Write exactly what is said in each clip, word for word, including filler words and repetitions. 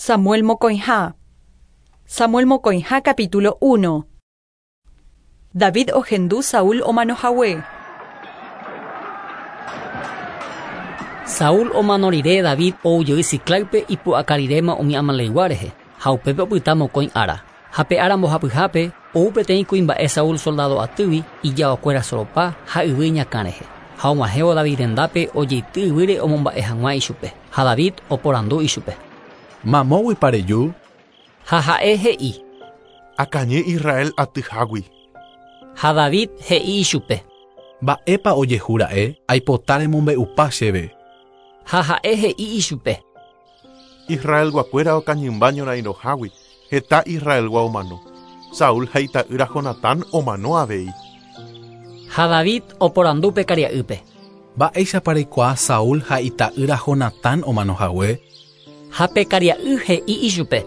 Samuel mokõiha. Samuel mokõiha capítulo uno. David ohendu Saúl omanohague. Saúl omano rire David oujey Siclágpe ipu'aka riréma umi Amaleygua rehe ha upépe opyta mokõi ára. Ha pe ára mbohapyhápe ou peteĩ kuimba'e Saúl soldado atýgui ijaokuéra soropa ha yvy iñakã rehe. Ha og̃uahẽvo David rendápe ojeity yvýre omomba'e hag̃ua ichupe. Ha David oporandu ichupe. Mamóguipa reju? Ha ha'e he'i. Akañy Israel atyhágui. Ha David he'i ichupe. Mba'épa ojehúra'e aipota remombe'upa chéve. Ha ha'e he'i ichupe. Israelguakuéra okañymba ñorairõhágui heta Israelgua omano. Saúl ha ita'ýra Jonatán omano avei. Ha David oporandu pe karia'ýpe. Mba'éichapa reikuaa Saúl ha ita'ýra Jonatán omanohague? Ha pe karia'y he'i ichupe.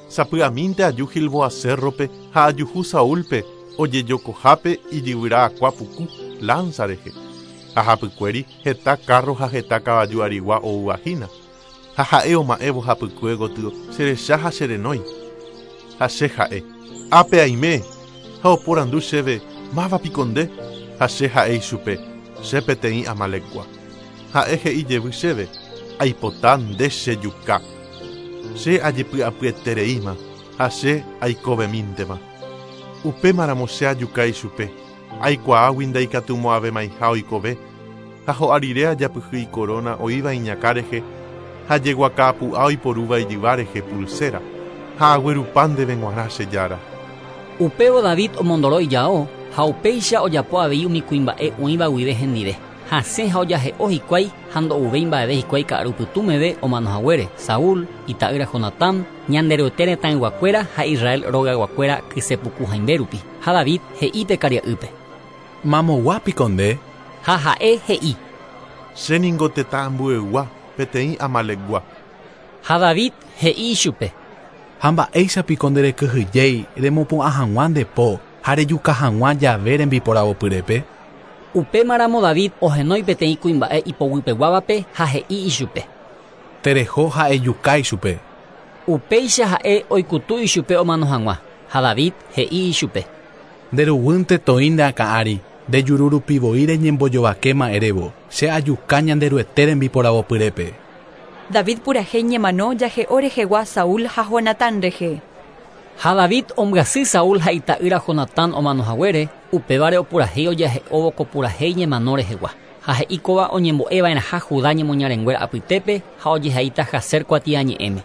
Sapy'amínte aju Gilboa cérrope ha ajuhu Saúlpe ojejokohápe ijyvyra akua puku lanza rehe. Ha hapykuéri heta carro ha heta kavaju arigua ouvahína. Ha ha'e oma'ẽvo hapykue gotyo cherecha ha cherenói. Ha che ha'e. Ápe aime. Ha oporandu chéve mávapiko nde. Ha che ha'e ichupe. Che peteĩ Amalekgua. Ha'e he'i jevy chéve. Aipota nde chejuka. Che ajepy'apyetereíma ha che aikovemíntema. Upémaramo che ajuka ichupe. Aikuaágui ndaikatumo'ãvémaiha oikove. Ha ho'a rire ajapyhy ikorona oĩva iñakã rehe ha jeguaka'apu'a oiporúva ijyva rehe pulsera. Ha aguerupa ndéve g̃uarã che jára. Upévo David omondoro ijao ha upéicha ojapo avei umi kuimba'e oĩva guive hendive. Hasẽ ha ojahe'o hikuái ha ndo'uvéi mba'eve hikuái ka'arupytũmeve omanohaguére Saúl, ita'ýra Jonatán, Ñanderuete retãyguakuéra ha Israel rogayguakuéra kysepuku haimbe rupi. Ha David he'i pe karia'ýpe. Mamoguápiko nde? Ha ha'e he'i. Chéningo tetã ambuegua peteĩ Amalekgua. Ha David he'i ichupe. Ha mba'éichapiko nderekyhyjéi remopu'ã hag̃ua nde po ha rejuka hag̃ua jave rembiporavopyrépe? Upémaramo David ohenói peteĩ kuimba'e ipoguypeguávape ha he'i ichupe. Tereho ha ejuka ichupe. Upéicha ha'e oikutu ichupe omano hag̃ua. Ha David he'i ichupe. Nderuguýnte toĩ nde akã ári, ndejururupivoi reñembojovakéma erévo, che ajuka Ñanderuete rembiporavopyrépe. David purahéi ñemano jahe'o rehegua Saúl ha Jonatán rehe. Ha David ombyasy Saúl ha ita'ýra Jonatán omanohaguére, upévare opurahéi ojahe'óvo ko purahéi ñemano rehegua. Ha he'i kóva oñembo'eva'erãha Judá ñemoñarenguéra apytépe ha ojehaíta Jaser kuatiañe'ẽme.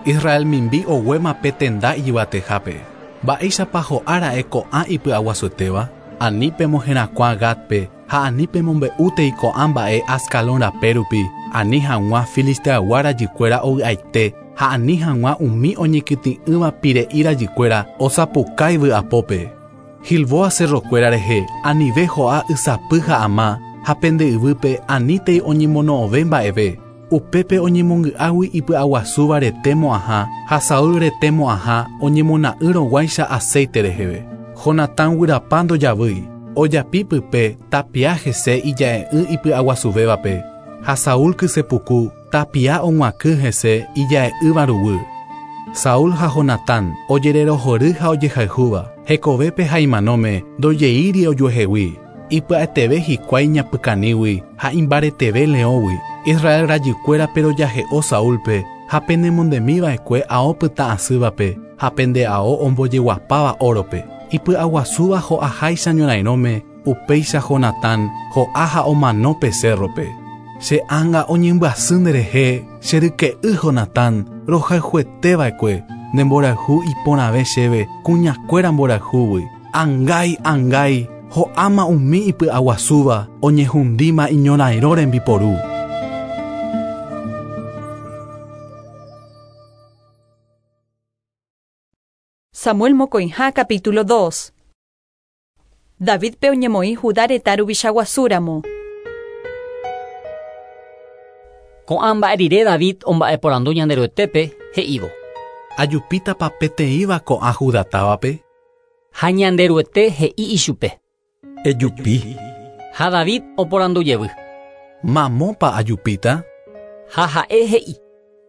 Israel mimbi oguéma pe tenda ijyvatehápe. Mba'éichapa ho'ára'e ko'ã ipy'aguasuetéva? Ani pemoherakuã Gatpe ha ani pemombe'útei ko'ã mba'e Ascalón rape rupi, ani hag̃ua Filisteaygua rajykuéra ovy'aite ha ani hag̃ua umi oñekytĩ'ỹva pire'i rajykuéra osapukái vy'apópe. Gilboa cerrokuéra rehe anive ho'a ysapy ha ama ha pende yvýpe anítei oñemono'õve mba'eve. Upépe oñemongy'águi ipy'aguasúva rete mo'ãha ha Saúl rete mo'ãha oñemona'ỹrõguáicha aceite reheve. Jonatán guyrapa ndojavýi, ojapi pype tapia hese ija'e'ỹ ipy'aguasuvévape ha Saúl kysepuku tapia og̃uakỹ hese ija'e'ỹva ruguy. Saúl ha Jonatán ojererohory ha ojehayhúva, hekovépe ha imanóme ndojeíri ojuehegui. Ipya'eteve hikuái ñapykanígui ha imbareteve leõgui. Israel rajykuéra perojahe'o Saúlpe ha penemondemiva'ekue ao pytã'asývape ha pende ao ombojeguapáva órope. Ipy'aguasúva ho'aháicha ñorairõme, upéicha Jonatán ho'a ha omano pe cérrope. Che ánga oñembyasy nderehe, che ryke'y Jonatán, rohayhueteva'ekue, nde mborayhu iporãve chéve, kuñakuéra mborayhúgui. Angái, angái, ho'áma umi ipy'aguasúva, oñehundíma iñorairõ rembiporu. Samuel mokõiha capítulo dos. Davidpe oñemoĩ Judá retã ruvicha guasúramo. Ko'ã mba'e rire David omba'eporandu Ñanderuetépe he'ívo. Ajupítapa peteĩva ko'ã Judá távape? Ha Ñanderuete he'i ichupe. Ejupi. Ha David oporandu jevy. Mamópa ajupíta? Ha ha'e he'i.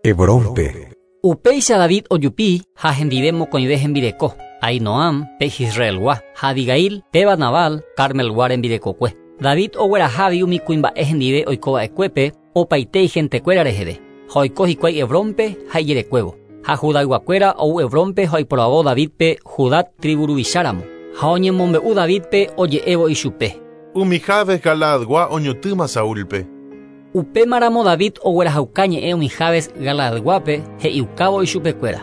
Hebrónpe. Upéicha David ojupi ha hendive mokõive hembireko. Ainoam pe Israelgua, ha Abigail péva Nabal Carmelgua rembirekokue. David oguerahávi umi kuimba'e hendive oikova'ekuépe opaite igentekuéra reheve. Ha oiko hikuái Hebrónpe ha ijerekuévo. Ha Judayguakuéra ou Hebrónpe ha oiporavo Davidpe Judá tribu ruvicháramo. Ha oñemombe'u Davidpe oje'évo ichupe. Umi Jabes Galaadgua oñotỹma Saúlpe. Upémaramo David oguerahauka ñe'ẽ umi Jabes Galaadguápe he'iukávo ichupekuéra.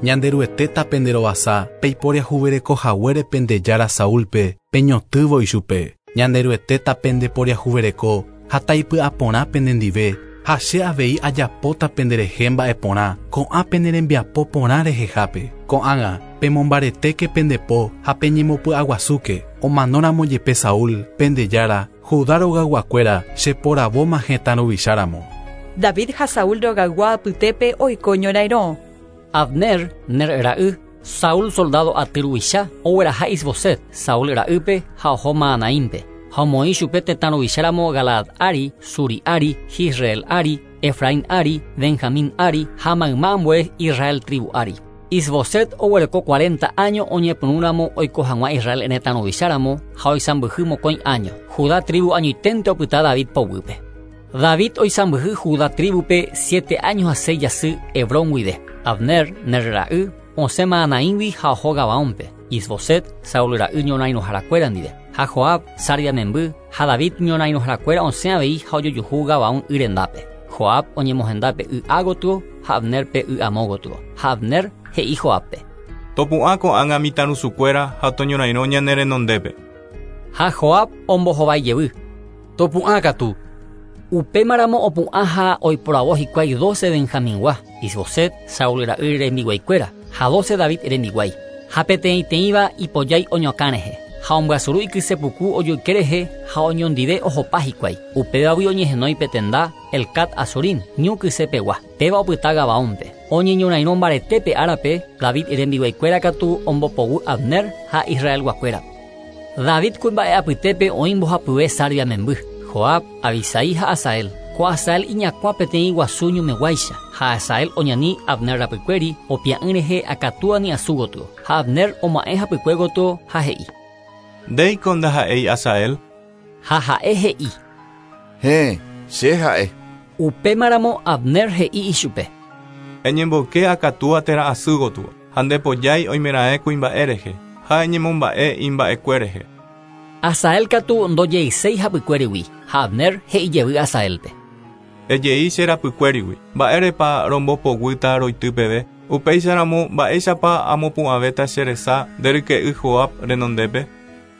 Ñanderuete penderovasa peiporiahuverekohaguére pendejára Saúlpe peñotỹvo ichupe. Ñanderuete pendeporiahuvereko ha taipy'aporã penendive ha che avei ajapóta penderehe mba'eporã ko'ã penerembiapo porã rehehápe. Ko'ág̃a pemombaretéke pendepo ha peñemopy'aguasúke omanóramo jepe Saúl pendejára Judá rogayguakuéra cheporavóma hetã ruvicháramo. David ha Saúl rogaygua apytépe oiko ñorairõ. Abner, Ner ra'y, Saúl soldado aty ruvicha ogueraha Isboset, Saúl ra'ýpe ha oho Mahanaímpe. Ha omoĩ chupe tetã ruvicháramo Galaad ári, Suri ári, Jisrael ári, Efraín ári, Benjamín ári ha mayma ambue Israel tribu ári. Isboset oguereko cuarenta año oñepyrũramo oiko hag̃ua Israel retã ruvicháramo ha oisãmbyhy mokõi año. Judá tribu añoiténte opyta David poguýpe. David oisãmbyhy Judá tribupe siete años ha seis jasy Hebrón guive. Abner, Ner ra'y, osẽ Mahanaígui ha oho Gabaónpe. Isboset, Saúl ra'y ñorairõharakuéra ndive. Ha Joab, Sarvia memby, ha David ñorairõharakuéra osẽ avei ha ojojuhu Gabaón y rendápe. Joab oñemohendápe y ágotyo ha Abnerpe y amógotyo. Ha Abner he'i Joabpe. Topu'ã ko'ág̃a mitãrusukuéra ha toñorairõ ñane renondépe. Ha Joab ombohovái Topu'ã katu. Upémaramo opu'ã ha oiporavo hikuái doce Benjamingua, Isboset, Saúl ra'y rembiguaikuéra, ha doce David rembiguái. Ha peteĩteĩva ipojái oñokã rehe. Ha ombyasuru ikysepuku ojoyke rehe ha oñondive ohopa hikuái. Upévagui oñehenói petenda Elcat Azorim, ñu kysepegua. Péva opyta Gabaónpe. Oñeñorairõ mbaretépe árape, David rembiguaikuéra katu ombopoguy Abner ha Israelguakuéra. David kuimba'e apytépe oĩ mbohapyve Sarvia memby. Joab, Abisai ha Asael. Ko Asael iñakuã peteĩ guasu ñumeguáicha. Ha Asael oñani Abner rapykuéri opia'ỹ rehe akatúani asu gotyo. Ha Abner oma'ẽ hapykue gotyo ha he'i. Ndéiko ndaha'éi Asael. Ha ha'e he'i. Héẽ, che ha'e. Upémaramo Abner he'i ichupe. Eñemboyke akatúa térã asy gotyo ha ndepojái oimeraẽ kuimba'e rehe ha eñemomba'e imba'ekue rehe. Asael katu ndojeiséi hapykuérigui ha Abner he'ijevy Asaelpe. Ejei che rapykuérigui mba'érepa rombopoguýta roity peve upéicharamo mba'éichapa amopu'ãvéta che resa nderyke'y Joab renondépe.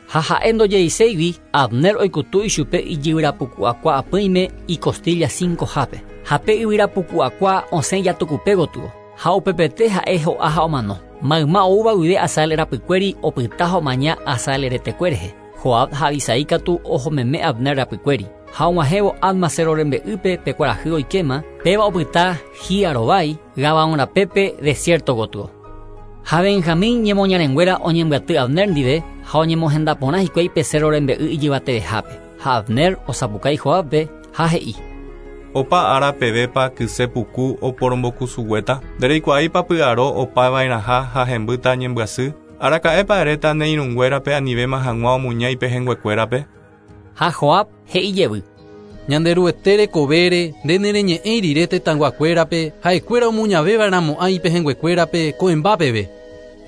Ha ha'e ndojeiséigui Abner oikutu ichupe ijyvyrapuku'akua apỹime icostilla cinco hápe. Ha pe yvyrapuku'akua osẽ jatukupe gotyo. Ha upepete ha'e ho'a ha omano. Mayma oúva guive Asael rapykuéri opyta ha omaña Asael retekue rehe. Joab ha Abisai katu ohomeme Abner rapykuéri. Ha og̃uahẽvo Adma cerro rembe'ýpe pe kuarahy oikéma, péva opyta Hiarovái, Gabaón rapépe desierto gotyo. Ha Benjamín ñemoñarenguéra oñembyaty Abner ndive ha oñemohendaporã hikuái pe cerro rembe'y ijyvatevehápe. Ha Abner osapukái Joabpe ha he'i. Opa ára pevépa kysepuku oporombokusuguéta ndereikuaáipa py'aro opava'erãha ha hembýta ñembyasy araka'épa eréta ne irũnguérape anivéma hag̃ua omuña ipehẽnguekuérape. Ha Joab he'ijevy. Ñanderuete rekovére nde nereñe'ẽi rire tetãyguakuérape ha'ekuéra omuñavéva'erãmo'ã ipehẽnguekuérape ko'ẽmba peve.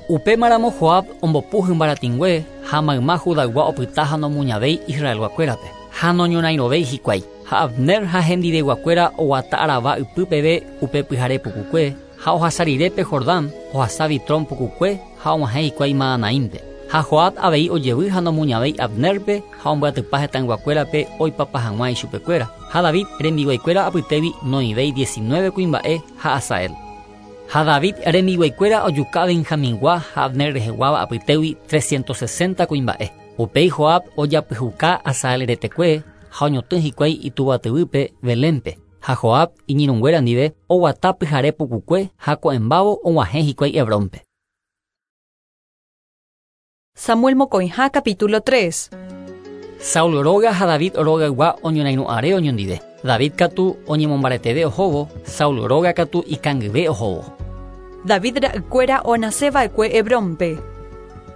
Upémaramo Joab ombopu hymbaratĩngue ha mayma Judaygua opyta ha nomuñavéi Israelguakuérape. Ha noñorairõvéi hikuái. Ha Abner ha hendiveguakuéra oguata arava ypy peve upe pyhare pukukue ha ohasa rire pe Jordán ohasa Bitrón pukukue ha og̃uahẽ hikuái Mahanaímpe. Ha Joab avei ojevy ha nomuñavéi Abnerpe ha ombyatypa hetãyguakuérape oipapa hag̃ua ichupekuéra. Ha David rembiguaikuéra apytégui noivéi diecinueve kuimba'e ha Asael. Ha David rembiguaikuéra ojuka Benjamingua ha Abner reheguáva apytégui trescientos sesenta kuimba'e. Upéi Joab ojapyhuka Asael retekue ha oñotỹ hikuái ituvatyvýpe Belénpe. Ha Joab iñirũnguéra ndive oguata pyhare pukukue ha ko'ẽmbávo og̃uahẽ hikuái Hebrónpe. Samuel mokõiha capítulo tres. Saúl róga ha David rogaygua oñorairõ'are oñondive. David katu oñemombareteve ohóvo, Saúl róga katu ikangyve ohóvo. David ra'ykuéra onaseva'ekue Hebrónpe.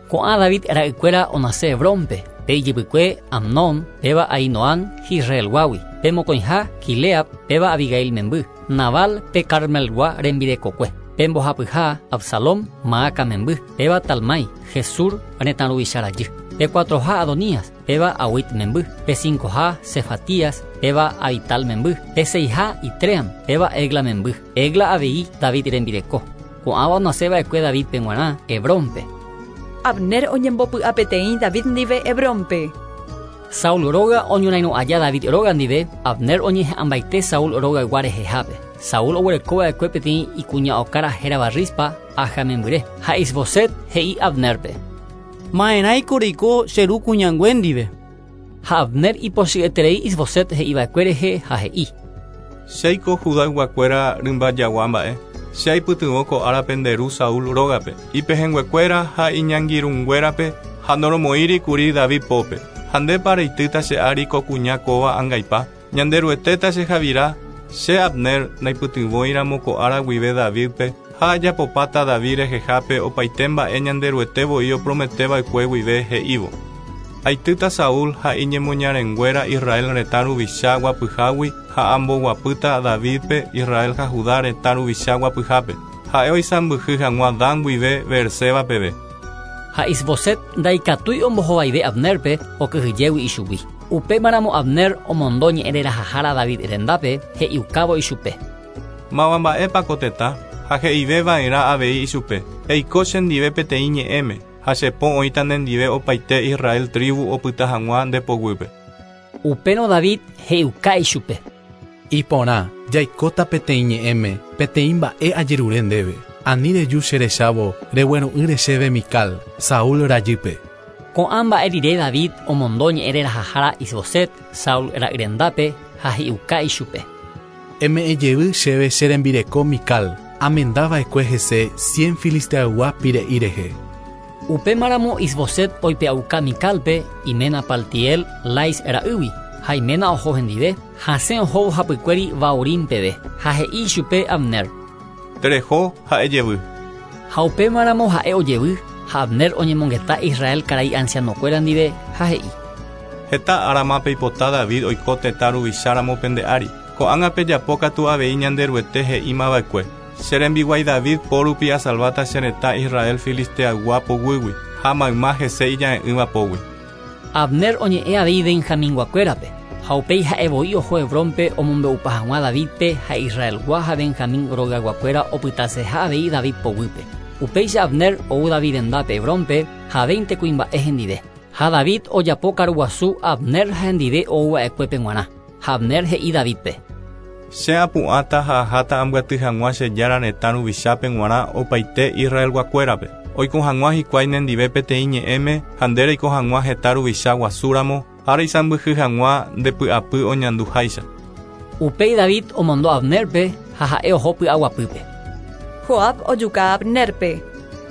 Ko'ã David ra'ykuéra onase Hebrónpe, pe ijypykue Amnón, péva Ahinoam Jisraelguágui, pe mokõiha Quileab, péva Abigail memby, Nabal pe Carmelgua rembirekokue, pe mbohapyha Absalón Maaca memby, péva Talmai, Gesur retã ruvicha rajy, pe cuatroha Adonías, péva Awit memby, pe cincoha Cefatías, péva Abital memby, pe seiha Itream, péva Egla memby, Egla avei David rembireko. Ko'ãva onaseva'ekue Davidpe g̃uarã Hebrónpe. Abner oñembopy'apeteĩ David ndive Hebrónpe. Saúl róga oñorairõ aja David róga ndive, Abner oñeha'ãmbaite Saúl rogaygua rehehápe. Saúl oguerekova'ekue peteĩ ikuña okára hérava Rispa Aja membyre, ha Isboset he'i Abnerpe. Ma'erãiko reiko che ru kuñangue ndive. Ha Abner ipochy'eterei Isboset he'iva'ekue rehe ha he'i. Chéiko Judayguakuéra rymba jagua mba'e. Che aipytyvõ ko árape nde ru Saúl rógape, ipehẽnguekuéra ha iñangirũnguérape ha noromoĩrikuri David pópe. Ha ndépa reitýta che ári ko kuña kóva angaipa, Ñanderuetéta che javira, che Abner naipytyvõiramo ko ára guive Davidpe ha ajapopáta David rehehápe opaite mba'e Ñanderuete voi oprometeva'ekue guive he'ívo. Aitýta Saúl ha iñemoñarenguéra Israel retã ruvicha guapyhágui ha amboguapýta Davidpe Israel ha Judá retã ruvicha guapyhápe. Ha'e oisãmbyhy hag̃ua Dan guive Beerseba peve. Ha Isboset ndaikatúi ombohovaive Abnerpe okyhyjégui ichugui. Upémaramo Abner omondo ñe'ẽrerahahára David rendápe he'iukávo ichupe. Máva mba'épa ko tetã ha he'iveva'erã avei ichupe. Eiko chendive peteĩ ñe'ẽme ha chepo oĩta nendive opaite Israel tribu opyta hag̃ua nde poguýpe. Upérõ David he'iuka ichupe. Iporã, jaikóta peteĩ ñe'ẽme, peteĩ mba'e ajerure ndéve. Ani reju cherechávo regueru'ỹre chéve Mical, Saúl rajýpe. Ko'ã mba'e rire David omondo ñe'ẽrerahahára Isboset, Saúl ra'y rendápe ha he'iuka ichupe. Eme'ẽjevy chéve che rembireko Mical, amendava'ekue hese cien filisteaygua pire'i rehe. Upémaramo Isboset oipe'auka Micalpe iména Paltiel Lais ra'ýgui, ha iména oho hendive, hasẽ ohóvo hapykuéri Bahurim peve, ha he'i ichupe Abner. Tereho ha'e jevy. Ha upémaramo ha'e ojevy, ha Abner oñemongeta Israel karai ancianokuéra ndive ha he'i. Heta árama peipota David oiko tetã ruvicháramo pende ári. Ko'ág̃a pejapo katu avei Ñanderuete he'ímava'ekue. Che rembiguái David pórupi asalváta che retã Israel filisteaygua poguýgui ha mayma hese ija'e'ỹva pógui. Abner oñe'ẽ avei Benjaminguakuérape, ha upéi ha'e voi oho Hebrónpe omombe'upa hag̃ua Davidpe ha Israelgua ha Benjamín rogayguakuéra opytaseha avei David poguýpe. Upéicha Abner ou David rendápe Hebrónpe ha veinte kuimba'e hendive. Ha David ojapo karuguasu Abner ha hendive ouva'ekuépe g̃uarã. Ha Abner he'i Davidpe. Che apu'ãta ha aháta ambyaty hag̃ua che jára retã ruvichápe g̃uarã opaite Israelguakuérape. Oiko hag̃ua hikuái nendive peteĩ ñe'ẽme ha nde reiko hag̃ua heta ruvicha guasúramo ha reisãmbyhy hag̃ua ndepy'apy oñanduháicha. Upéi David omondo Abnerpe ha ha'e oho py'aguapýpe. Joab ojuka Abnerpe.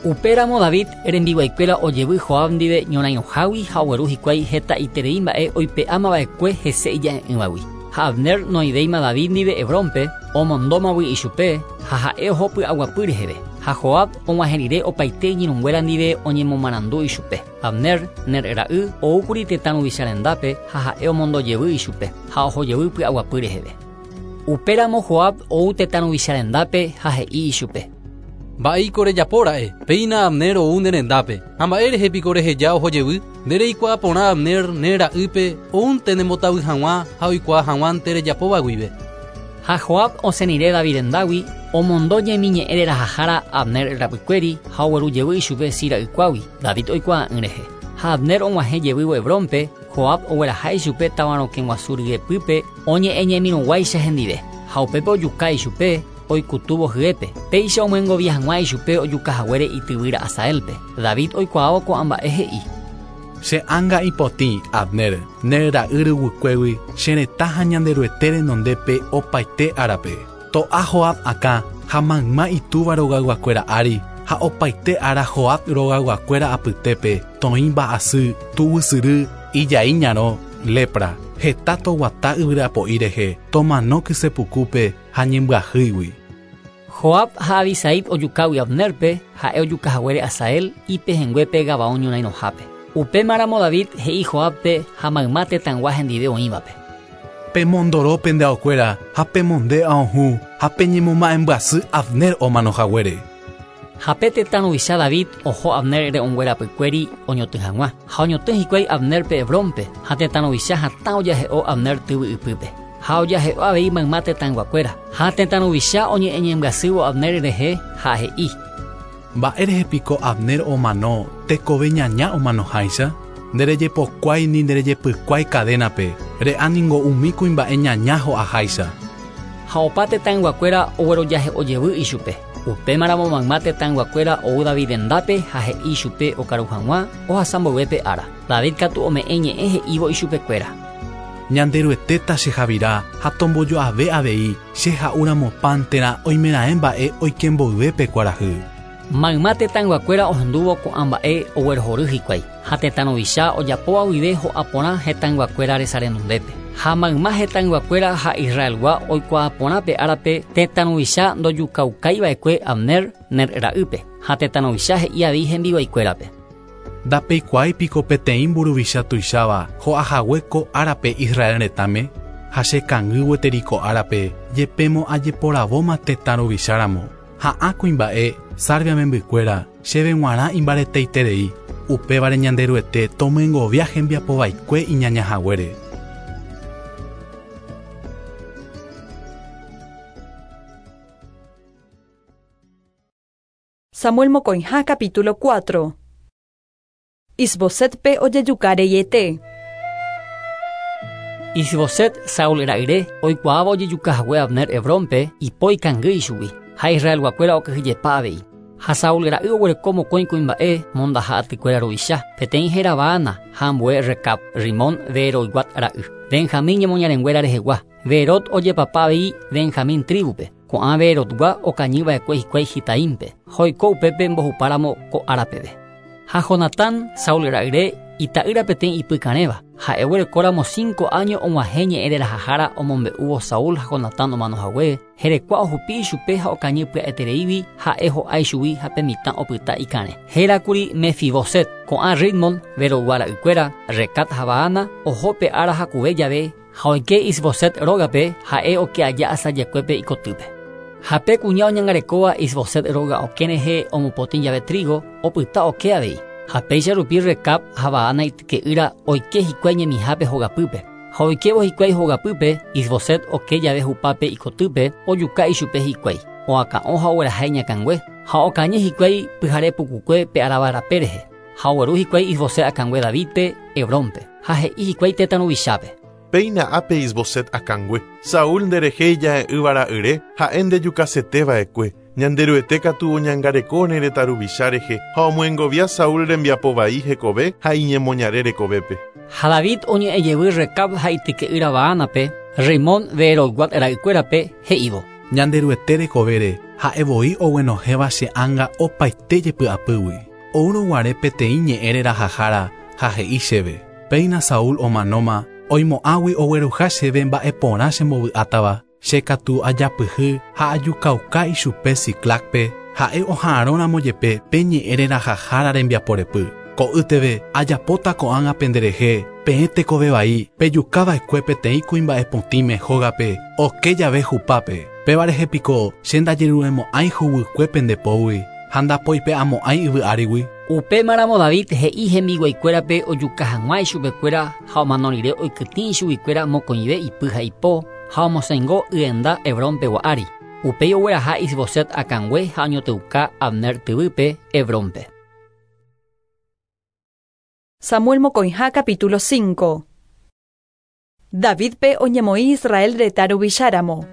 Upéramo David rembiguaikuéra ojevy Joab ndive ñorairõhágui ha ogueru hikuái hetaiterei mba'e oipe'ámava'ekue hese ija'e'ỹvagui. Ha Abner noivéima David ndive Hebrónpe omondómagui ichupe ha ha'e oho py'aguapy reheve. Ha Joab og̃uahẽ rire opaite iñirũnguéra ndive oñemomarandu ichupe. Abner, Ner ra'y, oúkuri tetã ruvicha rendápe ha ha'e omondojevy ichupe ha ohojevy py'aguapy reheve. Upéramo Joab ou tetã ruvicha rendápe ha he'i ichupe. Mba'éiko rejapóra'e, péina Abner ou nde rendápe. Ha mba'e rehe piko reheja ohojevy, nde reikuaa porã Abner ne ra'ýpe oúnte nembotavy hag̃ua ha oikuaa hag̃uánte rejapóva guive. Ha Joab osẽrire David rendágui omondo ñemiñe'ẽ rerahahára Abner rapykuéri ha ogueru jevy ichupe si ra'ykuágui David oikuaa'ỹ rehe. Ha Abner og̃uahẽ jevývo Hebrónpe, Joab ogueraha ichupe tavarokẽ guasu ryepýpe oñe'ẽñemirũguáicha hendive. Ha upépe ojuka ichupe oikutúvo hyépe. Péicha omyengovia hag̃ua ichupe ojukahaguére ityvýra Asaelpe. David oikuaávo ko'ã mba'e he'i. Che ánga ipotĩ, Abner, ne ra'y ryguikuégui che retã ha Ñanderuete renondépe opaite árape. To'a Joab akã ha mayma itúva rogayguakuéra ári ha opaite ára Joab rogayguakuéra apytépe toĩ mba'asy, tuguysyry, ijai ñarõ, lepra, heta toguata yvyrapo'i rehe, tomano kysepukupe ha ñembyahýigui. Joab ha Abisaí ojukágui Abnerpe, ha'e ojukahaguére Asael ipehẽnguépe Gabaón ñorairõhápe. Upémaramo David he'i Joabpe ha mayma tetãygua hendive oĩvape. Pemondoro pende aokuéra ha pemonde aohũ ha peñemoma'embyasy Abner omanohaguére. Ha pe tetã ruvicha David oho Abner re'õnguerapykuéri oñotỹ hag̃ua ha oñotỹ hikuái Abnerpe Hebrónpe ha tetã ruvicha hatã ojahe'o Abner tyvy ypýpe. Ha ojahe'o avei mayma tetãyguakuéra ha tetã ruvicha oñe'ẽñembyasývo Abner rehe ha he'i. Mba'érehe piko Abner omano tekove ñaña omanoháicha? Nderejepokuái ni nderejepykuái cadénape, re'a ningo umi kuimba'e ñaña ho'aháicha. Ha opa tetãyguakuéra oguerojahe'ojevy ichupe. Upémaramo mayma tetãyguakuéra ou David rendápe ha he'i ichupe okaru hag̃ua ohasa mboyvépe ára. David katu ome'ẽ ñe'ẽ he'ívo ichupekuéra. Ñanderuetéta chehavira ha tombojo'ave avei che ha'úramo pan térã oimeraẽ mba'e oike mboyvépe kuarahy. Mayma tetãyguakuéra ohendúvo ko'ã mba'e oguerohory hikuái ha tetã ruvicha ojapóva guive ho'a porã hetãyguakuéra resa renondépe. Ha mayma hetãyguakuéra ha Israelgua oikuaa porã pe árape tetã ruvicha ndojukaukaiva'ekue Abner Ner ra'ýpe ha tetã ruvicha he'i avei hembiguaikuérape. Ndapeikuaái piko peteĩ mburuvicha tuicháva ho'ahague ko árape Israel retãme ha chekangy gueteri ko árape jepémo ajeporavóma tetã ruvicháramo. Ha'ã kuimba'e Sarvia membykuéra chéve g̃uarã imbareteiterei upévare Ñanderuete tomyengovia hembiapovaikue iñañahaguére. Samuel mokõiha capítulo cuatro. Isbosetpe ojejukareyete. Isboset Saúl ra'yre oikuaáva ojejukahague Abner Hebrónpe ipo ikangy ichugui ha Israelguakuéra okyhyjepa avei. Ha Saúl ra'y oguereko mokõi kuimba'e mondaha atykuéra ruvicha peteĩ héra Baana ha ambue Recab Rimón Beeroyguat ra'y. Benjamín ñemoñarenguéra rehegua. Beerot ojepapa avei Benjamín tribupe. Ko'ã Beerotgua okañyva'ekue hikuái Gitaínpe. Ha oiko upépe mbohupáramo ko árapeve. Ha Jonatán Saúl ra'yre ita'ýra peteĩ ipykarẽva. Ha'e oguerekóramo cinco años og̃uahẽ ñe'ẽrerahahára omombe'úvo Saúl ha Jonatán omanohague herekua ohupi ichupe ha okañy pya'etereígui ha'e ho'a ichugui ha pe mitã opyta ikarẽ. Hérakuri Mefiboset ko'ã Ritmon Beerotgua ra'ykuéra Recat ha Baana oho pe ára hakuve jave ha oike Isboset rógape ha'e oke aja asajekuépe ikotýpe. Ha pe kuña oñangarekóva Isboset róga okẽ rehe omopotĩ jave trigo opyta oke avei. Ha péicha rupi Recab ha Baana ityke'ýra oike hikuái ñemihápe hogapýpe. Ha oikévo hikuái hogapýpe Isboset oke jave hupápe ikotýpe ojuka ichupe hikuái. Oaka'õ ha ogueraha iñakãngue ha okañy hikuái pyhare pukukue pe aravarape rehe. Ha ogueru hikuái Isboset akãngue Davidpe Hebrónpe. Ha he'i hikuái tetã ruvichápe. Péina ápe Isboset akãngue. Saúl nderehe ija'e'ỹva ra'yre ha'e ndejukaseteva'ekue. Ñanderuete katu oñangareko ne retã ruvicha rehe ha omyengovia Saúl rembiapovai hekove ha iñemoñare rekovépe. Ha David oñe'ẽjevy Recab ha ityke'ýra Baanape, Rimón Beerotguat ra'ykuérape he'ívo. Ñanderuete rekovére ha'e voi oguenohẽva che ánga opaite jepy'apýgui. Oúrõguare peteĩ ñe'ẽ rerahahára ha he'i chéve. Péina Saúl omanóma oimo'ãgui ogueruha chéve mba'eporã chembovy'átava. Che katu ajapyhy ha ajukauka ichupe Siclacpe ha'e oha'arõramo jepe pe ñe'ẽ rerahahára rembiaporepy. Ko'ýteve ajapóta ko'ág̃a penderehe peẽ tekovevai pejukava'ekue peteĩ kuimba'e potĩme hógape oke jave hupápe. Péva rehe piko che ndajeruremo'ãi huguykue pendepógui ha ndapoipe'amo'ãi yvy árigui. Upémaramo David he'i hembiguaikuérape ojuka hag̃ua ichupekuéra ha omano rire oikytĩ ichuguikuéra mokõive ipy ha ipo ha omosẽingo yenda Hebrónpegua ári. Upéi ogueraha Isboset akãngue ha oñotỹuka Abner tyvýpe Hebrónpe. Samuel mokõiha capítulo cinco. Davidpe oñemoĩ Israel retã ruvicháramo.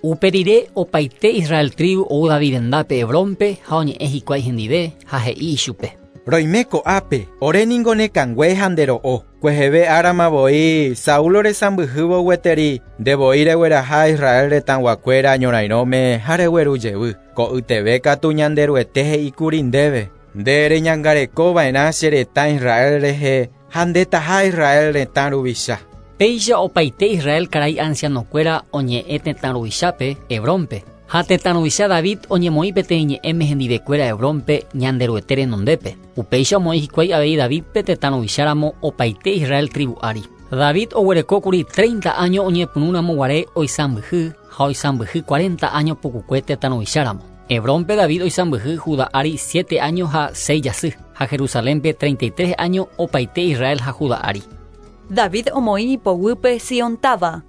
Upe rire opaite Israel tribu ou David rendápe Hebrónpe ha oñe'ẽ hikuái hendive ha he'i ichupe. Roime ko'ápe, ore ningo nekangue ha ndero'o. Kueheve árama voi Saúl oresãmbyhývo gueteri ndevoi regueraha Israel retãguakuéra ñorairõme ha regueru jevy. Ko'yteve katu Ñanderuete he'íkuri ndéve. Nde reñangarekova'erã che retã Israel rehe ha ndetaha Israel retã ruvicha. Péicha opaite Israel karai ancianokuéra oñe'ẽ tetã ruvichápe Hebrónpe. Ha tetã ruvicha David oñemoĩ peteĩ ñe'ẽme hendivekuéra Hebrónpe Ñanderuete renondépe. Upéicha omoĩ hikuái avei Davidpe tetã ruvicháramo opaite Israel tribu ári. David oguerekókuri treinta años oñepyrũramo guare oisãmbyhy ha oisãmbyhy cuarenta años pukukue tetã ruvicháramo. Hebrónpe David oisãmbyhy Judá ári siete años ha seis jasy, ha Jerusalénpe treinta y tres años opaite Israel ha Judá ári. David omoĩ ipoguýpe Sion táva.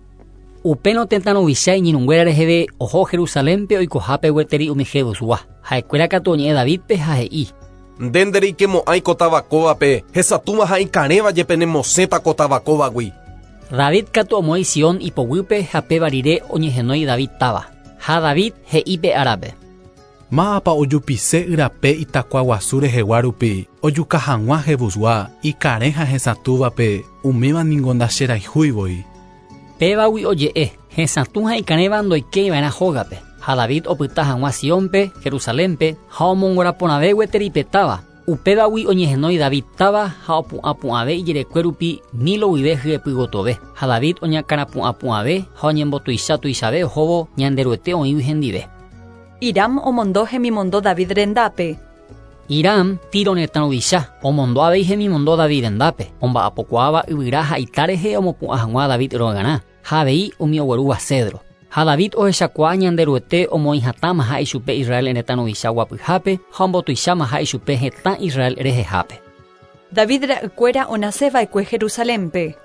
Upérõ tetã ruvicha iñirũnguéra reheve oho Jerusalénpe oikohápe gueteri umi Jebusgua. Ha'ekuéra katu oñe'ẽ Davidpe ha he'i: Nde ndereikemo'ãi ko tavakóvape, hesatũva ha ikarẽva jepe nemosẽta ko tavakóvagui. David katu omoĩ Sion ipoguýpe ha péva rire oñehenói David táva. Ha David he'i pe árape: Mápa ojupise yrape itakuaguasu rehegua rupi, ojuka hag̃ua Jebusgua, ikarẽ ha hesatũvape, umíva ningo ndacherayhúivoi. Pévagui oje'e, hesatũ ha ikarẽva ndoikéiva'erã hógape. Ha David opyta hag̃ua Siónpe, Jerusalénpe, ha omongoraporãve gueteri pe táva. Upévagui oñehenói David táva ha opu'ãpu'ãve ijerekue rupi Milo guive hyepygotove. Ha David oñakãrapu'ãpu'ãve ha oñembotuichatuichave ohóvo Ñanderuete oĩgui hendive. Hiram omondo hemimondo David rendápe. Hiram, Tiro retã ruvicha, omondo avei hemimondo David rendápe, omba'apokuaáva yvyra ha ita rehe omopu'ã hag̃ua David rogarã, ha avei umi oguerúva cedro. Ha David ohechakuaa Ñanderuete omoĩ hatãmaha ichupe Israel retã ruvicha guapyhápe ha ombotuichámaha ichupe hetã Israel rehehápe. David ra'ykuéra onaseva'ekue Jerusalénpe.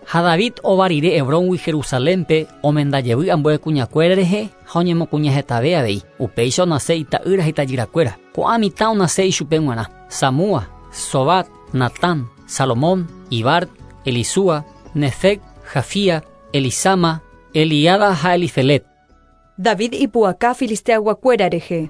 Ha David ova rire Hebróngui Jerusalénpe omendajevy ambue kuñakuéra rehe ha oñemokuñahetave avei. Upéicha onase ita'ýra ha itajyrakuéra. Ko'ã mitã onase ichupe g̃uarã: Samúa, Sobat, Natán, Salomón, Ibar, Elisúa, Nefeg, Jafía, Elisama, Eliada ha Elifelet. David ipu'aka filisteayguakuéra rehe.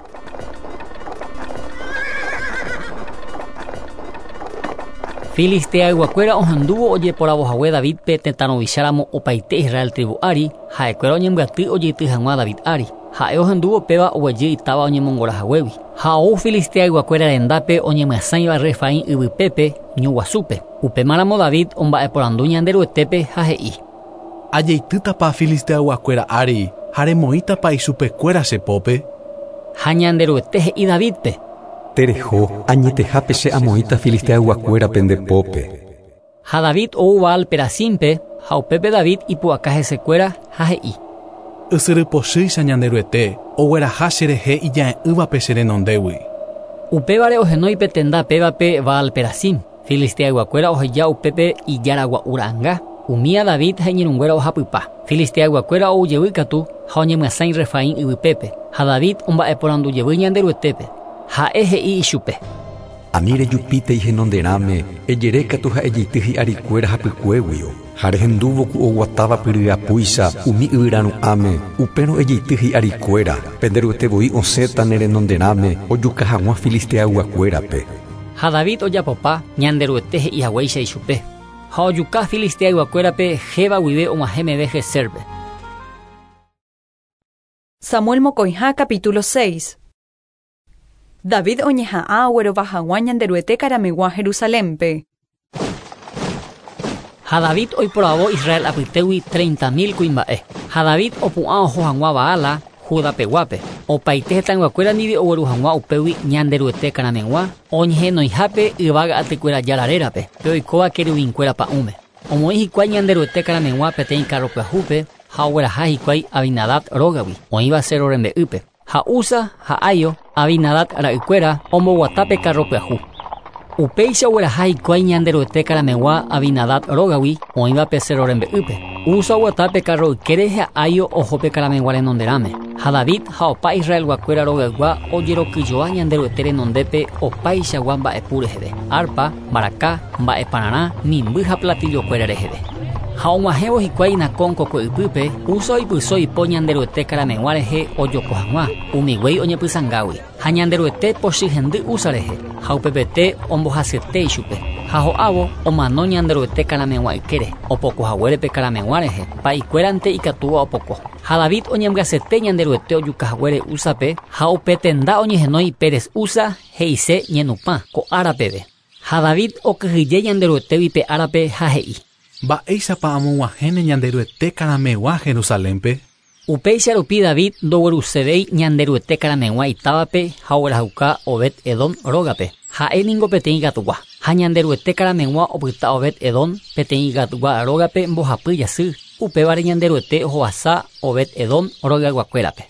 Filisteayguakuéra ohendúvo ojeporavohague Davidpe tetã ruvicháramo opaite Israel tribu ári, ha'ekuéra oñembyaty ojeity hag̃ua David ári. Ha'e ohendúvo péva oguejy itáva oñemongorahaguégui. Ha ou filisteayguakuéra rendápe oñemyasãiva Refaim yvypépe ñu guasúpe. Upémaramo David omba'eporandu Ñanderuetépe ha he'i: Ajeitýtapa filisteayguakuéra ári ha remoĩtapa ichupekuéra che pópe. Ha Ñanderuete he'i Davidpe: Tereho, añetehápe che amoĩta filisteayguakuérape nde pópe. Ha David ou Baal Perasímpe ha upépe David ipu'aka hesekuéra ha he'i: Ysyrypochýicha Ñanderuete ogueraha cherehe ija'e'ỹvape che renondégui. Upévare ohenói pe tenda pévape Baal Perasim. Filisteayguakuéra oheja upépe ijaragua'u ra'ãnga. Umía David ha iñirũnguéra ohapypa. Filisteayguakuéra oujevy katu ha oñemyasãi Refaim yvypépe. Ha David omba'eporandujevy Ñanderuetépe. Ha'e he'i ichupe: Ani rejupítei henonderãme, ejerékatu ha ejeity hi'arikuéra hapykuéguio. Ha rehendúvo ku oguatáva pyryapúicha umi yvyraru'ãme, upérõ ejeity hi'arikuéra, penderuete voi osẽta ne renonderãme ojuka hag̃ua filisteayguakuérape. Ha David ojapopa Ñanderuete he'i haguéicha ichupe. Ha ojuka filisteayguakuérape Jeba guive og̃uahẽ meve Geserpe. Samuel mokõiha capítulo seis. David oñeha'ã oguerova hag̃ua Ñanderuete karamegua Jerusalénpe. Ha David oiporavo Israel apytégui treinta mil kuimba'e. Ha David opu'ã oho hag̃ua Baala, Judapeguápe. Opaite hetãyguakuéra ndive ogueru hag̃ua upégui Ñanderuete karamegua oñehenoihápe yvága atykuéra jára rérape, pe oikóva querubinkuéra pa'ũme. Omoĩ hikuái Ñanderuete karamegua peteĩ carro pyahúpe ha ogueraha hikuái Abinadab rógagui, oĩva cerro rembe'ýpe. Ha Uza ha Aio, Abinadab ra'ykuéra omboguatápe carro pyahu. Upéicha ogueraha hikuái Ñanderuete karamegua Abinadab rógagui oĩva pe cerro rembe'ýpe. Uza oguatápe carro ykére ha Aio ohópe karamegua renonderãme. Ha David ha opa Israelguakuéra rogaygua ojerokyjoa Ñanderuete renondépe opaichagua mba'epu reheve: arpa, mbaraka, mba'epararã, mimby ha platillokuéra reheve. Ha og̃uahẽvo hikuái Nacón kokue ypýpe, Uza oipyso ipo Ñanderuete karamegua rehe ojoko hag̃ua, umi guéi oñepysãngágui. Ha Ñanderuete pochy hendy Uza rehe, ha upepete ombohasyete ichupe. Ha ho'ávo omano Ñanderuete karamegua ykére, opokohaguére pe karamegua rehe, pa'ikuérante ikatúva opoko. Ha David oñembyasete Ñanderuete ojukahaguére Uzape, ha upe tenda oñehenói Pérez Uza he'ise ñenupã ko ára peve. Ha David okyhyje Ñanderuetégui pe árape ha he'i. Mba'éichapa amog̃uahẽne Ñanderuete karameg̃ua Jerusalénpe? Upéicha rupi David ndoguerusevéi Ñanderuete karameg̃ua itávape ha oguerahuka Obed-Edom rógape. Ha'e ningo peteĩ gatugua. Ha Ñanderuete karameg̃ua opyta Obed-Edom peteĩ gatugua rógape mbohapy jasy. Upévare Ñanderuete ohovasa Obed-Edom rogayguakuérape.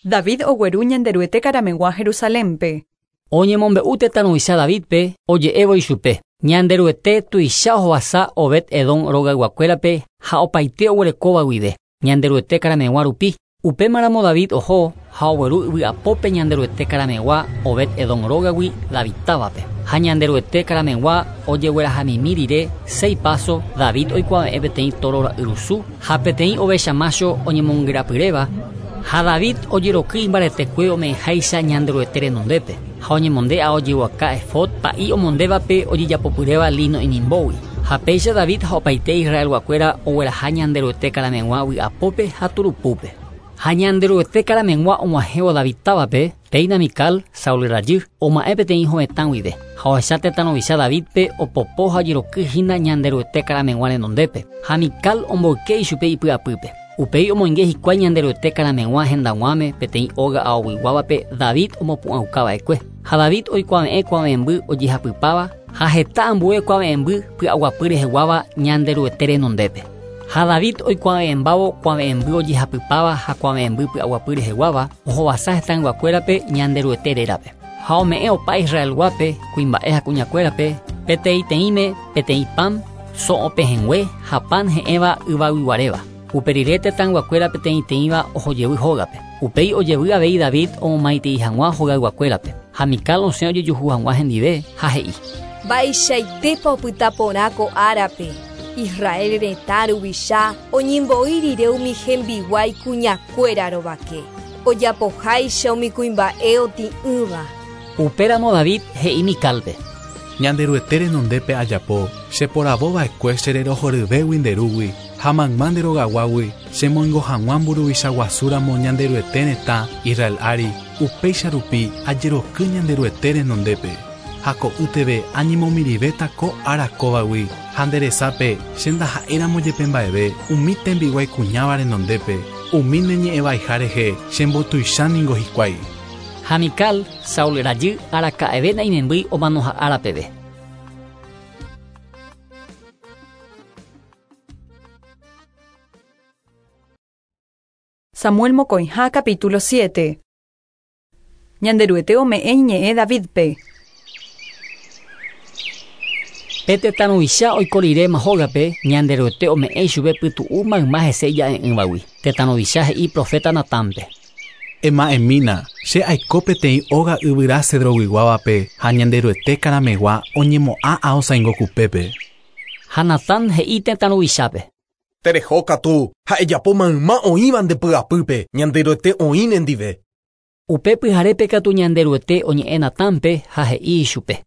David ogueru Ñanderuete karameg̃ua Jerusalénpe. Oñemombe'u tetã ruvicha Davidpe oje'évo ichupe. Ñanderuete tuicha ohovasa Obed-Edom rogayguakuérape ha opaite oguerekóva guive. Ñanderuete karameg̃ua rupi. Upémaramo David oho ha ogueru yvy'apópe Ñanderuete karameg̃ua Obed-Edom rógagui David távape. Ha Ñanderuete karameg̃ua ojeguerahamimi rire seis paso David oikuave'ẽ peteĩ toro ra'yrusu ha peteĩ ovecha macho oñemongerapyréva. Ha David ojeroky imbaretekue ome'ẽháicha Ñanderuete renondépe. Ha oñemonde aojeguaka efod pa'i omondévape ojejapopyréva lino inimbógui. Ha péicha David ha opaite Israelguakuéra ogueraha Ñanderuete karameg̃ua vy'apópe ha turupúpe. Ha Ñanderuete karameg̃ua og̃uahẽvo David távape, péina Mical, Saúl rajy, oma'ẽ peteĩ hovetã guive. Ha ohecha tetã ruvicha Davidpe opopo ha ojeroky hína Ñanderuete karameg̃ua renondépe. Ha Mical omboyke ichupe ipy'apýpe. Upéi omoinge hikuái Ñanderuete karameg̃ua hendag̃uáme peteĩ óga aoguiguávape David omopu'ãukava'ekue. Ha David oikuave'ẽ kuave'ẽmby ojehapypáva ha heta ambue kuave'ẽmby py'aguapy reheguáva Ñanderuete renondépe. Ha David oikuave'ẽmbávo kuave'ẽmby ojehapypáva ha kuave'ẽmby py'aguapy reheguáva ohovasa hetãyguakuérape Ñanderuete rérape. Ha ome'ẽ opa Israelguápe kuimba'e ha kuñakuérape peteĩteĩme peteĩ pan so'opehẽngue ha pan he'ẽva yvaguiguaréva. Upe rire tetãyguakuéra peteĩteĩva ohojevy hógape. Upéi ojevy avei David omomaitei hag̃ua hogayguakuérape. Ha Mical osẽ ojejuhu hag̃ua hendive ha he'i. Mba'eichaitépa opyta porã ko árape. Israel retã ruvicha oñembo'i rire umi hembiguái kuñakuéra rovake. Ojapoháicha umi kuimba'e otĩ'ỹva. Upéramo David he'i Micálpe. Ñanderuete renondépe ajapo, cheporavova'ekue chererohoryvégui nderúgui ha mayma nde rogaguágui chemoingo hag̃ua mburuvicha guasúramo Ñanderuete retã Israel ári, upéicha rupi ajeroky Ñanderuete renondépe. Ha ko'ýteve añemomirivéta ko ára kóvagui ha nderesápe che ndaha'éramo jepe mba'eve umi tembiguái kuñáva renondépe, umi neñe'ẽvaiha rehe chembotuicha ningo hikuái. Ha Mical, Saúl rajy araka'eve naimembýi omanoha ára peve. Samuel mokõiha capítulo siete. Ñanderuete ome'ẽ iñe'ẽ Davidpe. Pe tetã ruvicha oiko riréma hógape, Ñanderuete ome'ẽ ichupe pytu'u mayma hese ija'e'ỹvagui. Tetã ruvicha he'i profeta Natánpe. Ema'ẽmína, che aiko peteĩ óga yvyra cedroguiguávape ha Ñanderuete karameg̃ua oñemo'ã aosãingo kupépe. Ha Natán he'i tetã ruvichápe. Tereho katu, ha ejapo mayma oĩva nde py'apýpe, Ñanderuete oĩ nendive. Upe pyharépe katu Ñanderuete oñe'ẽ Natánpe ha he'i ichupe.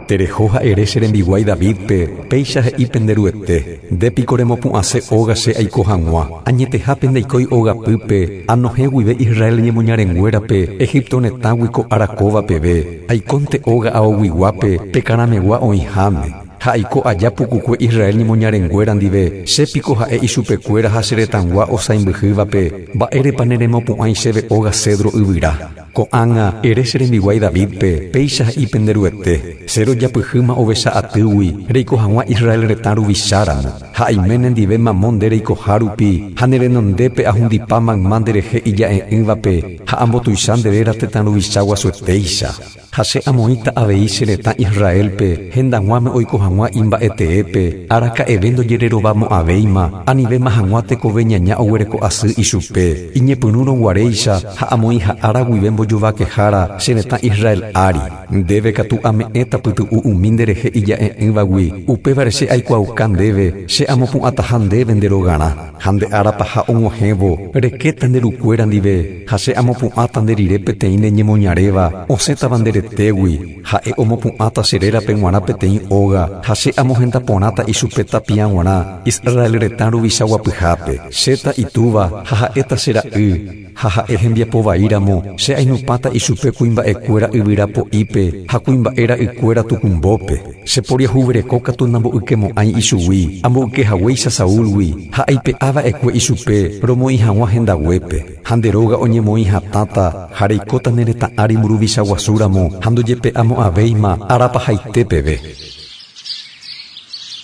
Tereho ha'ere che rembiguái Davidpe, péicha he'i penderuete, ndépiko remopu'ãse óga che aiko hag̃ua. Añetehápe ndaikói ógapýpe, anohẽ guive Israel ñemoñarenguérape, Egipto retãgui ko ára kóva peve, aikónte óga aoguiguápe, pe karameg̃ua oĩháme. Ha aiko aja pukukue Israel ñemoñarenguéra ndive, chépiko ha'e ichupekuéra ha che retãgua osãimbyhývape, mba'érepa neremopu'ãi chéve óga cedro yvyra. Ko'ág̃a ere che rembiguái Davidpe, péicha he'i penderuete, che rojapyhýma ovecha atýgui, reiko hag̃ua Israel retã ruvicháramo. Ha aime nendive mamo nde reikoha rupi, ha nerenondépe ahundipa mayma nderehe ija'e'ỹvape, ha ambotuicha nde réra tetã ruvicha guasuetéicha. Ha che amoĩta avei che retã Israelpe, hendag̃uáme oiko hag̃ua imba'eteépe, araka'eve ndojererovamo'ãvéima, anivéma hag̃ua tekove ñaña oguereko asy ichupe, iñepyrũrõguaréicha ha amoĩha ára guive mbojovakehára che retã Israel ári. Ndéve katu ame'ẽta pytu'u umi nderehe ija'e'ỹvagui, upévare che aikuaauka ndéve, che amopu'ãtaha ndéve nde rogarã. Ha nde árapaha og̃uahẽvo, rekéta nde rukuéra ndive, ha che amopu'ãta nde rire peteĩ neñemoñaréva, osẽtava nde retégui, ha'e omopu'ãta che rérape g̃uarã peteĩ óga, ha che amohendaporãta ichupe tapia g̃uarã, Israel retã ruvicha guapyhápe. Chéta itúva ha ha'éta che ra'y. ha ha'e hembiapo vaíramo che ainupãta ichupe kuimba'ekuéra yvyrapo'ípe ha kuimba'e ra'ykuéra tukumbópe. Che poriahuvereko katu namboykemo'ãi ichugui amboykehaguéicha Saúlgui ha aipe'ava'ekue ichupe romoĩ hag̃ua hendaguépe. Ha nde róga oñemoĩ hatãta ha reikóta ne retã ári mburuvicha guasúramo ha ndojepe'amo'ãvéima arapahaite peve.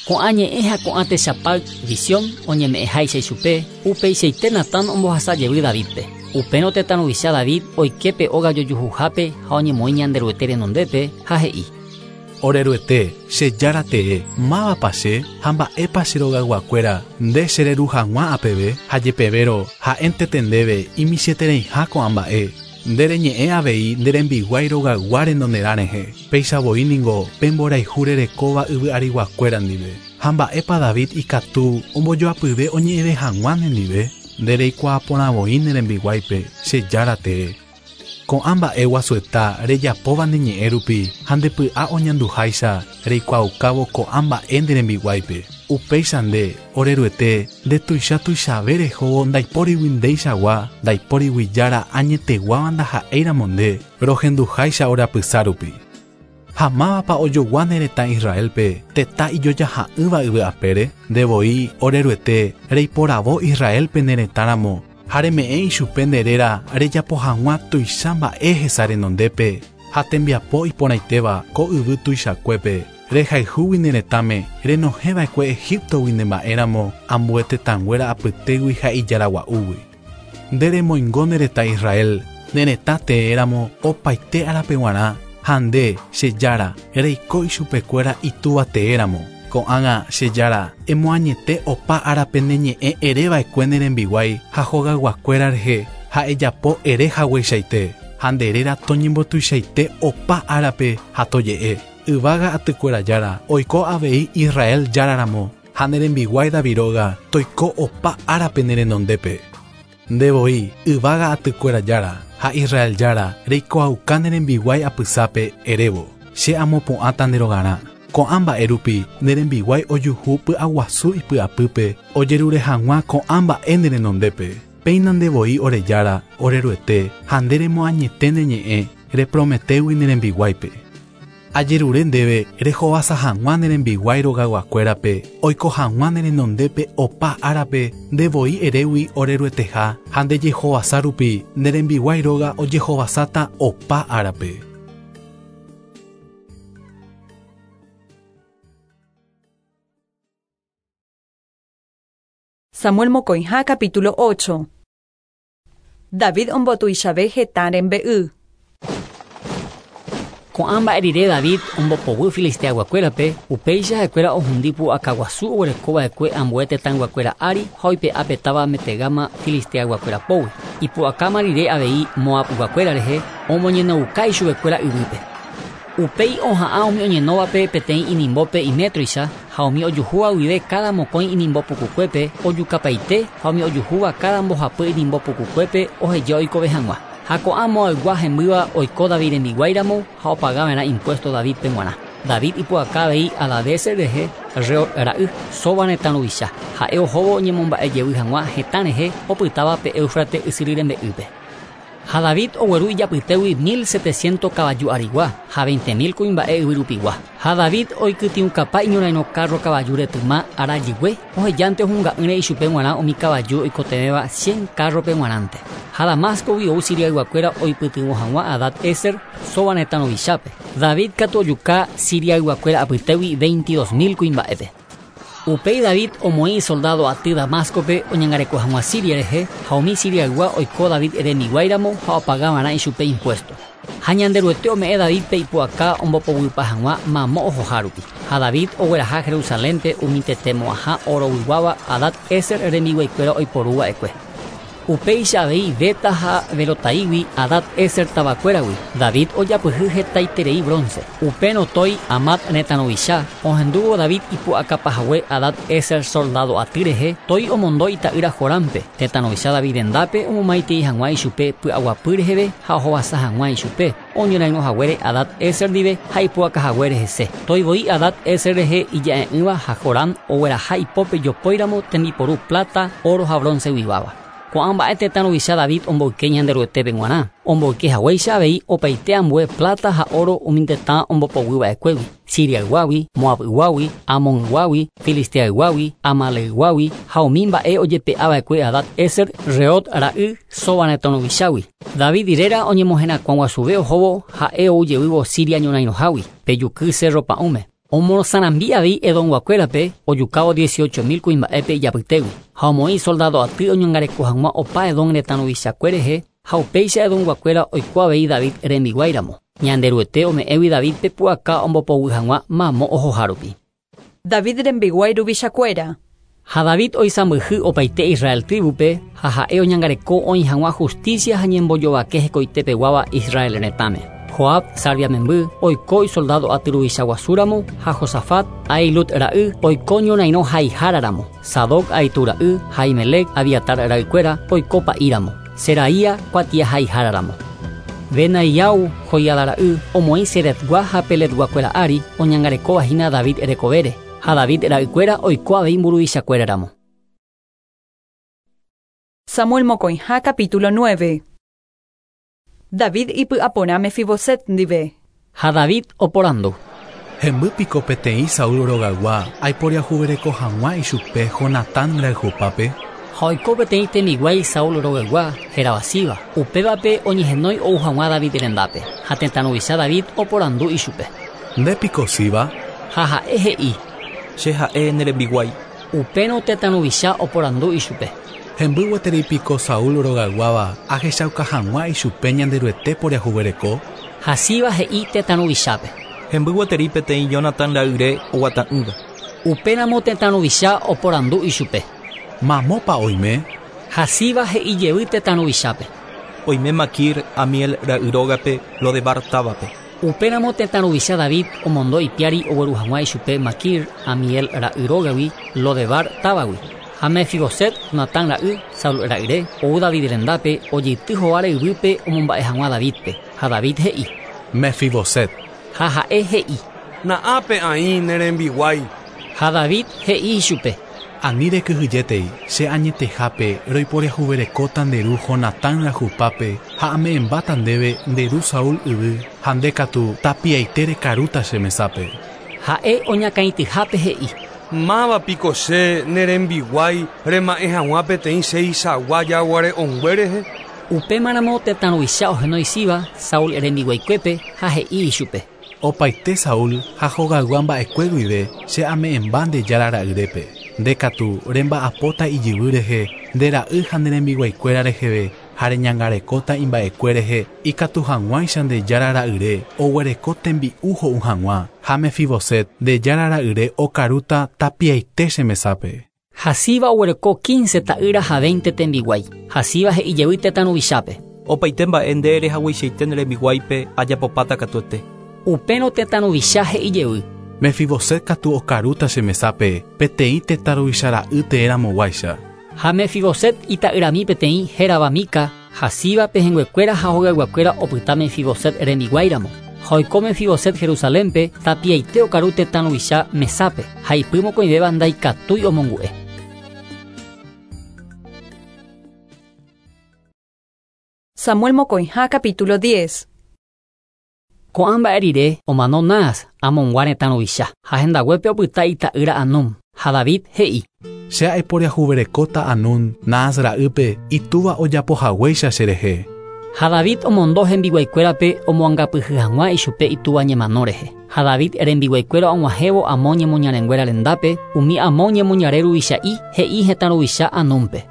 Ko'ã ñe'ẽ ha ko'ã techapáy visión oñeme'ẽháicha ichupe upeichaite Natán ombohasa jevy Davidpe. Upérõ tetã ruvicha David oiképe óga jojuhuhápe ha oñemoĩ Ñanderuete renondépe ha he'i: Oreruete, che jára tee, mávapa che ha mba'épa che rogayguakuéra nde chereru hag̃ua apeve ha jepevérõ ha'éntete ndéve imichĩetereiha ko'ã mba'e. Nde reñe'ẽ avei nde rembiguái rogaygua renonderã rehe. Péicha voi ningo pe mborayhu rerekóva yvy ariguakuéra ndive. Ha mba'épa David ikatu ombojoapyve oñe'ẽve hag̃ua nendive. Nde reikuaa porã voi ne rembiguáipe che jára tee. Ko'ã mba'e guasueta rejapóva ne ñe'ẽ rupi ha ndepy'a oñanduháicha reikuaaukávo ko'ã mba'e nde rembiguáipe. Upéicha nde oreruete ndetuicha tuichave rehóvo ndaipórigui ndeichagua ndaipórigui jára añeteguáva ndaha'éiramo nde rohenduháicha orapysa rupi. Ha mávapa ojogua ne retã Israelpe tetã ijojaha'ỹva yvy apére nde voi oreruete reiporavo Israelpe ne retãramo ha reme'ẽ ichupe nde réra rejapo hag̃ua tuicha mba'e hesa renondépe ha tembiapo iporãitéva ko yvy tuichakuépe rehayhúgui ne retãme renohẽva'ekue Egiptogui ne mba'éramo ambue tetãnguéra apytégui ha ijaragua'úgui. Nde remoingo ne retã Israel ne retã teéramo opaite árape g̃uarã ha nde che jára reiko ichupekuéra itúva teéramo. Ko'ág̃a che jára emoañete opa árape ne ñe'ẽ ereva'ekue ne rembiguái ha hogayguakuéra rehe ha ejapo ere hagueichaite ha nde réra toñembotuichaite opa árape ha toje'e. Yvága atykuéra jára oiko avei Israel járaramo ha ne rembiguái David róga toiko opa árape ne renondépe. Nde voi yvága atykuéra jára ha Israel jára reikoauka ne rembiguái apysápe erévo che amopu'ãta nde rogarã. Ko'ã mba'e rupi ne rembiguái ojuhu py'aguasu ipy'apýpe ojerure hag̃ua ko'ã mba'e ne renondépe. Péina nde voi ore jára oreruete ha nde remoañete ne ñe'ẽ reprometégui ne rembiguáipe. Ajerure ndéve rehovasa hag̃ua ne rembiguái rogayguakuérape oiko hag̃ua ne renondépe opa árape nde voi erégui orerueteha ha nde jehovasa rupi ne rembiguái róga ojehovasáta opa árape. Samuel mokõiha capítulo ocho. David ombotuichave hetã rembe'y. Ko'ã mba'e rire David ombopoguy filisteaguakuérape upéicha ha'ekuéra ohundi pu'akaguasu oguerekova'ekue ambue tetãyguakuéra ári ha oipe'a petáva metegama filisteaguakuéra pógui. Ipu'akáma rire avei Moabguakuéra rehe omoñenouka ichupekuéra yvýpe. Upéi oha'ã umi oñenóvape peteĩ inimbópe imétroicha ha umi ojuhúva guive cada mokõi inimbo pukukuépe ojukapaite ha umi ojuhúva cada mbohapy inimbo pukukuépe oheja oikove hag̃ua. Ha ko'ã Moabgua hembýva oiko David rembiguáiramo ha opagava'erã impuesto Davidpe g̃uarã. David ipu'aka avei Hadadezer rehe Rehob ra'y Soba retã ruvicha. Ha'e ohóvo oñemomba'ejevy hag̃ua hetã rehe opytáva pe Éufrates ysyry rembe'ýpe. Ha David ogueru ijapytégui mil setecientos kavaju arigua ha veinte mil kuimba'e yvyrupigua. Ha David oikytĩukapa iñorairõ carro kavaju retyma arajygue ohejánte ohunga'ỹre ichupe g̃uarã umi kavaju oikotevẽva cien carrope g̃uarãnte. Ha Damascogui ou Siriayguakuéra oipytyvõ hag̃ua Hadad-Ezer Soba retã ruvichápe. David katu ojuka Siriayguakuéra apytégui veintidós mil kuimba'épe. Upéi David omoĩ soldado aty Damascope oñangareko hag̃ua Siria rehe ha umi Siriaygua oiko David rembiguáiramo ha opagava'erã ichupe impuesto. Ha Ñanderuete ome'ẽ Davidpe ipu'aka ombopoguypa hag̃ua mamo ohoha rupi. Ha David ogueraha Jerusalénpe umi tetemo'ãha oroguiguáva Hadad-Ezer rembiguaikuéra oiporuva'ekue. Upéicha avei Beta ha Berotaígui Hadad-Ezer tavakuéragui David ojapyhy hetaiterei bronce. Upérõ Toi Amat retã ruvicha ohendúvo David ipu'akapahague Hadad-Ezer soldado aty rehe Toi omondo ita'ýra Jorámpe tetã ruvicha David rendápe omomaitei hag̃ua ichupe py'aguapy reheve ha ohovasa hag̃ua ichupe oñorairõ haguére Hadad-Ezer ndive ha ipu'akahaguére hese. Toi voi Hadad-Ezer rehe ija'e'ỹva ha Jorán ogueraha ipópe jopóiramo tembiporu plata, oro ha bronce guiváva. Ko'ã mba'e tetã ruvicha David omboyke Ñanderuetépe g̃uarã. Omboyke haguéicha avei opaite ambue plata ha oro umi tetã ombopoguyva'ekuégui, Siriayguágui, Moabyguágui, Amonguágui, Filisteayguágui, Amaleyguágui ha umi mba'e ojepe'ava'ekue Hadad Ezer, Rehob ra'y, Soba retã ruvichágui. David réra oñemoherakuã guasuve ohóvo ha'e oujevývo Siria ñorairõhágui, pe juky Cerro Pa'ũme. Omorosãrambi avei Edomguakuérape ojukávo dieciocho mil kuimba'épe ijapytégui ha omoĩ soldado aty oñangareko hag̃ua opa Edom retã ruvichakue rehe ha upéicha Edomguakuéra oiko avei David rembiguáiramo. Ñanderuete ome'ẽgui Davidpe pu'aka ombopoguy hag̃ua mamo ohohárupi. David rembiguái ruvichakuéra. Ha David oisãmbyhy opaite Israel tribupe ha ha'e oñangareko oĩ hag̃ua justicia ha ñembojovake hekoitepeguáva Israel retãme. Joab Sarvia memby oiko isoldado aty ruvicha guasúramo ha Josafat Ahilud ra'y oiko ñorairõ haiháraramo. Sadoc Ahitu ra'y ha Ahimelec Abiatar ra'ykuéra oiko pa'íramo. Seraía kuatia haiháraramo. Benaiau Joiada ra'y omoĩ Seretgua ha Peletguakuéra ári oñangarekovahína David rekovére ha David ra'ykuéra oiko avei mburuvichakuéraramo. Samuel mokõiha capítulo nueve. David ipy'aporã Mefiboset ndive. Ha David oporandu. Hemby piko peteĩ Saúl rogaygua aiporiahuvereko hag̃ua ichupe Jonatán rayhupápe. Ha oiko peteĩ tembiguái Saúl rogaygua hérava Siba. Upévape oñehenói ou hag̃ua David rendápe. Ha tetã ruvicha David oporandu ichupe. Nde piko Siba? Ha ha'e he'i. Che ha'e ne rembiguái. Upérõ tetã ruvicha oporandu ichupe. Hemby gueteri piko Saúl rogayguáva ahechauka hag̃ua ichupe Ñanderuete poriahuvereko. Ha Siba he'i tetã ruvichápe. Hemby gueteri peteĩ Jonatán ra'yre oguata'ỹva. Upéramo tetã ruvicha oporandu ichupe. Mamópa oime? Ha Siba he'i jevy tetã ruvichápe. Oime Makir Amiel ra'y rógape Lodebar távape. Upéramo tetã ruvicha David omondo ipiári ogueru hag̃ua ichupe Makir Amiel ra'y rógagui Lodebar távagui. Ha Mefiboset Jonatán ra'y Saúl ra'yre ou David rendápe ojeity hováre yvýpe omomba'e hag̃ua Davidpe. Ha David he'i. Mefiboset. Ha ha'e he'i. Na'ápe aĩ ne rembiguái. Ha David he'i ichupe. Ani rekyhyjétei che añetehápe roiporiahuverekóta nde ru Jonatán rayhupápe ha ame'ẽmbáta ndéve nde ru Saúl yvy ha nde katu tapiaite rekarúta che mesápe. Ha'e oñakãityhápe he'i. Máva piko che ne rembiguái rema'ẽ hag̃ua peteĩ cheichagua jaguare'õngue rehe. Upémaramo tetã ruvicha ohenói Siba Saúl rembiguaikuépe ha he'i ichupe. Opaite Saúl ha hogaygua mba'ekue guive che ame'ẽmba nde jára ra'yrépe. Nde katu remba'apóta ijyvy rehe nde ra'y ha nde rembiguaikuéra reheve ha reñangarekóta imba'ekue rehe ikatu hag̃uáicha nde jára ra'yre oguereko tembi'u ho'u hag̃ua ha Mefiboset nde jára ra'yre okarúta tapiaite che mesápe. Ha Siba oguereko quince ta'ýra ha veinte tembiguái. Ha Siba he'i jevy tetã ruvichápe. Opaite mba'e nde rehagueichaite ne rembiguáipe ajapopáta katuete. Upérõ tetã ruvicha he'i jevy. Mefiboset katu okarúta che mesápe peteĩ tetã ruvicha ra'y teéramoguáicha. Ha Mefiboset ita'yrami peteĩ hérava Mica ha Siba pehẽnguekuéra ha hogayguakuéra opyta Mefiboset rembiguáiramo. Ha oiko Mefiboset Jerusalénpe tapiaite okaru tetã ruvicha mesápe ha ipy mokõivéva ndaikatúi omongu'e. Samuel mokõiha capítulo diez. Ko'ã mba'e rire omano Naas Amongua retã ruvicha ha hendaguépe opyta ita'ýra Anum. Ha David he'i. Che aiporiahuverekóta Anún Naas ra'ýpe itúva ojapohaguéicha cherehe. Ha David omondo hembiguaikuérape omoangapyhy hag̃ua ichupe itúva ñemano rehe. Ha David rembiguaikuéra og̃uahẽvo Amón ñemoñarenguéra rendápe umi Amón ñemoñare ruvicha'i he'i hetã ruvicha Anúnpe.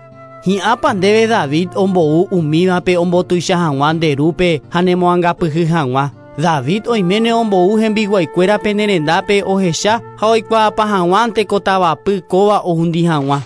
Hi'ãpa ndéve David ombou umívape ombotuicha hag̃ua nde rúpe ha nemoangapyhy hag̃ua. David oiméne ombou hembiguaikuérape ne rendápe ohecha ha oikuaapa hag̃uánte ko tavapy kóva ohundi hag̃ua.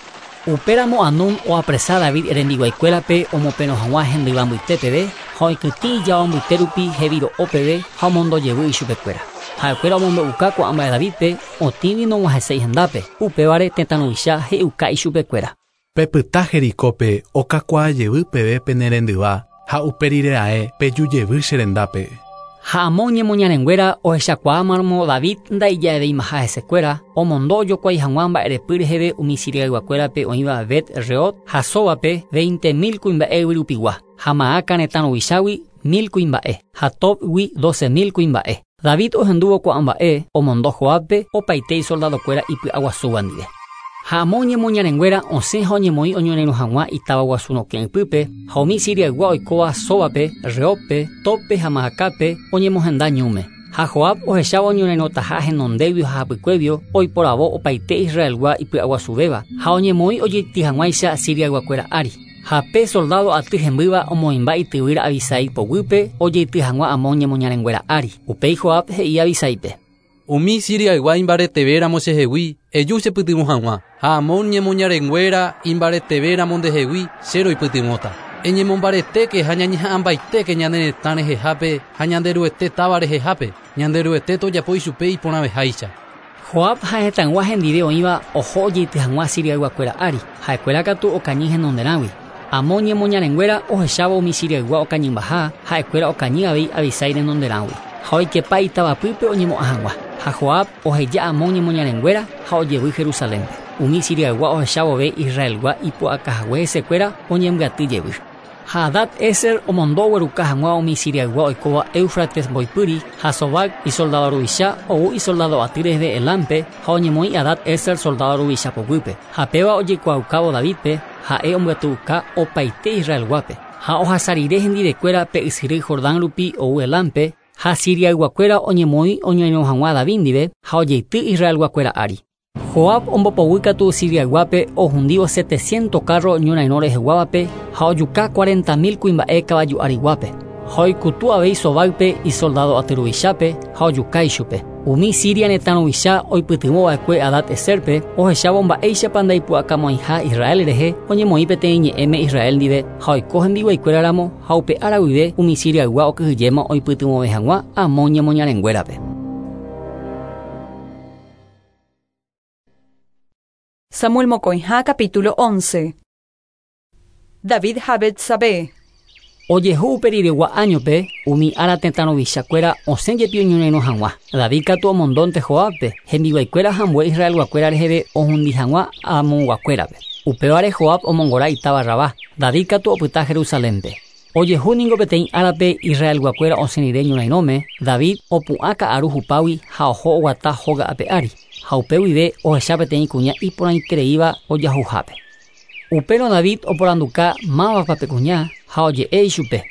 Upéramo Anún oapresa David rembiguaikuérape omoperõ hag̃ua hendyva mbytépeve ha oikytĩ ijao mbyte rupi heviro'ópeve ha omondojevy ichupekuéra. Ha'ekuéra omombe'uka ko'ã mba'e Davidpe otĩgui nog̃uahẽséi hendápe. Upévare tetã ruvicha he'iuka ichupekuéra. Pepyta Jericópe okakuaa jevy peve pene rendyva ha upe rire ae peju jevy che rendápe. Ha Amón ñemoñarenguéra ohechakuaámaramo David ndaija'evéimaha hesekuéra omondo ojokuái hag̃ua mba'erepy reheve umi Siriayguakuérape oĩva Bet-Rehob ha Sóbape veinte mil kuimba'e yvyrupigua ha Maaca retã ruvichágui mil kuimba'e ha Tobgui doce mil kuimba'e. David ohendúvo ko'ã mba'e omondo Joabpe opaite isoldadokuéra ipy'aguasúva ndive. Ha Amón ñemoñarenguéra osẽ ha oñemoĩ oñorairõ hag̃ua itáva guasu rokẽ ypýpe ha umi Siriaygua oikóva Sóbape, Rehobpe, Tobpe ha Maacape oñemohenda ñúme. Ha Joab ohechávo oñorairõtaha henondéguio ha hapykuéguio oiporavo opaite Israelgua ipy'aguasuvéva ha oñemoĩ ojeity hag̃uáicha Siriayguakuéra ári. Ha pe soldado aty hembýva omoĩmba ityvýra Abisai poguýpe ojeity hag̃ua Amón ñemoñarenguéra ári. Upéi Joab he'i Abisaípe: Umi Siriaygua imbaretevéramo chehegui eju chepytyvõ hag̃ua ha Amón ñemoñarenguéra imbaretevéramo ndehegui che roipytyvõta. Eñemombaretéke ha ñañeha'ãmbaitéke ñane retã rehehápe ha Ñanderuete táva rehehápe. Ñanderuete tojapo ichupe iporãveháicha. Joab ha hetãygua hendive oĩva oho ojeity hag̃ua Siriayguakuéra ári. Ha'ekuéra katu okañy henonderãgui. Amón ñemoñarenguéra ohechávo umi Siriaygua okañymbaha ha'ekuéra okañy avei Abisai renonderãgui. Ha oikepa itavapýpe oñemo'ã hag̃ua. Ha Joab oheja Amón ñemoñarenguéra ha ojevy Jerusalénpe. Umi Siriaygua ohechavove Israelgua ipu'akahague hesekuéra oñembyaty jevy. Ha Hadad-Ezer omondo ogueruka hag̃ua umi Siriaygua oikóva Éufrates mboypýri ha Sobac isoldado ruvicha ou isoldado aty reheve Elámpe ha oñemoĩ Hadad-Ezer soldado ruvicha poguýpe. Ha péva ojekuaaukávo Davidpe ha'e ombyatyuka opaite Israelguápe. Ha ohasa rire hendivekuéra pe ysyry Jordán rupi ou Elámpe ha Siriayguakuéra oñemoĩ oñorairõ hag̃ua David ndive ha ojeity Israelguakuéra ári. Joab ombopoguýkatu Siriayguápe ohundívo setecientos carro ñorairõ reheguávape ha ojuka cuarenta mil kuimba'e kavaju ariguápe. Ha oikutu avei Sobáype isoldado aty ruvichápe ha ojuka ichupe. Umi Siria retã ruvicha oipytyvõva'ekue Hadad-Ezerpe ohechávo mba'éichapa ndaipu'akamo'ãiha Israel rehe oñemoĩ peteĩ ñe'ẽme Israel ndive ha oiko hembiguaikuéraramo ha upe ára guive umi Siriaygua okyhyjéma oipytyvõve hag̃ua Amón ñemoñarenguérape. Samuel mokõiha capítulo once. David ha Betsabé. Ojehu uperiregua áñope umi ára tetã ruvichakuéra osẽ jepi oñorairõ hag̃ua. David katu omondónte Joabpe hembiguaikuéra ha ambue Israelguakuéra reheve ohundi hag̃ua Amonguakuérape. Upévare Joab omongora itáva Rabá. David katu opyta Jerusalénpe. Ojehu ningo peteĩ árape Israelguakuéra osẽ rire ñorairõme, David opu'ã ka'aru hupágui ha oho oguata hóga ape ári. Ha upe guive ohecha peteĩ kuña iporãitereíva ojahuhápe. Upérõ David oporanduka mávapa pe kuña ha oje'e ichupe.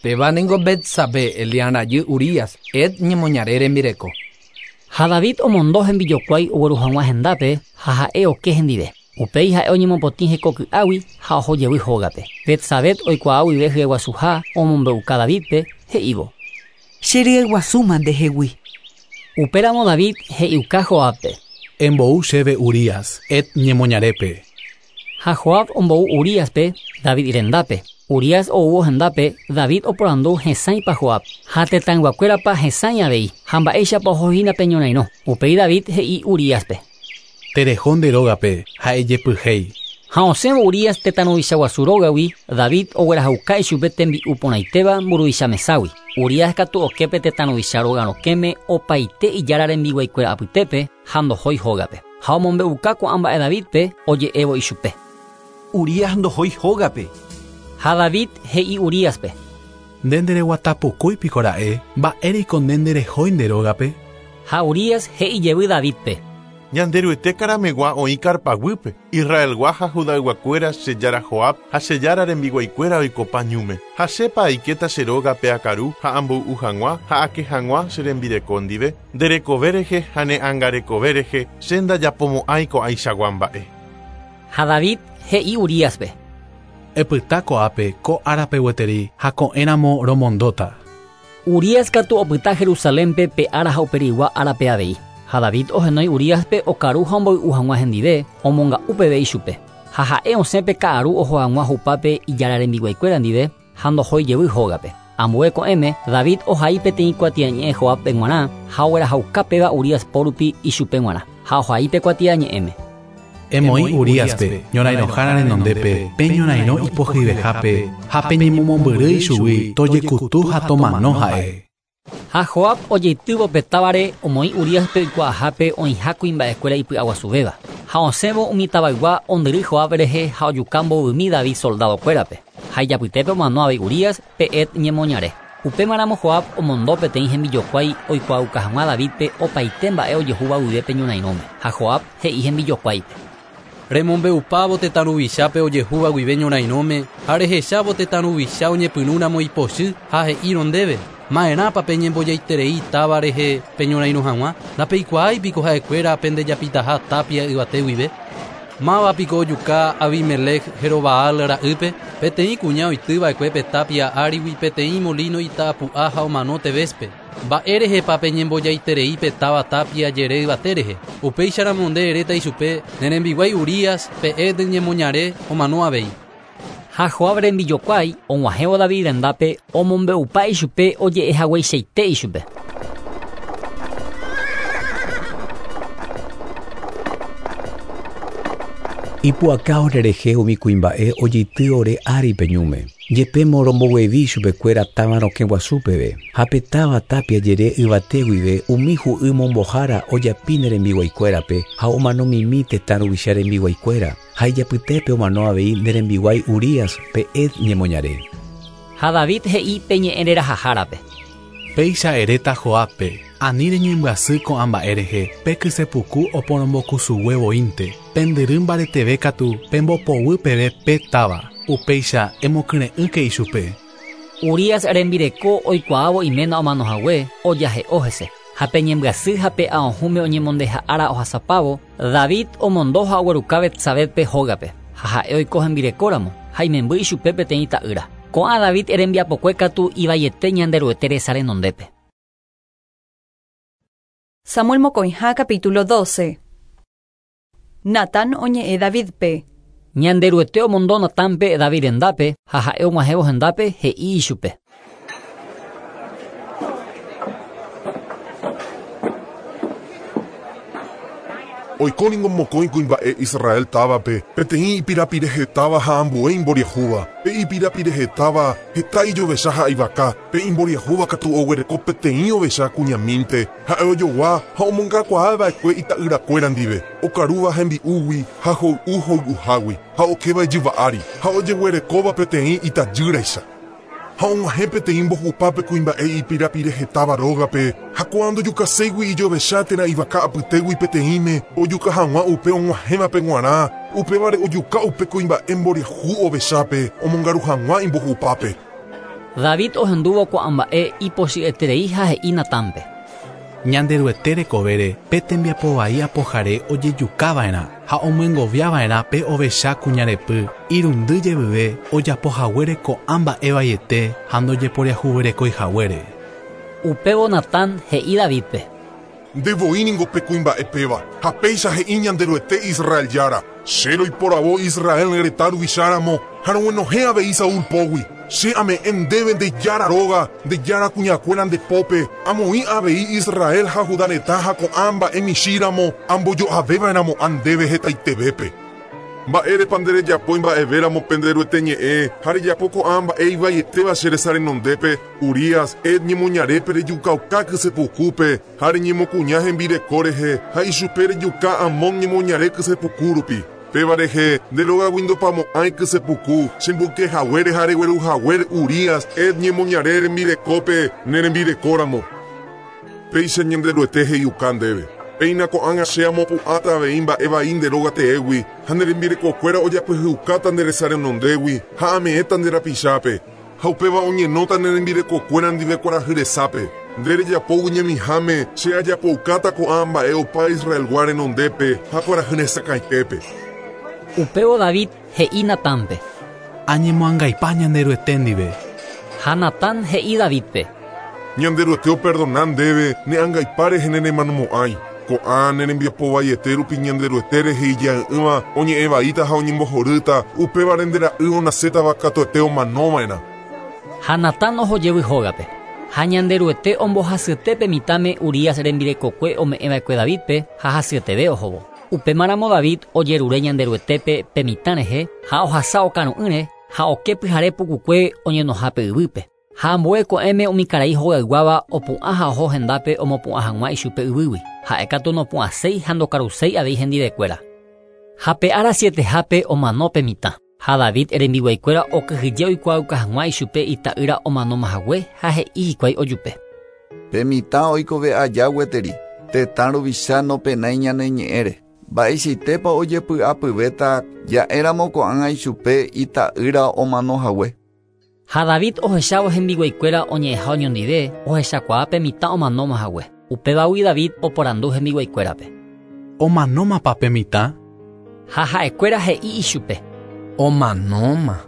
Péva ningo Betsabé Elián rajy Urías Het ñemoñare rembireko. Ha David omondo hembijokuái ogueru hag̃ua hendápe ha ha'e oke hendive. Upéi ha'e oñemopotĩ hekoky'águi ha oho jevy hógape. Betsabé oikuaa guive hyeguasuha omombe'uka Davidpe he'ívo: Che ryeguasúma ndehegui. Upéramo David he'iuka Joabpe: Embou chéve Urías Het ñemoñarépe. Ha Joab ombou Uríaspe David rendápe. Urías oúvo hendápe David oporandu hesãipa Joab ha tetãyguakuérapa hesãi avei ha mba'éichapa ohohína pe ñorairõ. Upéi David he'i Uríaspe: Tereho nde rógape ha ejepyhéi. Ha osẽvo Urías tetã ruvicha guasu rógagui, David oguerahauka ichupe tembi'u porãitéva mburuvicha meságui. Urías katu oképe tetã ruvicha róga rokẽme opaite ijára rembiguaikuéra apytépe ha ndohói hógape. Ha omombe'uka ko'ã mba'e Davidpe oje'évo ichupe: Urías ndohói hógape. Ha David he'i Uríaspe: Nde ndereguatapukúi piko ra'e, mba'éreiko nde nderehói nde rógape. Ha Urías he'i jevy Davidpe: Ñanderuete karamegua oĩ karpaguýpe, Israelgua ha Judayguakuéra che jára Joab ha che jára rembiguaikuéra oikopa ñúme. Ha chépa aikéta che rógape akaru ha amboy'u hag̃ua ha ake hag̃ua che rembireko ndive, nderekove rehe ha ne angarekove rehe che ndajapomo'ãi ko'ãichagua mba'e. Ha David he'i Uríaspe: Epyta ko'ápe ko árape gueteri ha ko'ẽramo romondóta. Urías katu opyta Jerusalénpe pe ára ha uperigua árape avei. Ha David ohenói Uríaspe okaru ha omboy'u hag̃ua hendive omonga'u peve ichupe. Ha ha'e osẽ pe ka'aru oho hag̃ua hupápe ijára rembiguaikuéra ndive ha ndohói jevy hógape. Ambue ko'ẽme David ohai peteĩ kuatiañe'ẽ Joabpe g̃uarã ha oguerahauka péva Urías pórupi ichupe g̃uarã. Ha ohai pe kuatiañe'ẽme: Emoĩ Uríaspe ñorairõhára renondépe pe ñorairõ ipohyvehápe ha peñemomombyry ichugui tojekutu ha tomano ha'e. Ha Joab ojeitývo pe távare omoĩ Uríaspe oikuaahápe oĩha kuimba'ekuéra ipy'aguasuvéva. Ha osẽvo umi tavaygua ondyry Joab rehe ha ojuka mbovymi David soldadokuérape. Ha ijapytépe omano avei Urías pe Het ñemoñare. Upémaramo Joab omondo peteĩ hembijokuái oikuaauka hag̃ua Davidpe opaite mba'e ojehúva guive pe ñorairõme. Ha Joab he'i hembijokuáipe. Remombe'upávo tetã ruvichápe ojehúva guive ñorairõme ha rehechávo tetã ruvicha oñepyrũramo ipochy ha he'írõ ndéve. Ma'erãpa peñembojaiterei táva rehe peñorairõ hag̃ua, ndapeikuaáipiko ha'ekuéra pendejapitaha tapia yvate guive. Mávapiko ojuka Abimelec Jerobaal ra'ýpe, peteĩ kuña oitýva'ekue pe tapia árigui peteĩ molino ita'apu'a ha omano Tebéspe. Mba'érehepa peñembojaiterei pe táva tapia jere yvate rehe. Upéicharamo nde eréta ichupe ne rembiguái Urías pe Het ñemoñare omano avei. Ha Joab rembijokuái og̃uahẽvo David rendápe omombe'upa ichupe oje'ehagueichaite ichupe. Ipu'aka orerehe umi kuimba'e ojeity ore ári peñúme. Jepémo romboguevi chupekuéra táva rokẽ guasu peve. Ha pe táva tapia jere yvate guive umi hu'y mombohára ojapi ne rembiguaikuérape ha omanomimi tetã ruvicha rembiguaikuéra. Ha ijapytépe omano avei ne rembiguái Urías pe Het ñemoñare. Ha David he'i pe ñe'ẽ rerahahárape. Péicha eréta Joabpe, ani reñembyasy ko'ã mba'e rehe, pe kysepuku oporombokusugue voínte, pendyry mbareteve katu pembopoguy peve pe táva, upéicha emokyre'ỹke ichupe. Urías rembireko oikuaávo iména omanohague ojahe'o hese. Ha pe ñembyasy ha pe aohũme oñemondeha'ára ohasapávo, David omondo ha ogueruka Betsabépe hógape, ha ha'e oiko hembirekóramo ha imemby ichupe peteĩ ta'ýra. Ko'ã David rembiapokue katu ivaiete Ñanderuete resa renondépe. Samuel mokõiha capítulo doce. Natán oñe'ẽ Davidpe. Ñanderuete omondo Natánpe David rendápe ha ha'e og̃uahẽvo hendápe he'i ichupe. Oikóningo mokõi kuimba'e Israel távape, peteĩ ipirapirehetáva ha ambue imboriahúva. Pe ipirapirehetáva heta ijovecha ha ivaka, pe imboriahúva katu oguereko peteĩ ovecha kuñamínte, ha'e ojogua ha omongakuaava'ekue ita'yrakuéra ndive, okarúva hembi'úgui ha hoy'u hoy'uhágui, ha okéva ijyva ári, ha ojeguerekóva peteĩ itajýraicha. Ha og̃uahẽ peteĩ mbohupápe kuimba'e ipirapirehetáva rógape, ha ko'ã ndojukaséigui ijovecha térã ivaka apytégui peteĩme ojuka hag̃ua upe og̃uahẽvape g̃uarã, upévare ojuka upe kuimba'e mboriahu ovechápe omongaru hag̃ua imbohupápe. David ohendúvo ko'ã mba'e ipochy'eterei ha he'i Natánpe. Ñanderuete rekovére pe tembiapovai apohare ojejukava'erã ha omyengoviava'erã pe ovecha kuñarepy irundy jevyve ojapohaguére ko'ã mba'e vaiete ha ndojeporiahuverekoihaguére. Upévo Natán he'i Davidpe. Ndevoíningo pe kuimba'e péva ha péicha he'i Ñanderuete Israel jára. Che roiporavo Israel retã ruvicháramo ha roguenohẽ avei Saúl pógui. Che ame'ẽ ndéve nde jára róga, nde jára kuñakuéra nde pópe, amoĩ avei Israel ha Judá retã ha ko'ã mba'e michĩramo ambojo'avéva'erãmo'ã ndéve hetaitevépe. Mba'érepa nderejapói mba'evéramo penderuete ñe'ẽ ha rejapo ko'ã mba'e ivaietéva che resa renondépe, Urías Het ñemoñarépe rejukauka kysepukúpe ha reñemokuña hembireko rehe ha ichupe rejuka Amón ñemoñare kysepuku rupi. Péva rehe nde rógagui ndopamo'ãi kysepuku chemboykehaguére ha regueruhaguére Urías Het ñemoñare rembirekópe ne rembirekóramo. Péicha Ñanderuete he'iuka ndéve. Péina ko'ág̃a che amopu'ãta avei mba'e vai nde róga teégui ha ne rembirekokuéra ojapyhyukáta nde resa renondégui ha ame'ẽta nde rapichápe. Ha upéva oñenóta ne rembirekokuéra ndive kuarahy resápe. Nde rejapógui ñemiháme che ajapoukáta ko'ã mba'e opa Israelgua renondépe ha kuarahy resakãitépe. Upévo David he'i Natánpe. Añemoangaipa Ñanderuete ndive. Ha Natán he'i Davidpe. Ñanderuete operdona ndéve ne angaipa rehe ne remanomo'ãi. Ko'ã ne rembiapovaiete rupi Ñanderuete rehe ija'ỹva oñe'ẽvaíta ha oñembohorýta, upévare nde ra'y onasétava katuete omanova'erã. Ha Natán ohojevy hógape. Ha Ñanderuete ombohasyete mitãme Urías rembirekokue ome'ẽva'ekue Davidpe ha hasyeteve ohóvo. Upémaramo David ojerure Ñanderuetépe pe mitã rehe ha ohasa okaru'ỹre ha oke pyhare pukukue oñenohápe yvýpe. Ha ambue ko'ẽme umi karai hogayguáva opu'ã ha oho hendápe omopu'ã hag̃ua ichupe yvýgui. Ha'e katu nopu'ãséi ha ndokaruséi avei hendivekuéra. Ha pe ára sietehápe omano pe mitã. Ha David rembiguaikuéra okyhyje oikuaauka hag̃ua ichupe ita'ýra omanomahague ha he'i hikuái ojupe. Pe mitã oikove aja gueteri, tetã ruvicha nopenái ñane ñe'ẽre. Mba'eichaitépa ojepy'apyvéta ja'éramo ko'ág̃a ichupe ita'ýra omanohague. Ha David ohechávo hembiguaikuéra oñe'ẽha oñondive ohechakuaa pe mitã omanomahague. Upévagui David oporandu hembiguaikuérape. Omanómapa pe mitã? Ha ha'ekuéra he'i ichupe. Omanóma.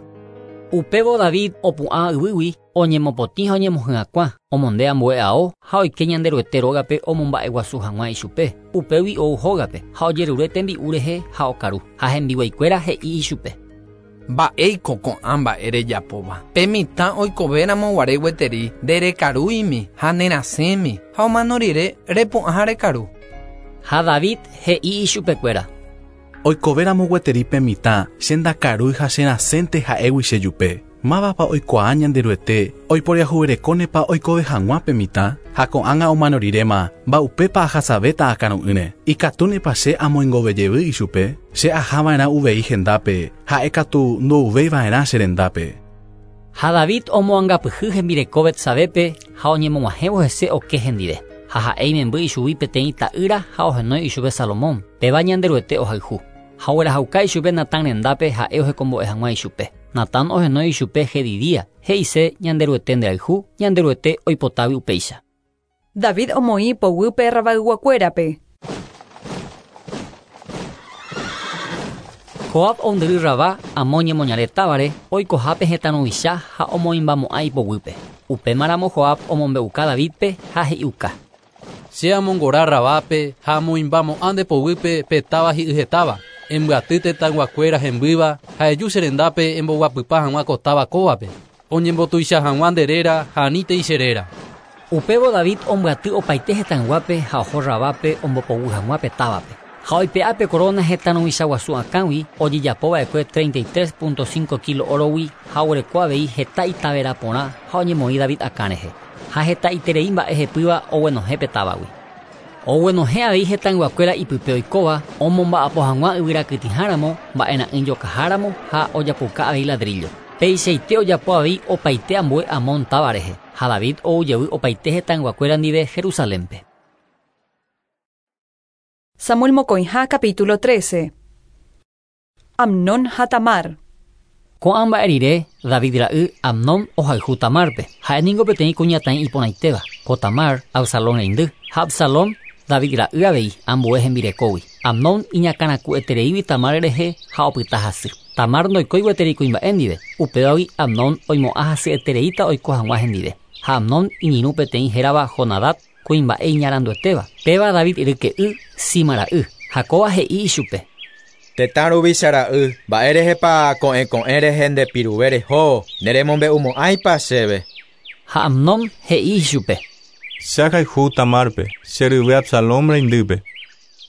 Upévo David opu'ã yvýgui oñemopotĩ ha oñemohyakuã, omonde ambue ao ha oike Ñanderuete rógape omomba'eguasu hag̃ua ichupe. Upégui ou hógape ha ojerure tembi'u rehe ha okaru. Ha hembiguaikuéra he'i ichupe. Mba'éiko ko'ã mba'e rejapóva. Pe mitã oikovéramo guare gueteri nderekaruimi ha nerasẽmi ha omano rire repu'ã ha rekaru. Ha David he'i ichupekuéra. Oikovéramo gueteri pe mitã che ndakarúi ha cherasẽnte ha'égui chejupe. Mávapa oikuaa Ñanderuete oiporiahuverekónepa oikove hag̃ua pe mitã ha ko'ág̃a omano riréma mba'upépa ahasavéta akaru'ỹre. Ikatúnepa che amoingovejevy ichupe, che ahava'erã uvei hendápe, ha'e katu ndouvéiva'erã che rendápe. Ha David omoangapyhy hembireko Betsabepe ha oñemog̃uahẽvo hese oke hendive. Ha ha'e imemby ichugui peteĩ ta'ýra ha ohenói ichupe Salomón, péva Ñanderuete ohayhu. Ha oguerahauka ichupe Natán rendápe ha'e ohekombo'e hag̃ua ichupe. Natán ohenói ichupe Jedidía, he'ise Ñanderuete nderayhu, Ñanderuete oipotágui upéicha. David omoĩ poguýpe Rabayguakuérape. Joab ondyry Rabá amo ñemoñare távare oikohápe hetã ruvicha ha omoĩmbamo'ã ipoguýpe. Upémaramo Joab omombe'uka Davidpe ha he'iuka. Che amongora Rabápe ha amoĩmbamo'ã nde poguýpe pe táva hi'yhetáva. Embyaty tetãyguakuéra hembýva ha eju che rendápe emboguapypa hag̃ua ko táva kóvape. Oñembotuicha hag̃ua nde réra ha anítei che réra. Upévo David ombyaty opaite hetãyguápe ha oho Rabápe ombopoguy hag̃ua pe távape. Ha oipe'a pe corona hetã ruvicha guasu akãgui ojejapova'ekue treinta y tres punto cinco kilo órogui ha oguereko avei heta itavera porã ha oñemoĩ David akã rehe. Ha hetaiterei mba'e hepýva oguenohẽ pe távagui. Oguenohẽ avei hetãyguakuéra ipype oikóva omomba'apo hag̃ua yvyrakytĩháramo, mba'era'ỹjokaháramo ha ojapoka avei ladrillo. Peichaite ojapo avei opaite ambue Amón táva rehe. Ha David oujevy opaite hetãyguakuéra ndive Jerusalénpe. Samuel mokõiha capítulo trece. Amnón ha Tamar. Ko'ã mba'e rire David ra'y Amnón ohayhu Tamarpe. Ha'e ningo peteĩ kuñataĩ iporãitéva. Ko Tamar Absalón reindy. Ha Absalón David ra'y avei ambue hembirekógui. Amnón iñakãraku'etereígui Tamar rehe ha opyta hasy. Tamar ndoikói gueteri kuimba'e ndive. Upévagui Amnón oimo'ã hasyetereíta oiko hag̃ua hendive. Ha Amnón iñirũ peteĩ hérava Jonadab kuimba'e iñaranduetéva. Péva David ryke'y Sima ra'y. Ha kóva he'i ichupe. Tetã ruvicha ra'y, mba'e rehepa ko'ẽ ko'ẽ rehe ndepiruve reho, neremombe'umo'ãipa chéve. Ha Amnón he'i ichupe. Che ahayhu Tamarpe, che ryvy Absalón reindýpe.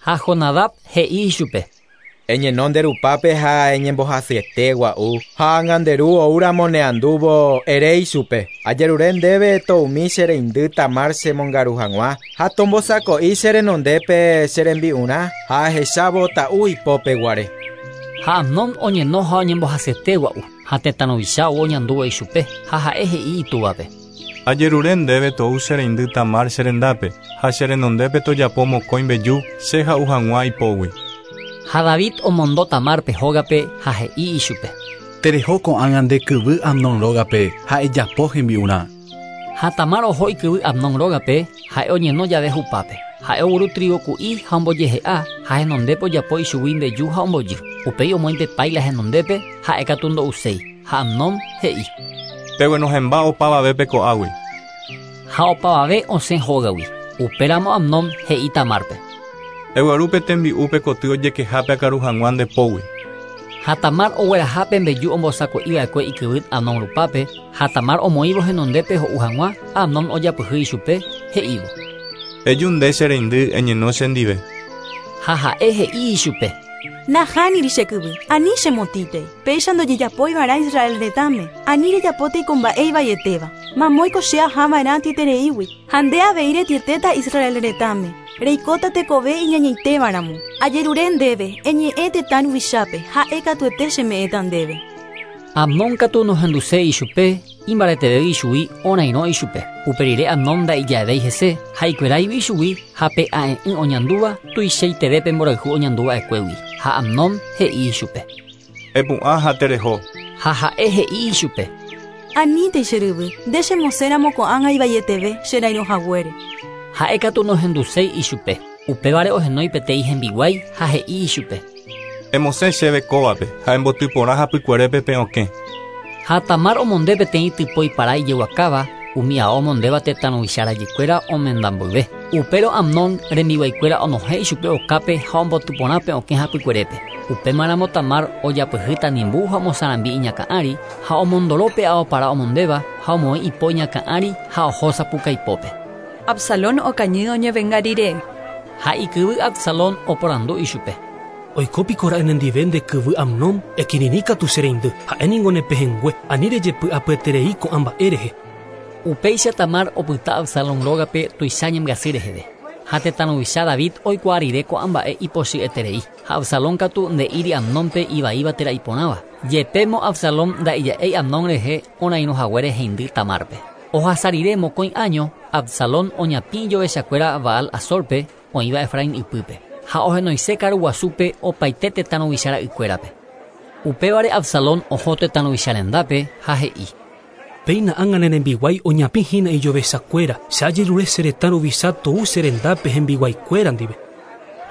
Ha Jonadab he'i ichupe. Eñeno nde rupápe ha eñembohasyete gua'u. Ha ág̃a nde ru oúramo neandúvo ere ichupe. Ajerure ndéve toumi che reindy Tamar chemongaru hag̃ua ha tombosako'i che renondépe che rembi'urã ha ahechávo ta'u ipópe guare. Ha Amnón oñeno ha oñembohasyete gua'u. Ha tetã ruvicha ou oñandúva ichupe ha ha'e he'i itúvape. Ajerure ndéve tou che reindy Tamar che rendápe ha che renondépe tojapo mokõi mbeju che ha'u hag̃ua ipógui. Ha David omondo Tamarpe hógape ha he'i ichupe. Tereho ko'ág̃a nde kyvy Amnón rógape ha ejapo hembi'urã. Ha Tamar oho ikyvy Amnón rógape ha'e oñeno jave hupápe. Ha'e ogueru trigo ku'i ha ombojehe'a ha henondépe ojapo ichugui mbeju ha ombojy. Upéi omoĩ pe paila henondépe ha'e katu ndo'uséi. Ha Amnón he'i. Peguenohẽmba opavavépe ko'águi. Ha opavave osẽ hógagui. Upéramo Amnón he'i Tamarpe. Eguerúpe tembi'úpe koty ojekehápe akaru hag̃ua nde pógui. Ha Tamar oguerahápe mbeju ombosako'iva'ekue ikyvy Amnón rupápe ha Tamar omoĩvo henondépe ho'u hag̃ua Amnón ojapyhy ichupe he'ívo. Eju nde che reindy eñeno chendive. Ha ha'e he'i ichupe. Nahániri che kyvy, ani chemotítei. Péicha ndojejapoiva'erã Israel retãme, ani rejapótei ko mba'e ivaietéva. Mamóiko che ahava'erã atietereígui, ha nde avei retietéta Israel retãme. Reikóta tekove iñañaitévaramo. Ajerure ndéve, eñe'ẽ tetã ruvichápe, ha'e katuete cheme'ẽta ndéve. Amnón katu nohenduséi ichupe, imbareteve ichugui orairõ ichupe. Uperire Amnón nda'ijavéi hese, ha ikueráigui ichugui ha pe a'e'ỹ oñandúva tuichaitevépe mborayhu oñanduva'ekuégui. Ha Amnón he'i ichupe. Epu'ã ha tereho. Ha ha'e he'i ichupe. Anítei che ryvy, nde chemosẽramo ko'ág̃a ivaieteve cherairõhaguére. Ha'e katu nohenduséi ichupe. Upévare ohenói peteĩ hembiguái ha he'i ichupe. Emosẽ chéve kóvape ha embotyporã hapykuerépe pe okẽ. Ha Tamar omonde peteĩ typói para ijeguakáva, umi ao omondéva tetã ruvicha rajykuéra omenda mboyve. Upérõ Amnón rembiguaikuéra onohẽ ichupe okápe ha ombotyporã pe okẽ hapykuerépe. Upémaramo Tamar ojapyhy tanimbu ha omosarambi iñakã ári ha omondoro pe ao para omondéva ha omoĩ ipo iñakã ári ha oho sapukaipópe. Absalón okañy oñevenga rire. Ha ikyvy Absalón oporandu ichupe. Oikópiko ra'e nendive nde kyvy Amnón, ekirirĩ katu che reindy, ha'e ningo nepehẽngue, ani rejepy'apyeterei ko'ã mba'e rehe. Upéicha Tamar opyta Absalón rógape tuicha ñembyasy reheve. Ha tetã ruvicha David oikuaa rire ko'ã mba'e ipochy'eterei. Ha Absalón katu nde'íri Amnónpe ivaíva térã iporãva. Jepémo Absalón nda'ija'éi Amnón rehe orairõhaguére heindy Tamárpe. Ohasa rire mokõi año, Absalón oñapĩ ijovechakuéra Baal Azorpe oĩva Efraín ypýpe. Ha ohenoise karuguasúpe opaite tetã ruvicha ra'ykuérape. Upévare Absalón oho tetã ruvicha rendápe ha he'i. Péina ág̃a ne rembiguái oñapĩhína ijovechakuéra, che ajerure che retã ruvicha tou che rendápe hembiguaikuéra ndive.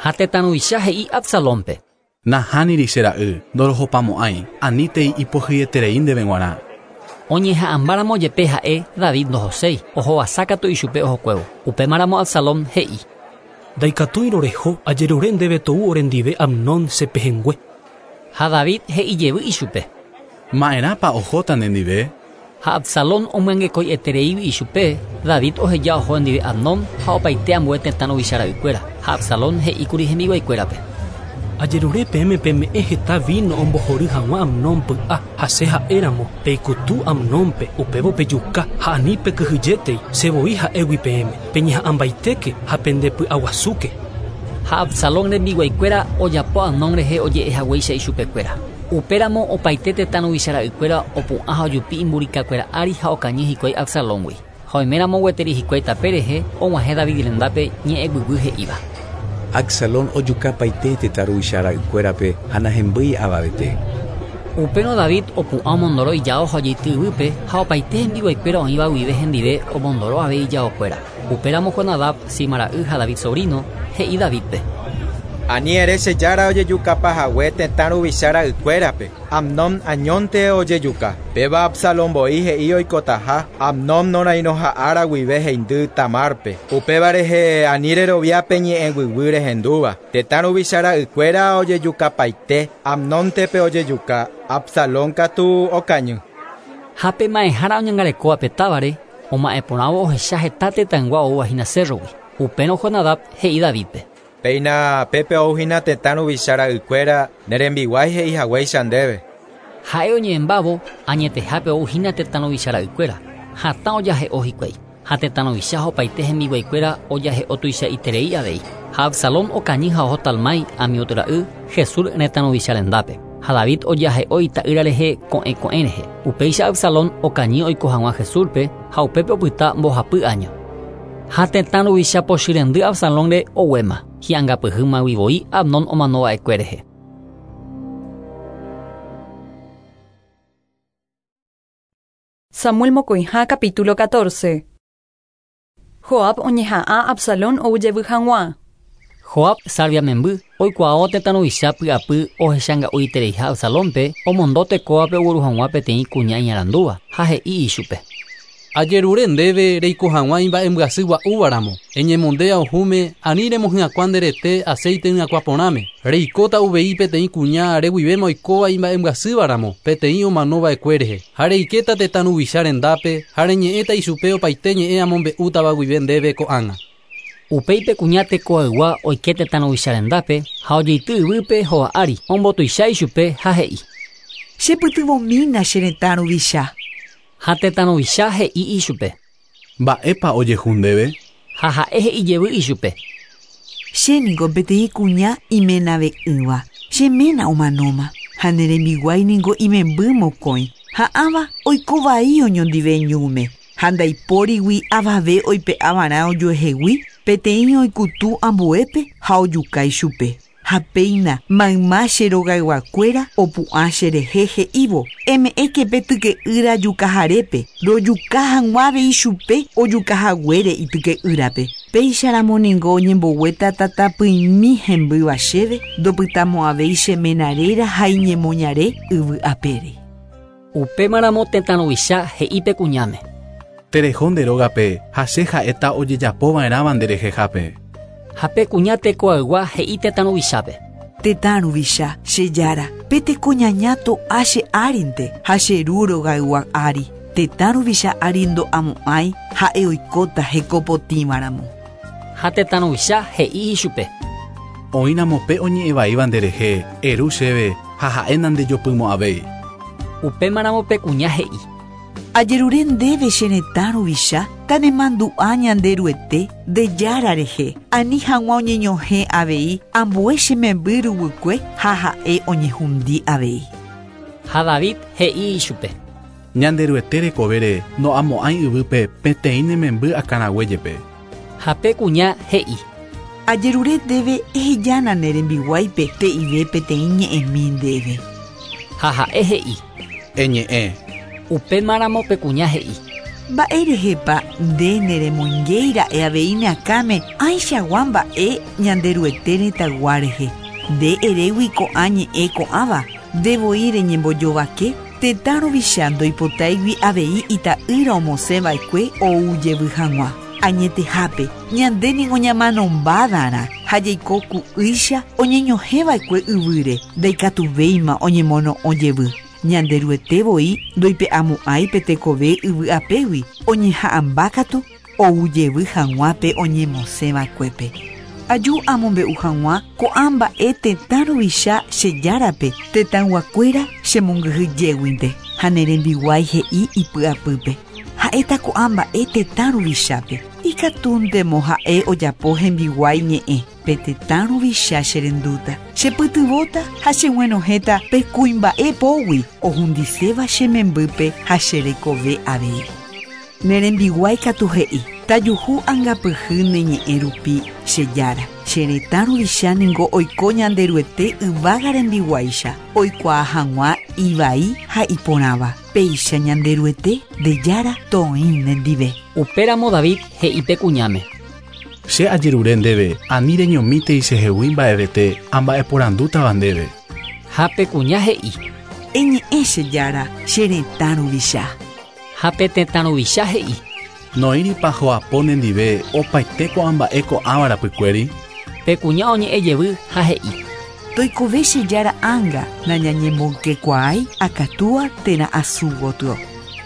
Ha tetã ruvicha he'i Absalónpe. Nahániri che ra'y, ndorohopamo'ãi, anítei ipohyeterei ndéve g̃uarã. Oñeha'ãmbáramo jepe ha'e David ndohoséi, ohovasa katu ichupe ohokuévo. Upémaramo Absalón he'i. Ndaikatúirõ reho, ajerure ndéve tou orendive Amnón che pehẽngue. Ha David he'ijevy ichupe. Ma'erãpa ohóta nendive? Ha Absalón omyangekoietereígui ichupe, David oheja oho ndive Amnón ha opaite ambue tetã ruvicha ra'ykuéra. Ha Absalón he'íkuri hembiguaikuérape. Ajerure peẽme peme'ẽ heta vino ombohory hag̃ua Amnón py'a ha che ha'éramo peikutu Amnónpe upévo pejuka ha ani pekyhyjétei che voi ha'égui peẽme peñeha'ãmbaitéke ha pendepy'aguasúke. Ha Absalón rembiguaikuéra ojapo Amnón rehe oje'ehaguéicha ichupekuéra. Upéramo opaite tetã ruvicha ra'ykuéra opu'ã ha ojupi imburikakuéra ári ha okañy hikuái Absalóngui. Ha oiméramo gueteri hikuái tape rehe og̃uahẽ David rendápe ñe'ẽguyguy he'íva. Absalón ojukapaite tetã ruvicha ra'ykuérape ha nahembýi avavete. Upérõ David opu'ã omondoro ijao ha ojeity yvýpe ha opaite hembiguaikuéra oĩva guive hendive omondoro avei ijaokuéra. Upéramo Jonadab, Sima ra'y ha David sobrino, he'i Davidpe. Ani ere che jára ojejukapahague tetã ruvicha ra'ykuérape. Amnón añónte ojejuka. Péva Absalón voi he'i oikotaha, Amnón norairõha'ára guive heindy Tamárpe. Upéva rehe ani reroviápe ñe'ẽguyguy rehendúva. Tetã ruvicha ra'ykuéra ojejukapaite, Amnóntepe ojejuka, Absalón katu okañy. Ha pe ma'ẽhára oñangarekóvape távare, oma'ẽporãvo ohecha heta tetãygua oúvahína cérrogui. Upérõ Jonadab he'i Davidpe. Péina pépe ouhína tetã ruvicha ra'ykuéra ne rembiguái he'ihaguéicha ndéve. Ha'e oñe'ẽmbávo añetehápe ouhína tetã ruvicha ra'ykuéra. Hatã ojahe'o hikuái. Ha tetã ruvicha ha opaite hembiguaikuéra ojahe'o tuichaiterei avei. Ha Absalón okañy ha oho Talmái Amiot ra'y Jesús retã ruvicha rendápe. Ha David ojahe'o ita'ýra rehe ko'ẽ ko'ẽ rehe. Upéicha Absalón okañy oiko hag̃ua Jesúspe ha upépe opyta mbohapy año. Ha tetã ruvicha pochyrendy Absalónre oguéma. Hi'angapyhýmagui voi Amnón omanova'ekue rehe. Samuel mokõiha capítulo catorce. Joab oñeha'ã Absalón oujevy hag̃ua. Joab Sarvia memby oikuaávo tetã ruvicha py'apy ohechanga'uitereiha Absalónpe omondo tekóvape ogueru hag̃ua peteĩ kuña iñarandúva ha he'i ichupe. Ajerure ndéve reiko hag̃ua imba'embyasy gua'úvaramo. Eñemonde ohúme ani remohyakuã nderete aceite hyakuã porãme. Reikóta uvei peteĩ kuña reguivéma oikóva imba'embyasývaramo peteĩ omanova'ekue rehe. Ha reikéta tetã ruvicha rendápe ha reñe'ẽta ichupe opaite ñe'ẽ amombe'útava guive ndéve ko'ág̃a. Upéipe kuña tekoaygua oike tetã ruvicha rendápe ha ojeity yvýpe hova ári ombotuicha ichupe ha he'i. Chepytyvõmína che retã ruvicha. Ha tetã ruvicha he'i ichupe. Mba'épa ojehu ndéve? Ha ha'e he'ijevy ichupe. Chéniko peteĩ kuña imenave'ỹva. Che ména omanóma. Ha ne rembiguái niko imemby mokõi. Ha ãva oiko vai oñondive ñúme. Ha ndaipórigui avave oipe'avarã ojuehegui peteĩ oikutu ambuépe ha ojuka ichupe. Ha péina mayma che rogayguakuéra opu'ã cherehe he'ívo eme'ẽke pe tyke'ýra jukaharépe rojuka hag̃ua avei chupe ojukahaguére ityke'ýrape. Péicharamo ningo oñemboguéta tatapỹimi hembýva chéve ndopytamo'ãvéi che ména réra ha iñemoñare yvy apére. Upémaramo tetã ruvicha he'i pe kuñáme. Tereho nde rógape ha che ha'éta ojejapova'erãva nderehehápe. Ha pe kuña tekoaygua he'i tetã ruvichápe. Tetã ruvicha, che jára, pe tekoñaña to'a che árinte ha che ru rogaygua ári. Tetã ruvicha ári ndo'amo'ãi ha'e oikóta hekopotĩvaramo. Ha tetã ruvicha he'i ichupe. Oĩramo pe oñe'ẽvaíva nderehe, eru chéve ha ha'e nandejopymo'ãvéi. Upémaramo pe kuña he'i. Ajerure ndéve che retã ruvicha tanemandu'a Ñanderuete nde jára rehe ani hag̃ua oñeñohẽ avei ambue che memby ruguykue ha ha'e oñehundi avei. Ha David he'i ichupe. Ñanderuete rekovére no'amo'ãi yvýpe peteĩ ne memby akãrague jepe. Ha pe kuña he'i. Ajerure ndéve ehejána ne rembiguáipe te'ive peteĩ ñe'ẽmi ndéve. Ha ha'e he'i. Eñe'ẽ. Upémaramo pe kuña he'i. Mba'érehepa nde neremoingéira'e avei ne akãme ãichagua mba'e Ñanderuete retãygua rehe. Nde erégui ko'ã ñe'ẽ ko'ãva ndevoi reñembojovake tetã ruvicha ndoipotáigui avei ita'ýra omosẽva'ekue ou jevy hag̃ua. Añetehápe ñande niko ñamanombádarã ha jaiko ku'ýicha oñeñohẽva'ekue yvýre ndaikatuvéima oñemono'õ jevy. Ñanderuete voi ndoipe'amo'ãi pe tekove yvy apégui oñeha'ãmbákatu ou jevy hag̃ua pe oñemosẽva'ekuépe. Aju amombe'u hag̃ua ko'ã mba'e tetã ruvicha che járape tetãyguakuéra chemongyhyjéguinte ha ne rembiguái he'i ipy'apýpe. Ha'éta ko'ã mba'e tetã ruvichápe. Ikatúntemo ha'e ojapo hembiguái ñe'ẽ. Pe tetã ruvicha cherendúta. Chepytyvõta ha cheguenohẽta pe kuimba'e pógui ohundiséva che membýpe ha che rekove avei. Ne rembiguái katu he'i. Tajuhu angapyhy ne ñe'ẽ rupi che jára. Che retã ruvicha ningo oiko Ñanderuete yvága rembiguáicha oikuaa hag̃ua ivai ha iporãva. Péicha Ñanderuete nde jára toĩ nendive. Upéramo David he'i pe kuñáme. Che ajerure ndéve ani reñomítei chehegui mba'evete amba'eporandútava ndéve. Ha pe kuña he'i. Eñe'ẽ che jára che retã ruvicha. Ha pe tetã ruvicha he'i. Noĩripa ho'apo nendive opaite ko'ã mba'e ko'ãva rapykuéri. Pe kuña oñe'ẽ jevy ha he'i. Toikove che jára ánga nañañemboykekuaái akatúa térã asu gotyo.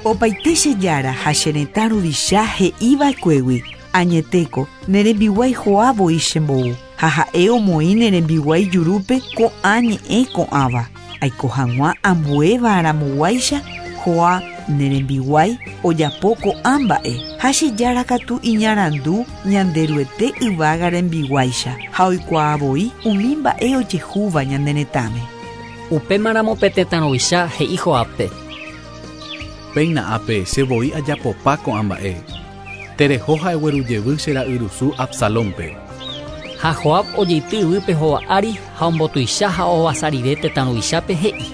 Opaite che jára ha che retã ruvicha he'iva'ekuégui. Añetéko ne rembiguái ho'a voi chembou ha ha'e omoĩ ne rembiguái jurúpe ko'ã ñe'ẽ ko'ãva. Aiko hag̃ua ambuéva aramoguáicha ho'a ne rembiguái ojapo ko'ã mba'e ha che jára katu iñarandu Ñanderuete yvága rembiguáicha ha oikuaa voi umi mba'e ojehúva ñane retãme. Upémaramo pe tetã ruvicha he'i Joábpe. Péina ápe che voi ajapopa ko'ã mba'e. Tereho ha'egueru jevy che ra'yrusu Absalónpe. Ha Joab ojeity yvýpe hova ári ha ombotuicha ha ohovasa rire tetã ruvichápe he'i.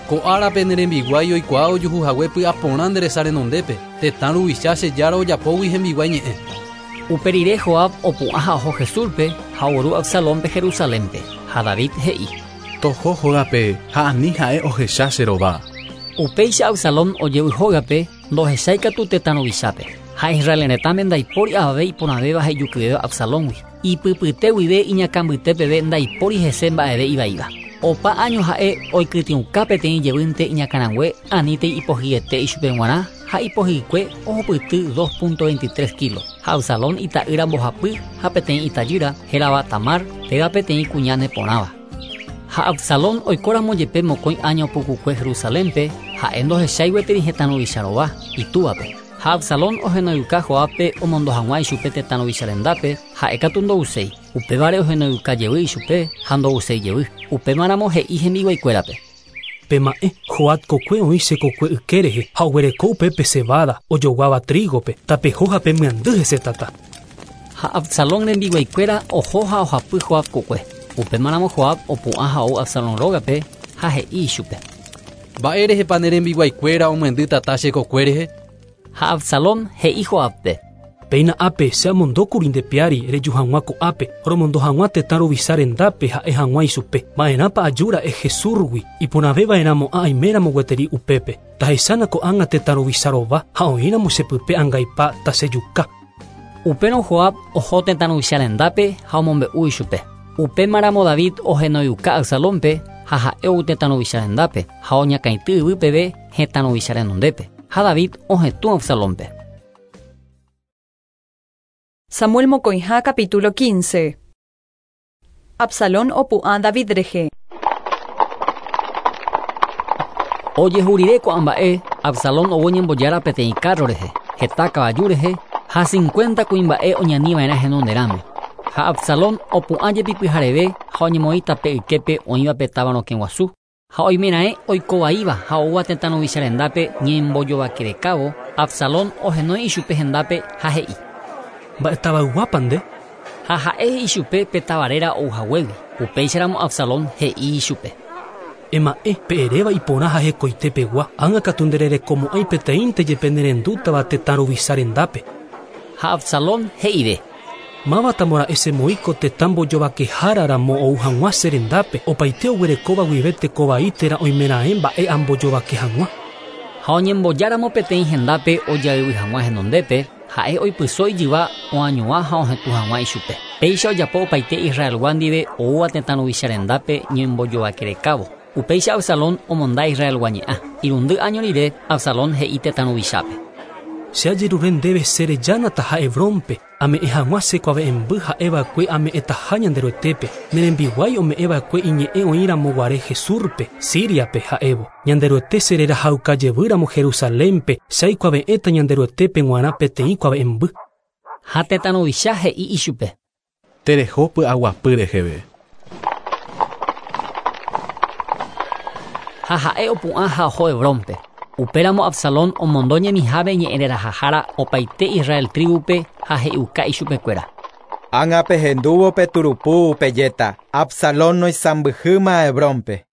Ko árape ne rembiguái oikuaa ojuhuhague py'aporã nde resa renondépe tetã ruvicha che jára ojapógui hembiguái ñe'ẽ. Upe rire Joab opu'ã ha oho Jesúspe ha ogueru Absalónpe Jerusalénpe. Ha David he'i. Toho hógape ha ani ha'e ohecha che rova. Upéicha Absalón ojevy hógape ndohecháikatu tetã ruvichápe. Ha Israel retãme ndaipóri avave iporãvéva ha ijukyvéva Absalóngui. Ipypyte guive iñakãmbyte peve ndaipóri hese mba'eve ivaíva. Opa año ha'e oikytĩuka peteĩ jevýnte iñakãrangue anítei ipohyete ichupe g̃uarã Ha ipohykue ohupyty dos punto veintitrés kilos. Ha Absalón ita'ýra mbohapy ha peteĩ itajýra hérava Tamar péva peteĩ kuña neporãva. Ha Absalón oikóramo jepe mokõi año pukukue Jerusalénpe ha'e ndohechái gueteri hetã ruvicha rova itúvape. Ha Absalón ohenoiuka Joábpe omondo hag̃ua ichupe tetã ruvicha rendápe ha'e katu ndouséi. Upévare ohenoiuka jevy ichupe ha ndouséi jevy. Upémaramo he'i hembiguaikuérape. Pema'ẽ Joab kokue oĩ che kokue yke rehe ha oguereko upépe cebada ojoguáva trígope tapeho ha pemyandy hese tata. Ha Absalón rembiguaikuéra oho ha ohapy Joab kokue. Upémaramo Joab opu'ã ha ou Absalón rógape ha he'i ichupe. Mba'érehepa ne rembiguaikuéra omyendy tata che kokue rehe? Ha Absalón he'i Joábpe. Péina ápe che amondókuri nde piári reju hag̃ua ko'ápe romondo hag̃ua tetã ruvicha rendápe ha'e hag̃ua ichupe. Ma'erãpa ajúra'e Jesúsgui iporãveva'erãmo'ã aiméramo gueteri upépe. Tahechána ko'ág̃a tetã ruvicha rova ha oĩramo chepype angaipa tachejuka. Upérõ Joab oho tetã ruvicha rendápe ha omombe'u ichupe. Upémaramo David ohenoiuka Absalónpe ha ha'e ou tetã ruvicha rendápe ha oñakãity yvy peve hetã ruvicha renondépe. Ha David ohetũ Absalónpe. Samuel mokõiha capítulo quince. Absalón opu'ã David rehe. Ojehurire ko'ã mba'e Absalón ou oñembojára peteĩ carro rehe, heta kavaju rehe ha cincuenta kuimba'e oñaniva'erã henonderãme. Ha Absalón opu'ã jepi pyhareve ha oñemoĩ tape yképe oĩva pe táva rokẽ guasu. Ha oimeraẽ oikovaíva ha oúva tetã ruvicha rendápe ñembojovakerekávo, Absalón ohenói ichupe hendápe ha he'i. Mba'etavayguápa nde? Ha ha'e ichupe pe tavaréra ouhaguégui. Upéicharamo Absalón he'i ichupe. Ema'ẽ pe eréva iporã ha hekoitepegua ág̃akatu ndererekomo'ãi peteĩnte jepe nerendútava tetã ruvicha rendápe. Ha Absalón he'ive. Mávatamora'e chemoĩko tetã mbojovakeháraramo ou hag̃ua che rendápe opaite oguerekóva guive tekovai térã oimeraẽ mba'e ambojovake hag̃ua. Ha oñembojáramo peteĩ hendápe ojayvy hag̃ua henondépe ha'e oipyso ijyva oañuã ha ohetũ hag̃ua ichupe. Péicha ojapo opaite Israelgua ndive oúva tetã ruvicha rendápe ñembojovakerekávo. Upéicha Absalón omonda Israelgua ñe'ã. Irundy año rire Absalón he'i tetã ruvichápe. Che ajerure ndéve che rejánataha Hebrónpe ame'ẽ hag̃ua che kuave'ẽmby ha'eva'ekue ame'ẽtaha Ñanderuetépe. Ne rembiguái ome'ẽva'ekue iñe'ẽ oĩramoguare Jesúspe, Síriape ha'évo. Ñanderuete che rerahauka jevýramo Jerusalénpe che aikuave'ẽta Ñanderuetépe g̃uarã peteĩ kuave'ẽmby. Ha tetã ruvicha he'i ichupe. Tereho py'aguapy reheve. Ha ha'e opu'ã ha oho Hebrónpe. Upéramo Absalón omondo ñemiháme ñe'ẽrerahahára opaite Israel tribupe ha he'iuka ichupekuéra. Ág̃a pehendúvo pe turupu pejéta Absalón noisãmbyhýma Hebrónpe.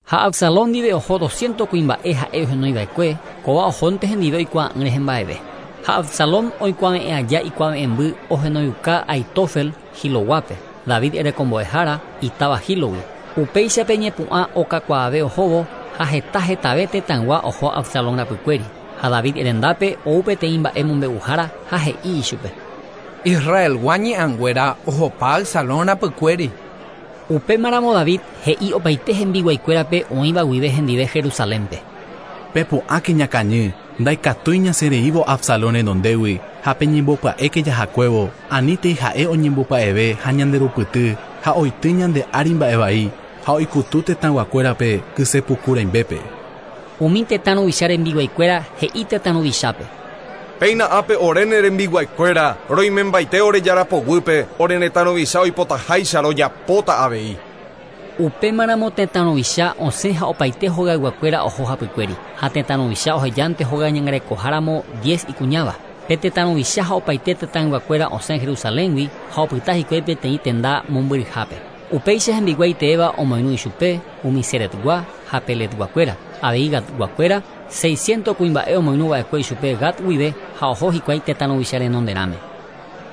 Ha Absalón ndive oho doscientos kuimba'e ha'e ohenoiva'ekue kóva ohónte hendive oikuaa'ỹ rehe mba'eve. Ha Absalón oikuave'ẽ aja ikuave'ẽmby ohenoiuka Aitofel Giloguápe, David erekombo'ehára itáva Gilogui. Upéichape ñepu'ã okakuaave ohóvo ha heta hetave tetãygua oho Absalón rapykuéri. Ha David rendápe ou peteĩ mba'e mombe'uhára ha he'i ichupe. Israelgua ñe'ãnguéra ohopa Absalón rapykuéri. Upémaramo David he'i opaite hembiguaikuérape oĩva guive hendive Jerusalénpe. Pepu'ãke ñakañy ndaikatúi ñasẽreívo Absalón renondégui ha peñembopya'éke jahakuévo anítei ha'e oñembopya'eve ha ñanderupyty ha oity ñande ári mba'evai ha oikutu tetãyguakuérape kysepuku rãimbépe. Umi tetã ruvicha rembiguaikuéra he'i tetã ruvichápe. Péina ápe ore ne rembiguaikuéra roimembaite ore jarapoguýpe ore retã ruvicha oipotaháicha rojapóta avei. Upémaramo tetã ruvicha osẽ ha opaite hogayguakuéra oho hapykuéri ha tetã ruvicha ohejánte hóga ñangarekoháramo diez ikuñáva. Pe tetã ruvicha ha opaite tetãyguakuéra osẽ Jerusaléngui ha opyta hikuái peteĩ tenda mombyryhápe. Upéicha hembiguái teéva omoirũ ichupe umi Seretgua ha Peletguakuéra, avei Gatguakuéra, seiscientos kuimba'e omoirũva'ekue ichupe Gat guive ha oho hikuái tetã ruvicha renonderãme.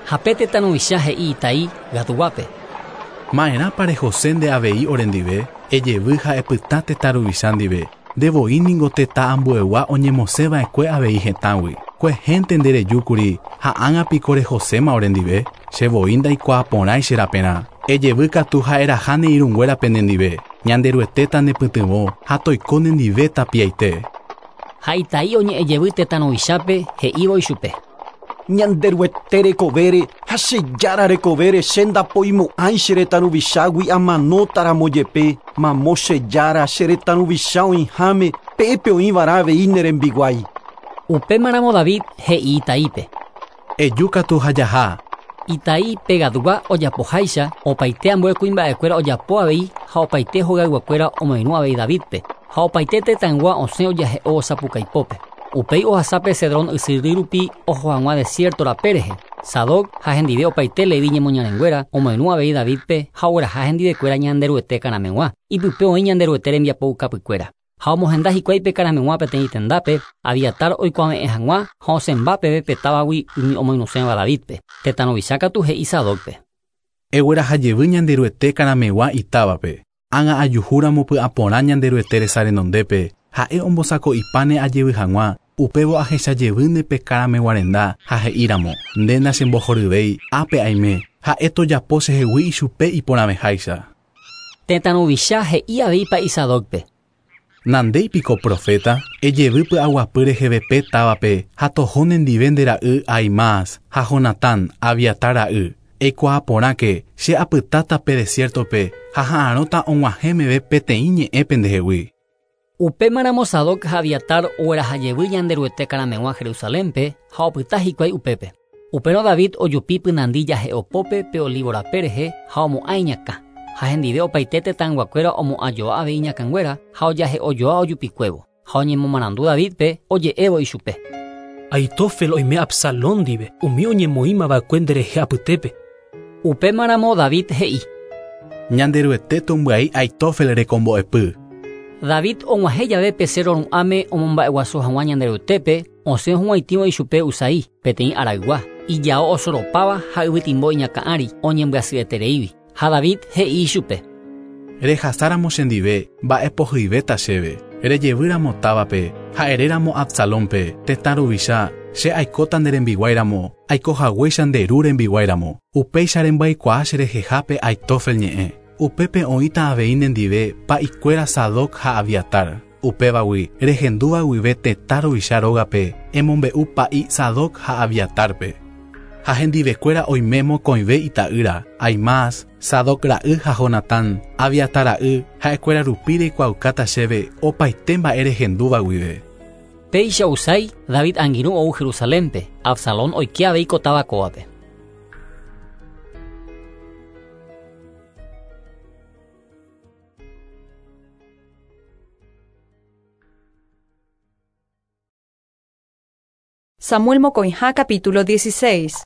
Ha pe tetã ruvicha he'i Itai Gatguápe. Ma'erãpa rehose nde avei orendive, ejevy ha epytã tetã ruvicha ndive. Ndevoi ningo tetã ambuegua oñemosẽva'ekue avei hetãgui. Kuehénte nderejúkuri ha ág̃a piko rehoséma orendive, chevoi ndaikuaaporãi che raperã. Ejevy katu ha'eraha ne irũnguérape nendive. Ñanderuetéta nepytyvõ ha toiko nendive tapiaite. Ha Itai oñe'ẽjevy tetã ruvichápe he'ívo ichupe. Ñanderuete rekovére ha che jára rekovére che ndapoimo'ãi che retã ruvichágui amanótaramo jepe mamo che jára che retã ruvicha oĩháme pépe oĩva'erã avei ne rembiguái. Upémaramo David he'i Itaípe. Ejúkatu ha jaha. Itai pegadugua ojapoháicha opaite ambue kuimba'ekuéra ojapo avei ha opaite hogayguakuéra omoirũ avei Davidpe ha opaite tetãygua osẽ ojahe'o osapukaipópe. Upéi ohasápe Cedrón ysyry rupi oho hag̃ua desierto rape rehe. Sadoc ha hendive opaite Levi ñemoñarenguéra omoirũ avei Davidpe ha ogueraha hendivekuéra Ñanderuete karameg̃ua. Ipype oĩ Ñanderuete rembiapoukapykuéra. Ha omohenda hikuái pe karameg̃ua peteĩ tendápe Abiatar oikuave'ẽ hag̃ua ha osẽmba peve pe távagui umi omoirũséva Davidpe. Tetã ruvicha katu he'i Sadocpe. Eguerahajevy Ñanderuete karameg̃ua itávape. Ág̃a ajuhúramo py'aporã Ñanderuete resa renondépe ha'e ombosako'ipáne ajevy hag̃ua upévo ahechajevýne pe karameg̃ua renda ha he'íramo nde nachembohoryvéi ápe aime ha'e tojapo chehegui ichupe iporãveháicha. Tetã ruvicha he'i avei pa'i Sadocpe. Nandéipiko profeta, ejevy py'aguapy reheve pe távape ha toho nendive nde ra'y Ahimaas ha Jonatán Abiatar ra'y. Eikuaaporãke che apytáta pe desiertope ha ha'arõta og̃uahẽ meve peteĩ ñe'ẽ pendehegui. Upémaramo Sadoc ha Abiatar oguerahajevy Ñanderuete karameg̃ua Jerusalénpe ha opyta hikuái upépe. Upérõ David ojupi pynandi jahe'opópe pe olivo rape rehe ha omo'ã iñakã. Ha hendive opaite tetãyguakuéra omo'ãjoa avei iñakãnguéra ha ojahe'ojoa ojupikuévo. Ha oñemomarandu Davidpe oje'évo ichupe. Ahitófel oime Absalón ndive umi oñemoĩmava'ekue nderehe apytépe. Upémaramo David he'i. Ñanderuete tombyai Ahitófel rekombo'epy. David og̃uahẽ jave pe cerro ru'ãme omomba'eguasu hag̃ua Ñanderuetépe osẽ hug̃uaitĩvo ichupe Husai peteĩ araygua ijao osoropáva ha yvytimbo iñakã ári oñembyasyetereígui. Ha David he'i ichupe. Rehasáramo chendive mba'epohyivéta chéve. Rejevýramo távape ha eréramo Absalónpe tetã ruvicha che aikóta nde rembiguáiramo aikohaguéicha nde ru rembiguáiramo upéicha rembaikuaa cherehehápe Ahitófel ñe'ẽ. Upépe oĩta avei nendive pa'ikuéra Sadoc ha Abiatar. Upévagui rehendúva guive tetã ruvicha rógape emombe'u pa'i Sadoc ha Abiatarpe. Ha hendivekuéra oime mokõive ita'ýra Ahimaas, Sadoc ra'y ha Jonatán, Abiatar ra'y ha'ekuéra rupi reikuaaukáta chéve opaite mba'e rehendúva guive. Péicha Husai David angirũ ou Jerusalénpe Absalón oike avei ko táva kóvape. Samuel mokõiha capítulo dieciséis.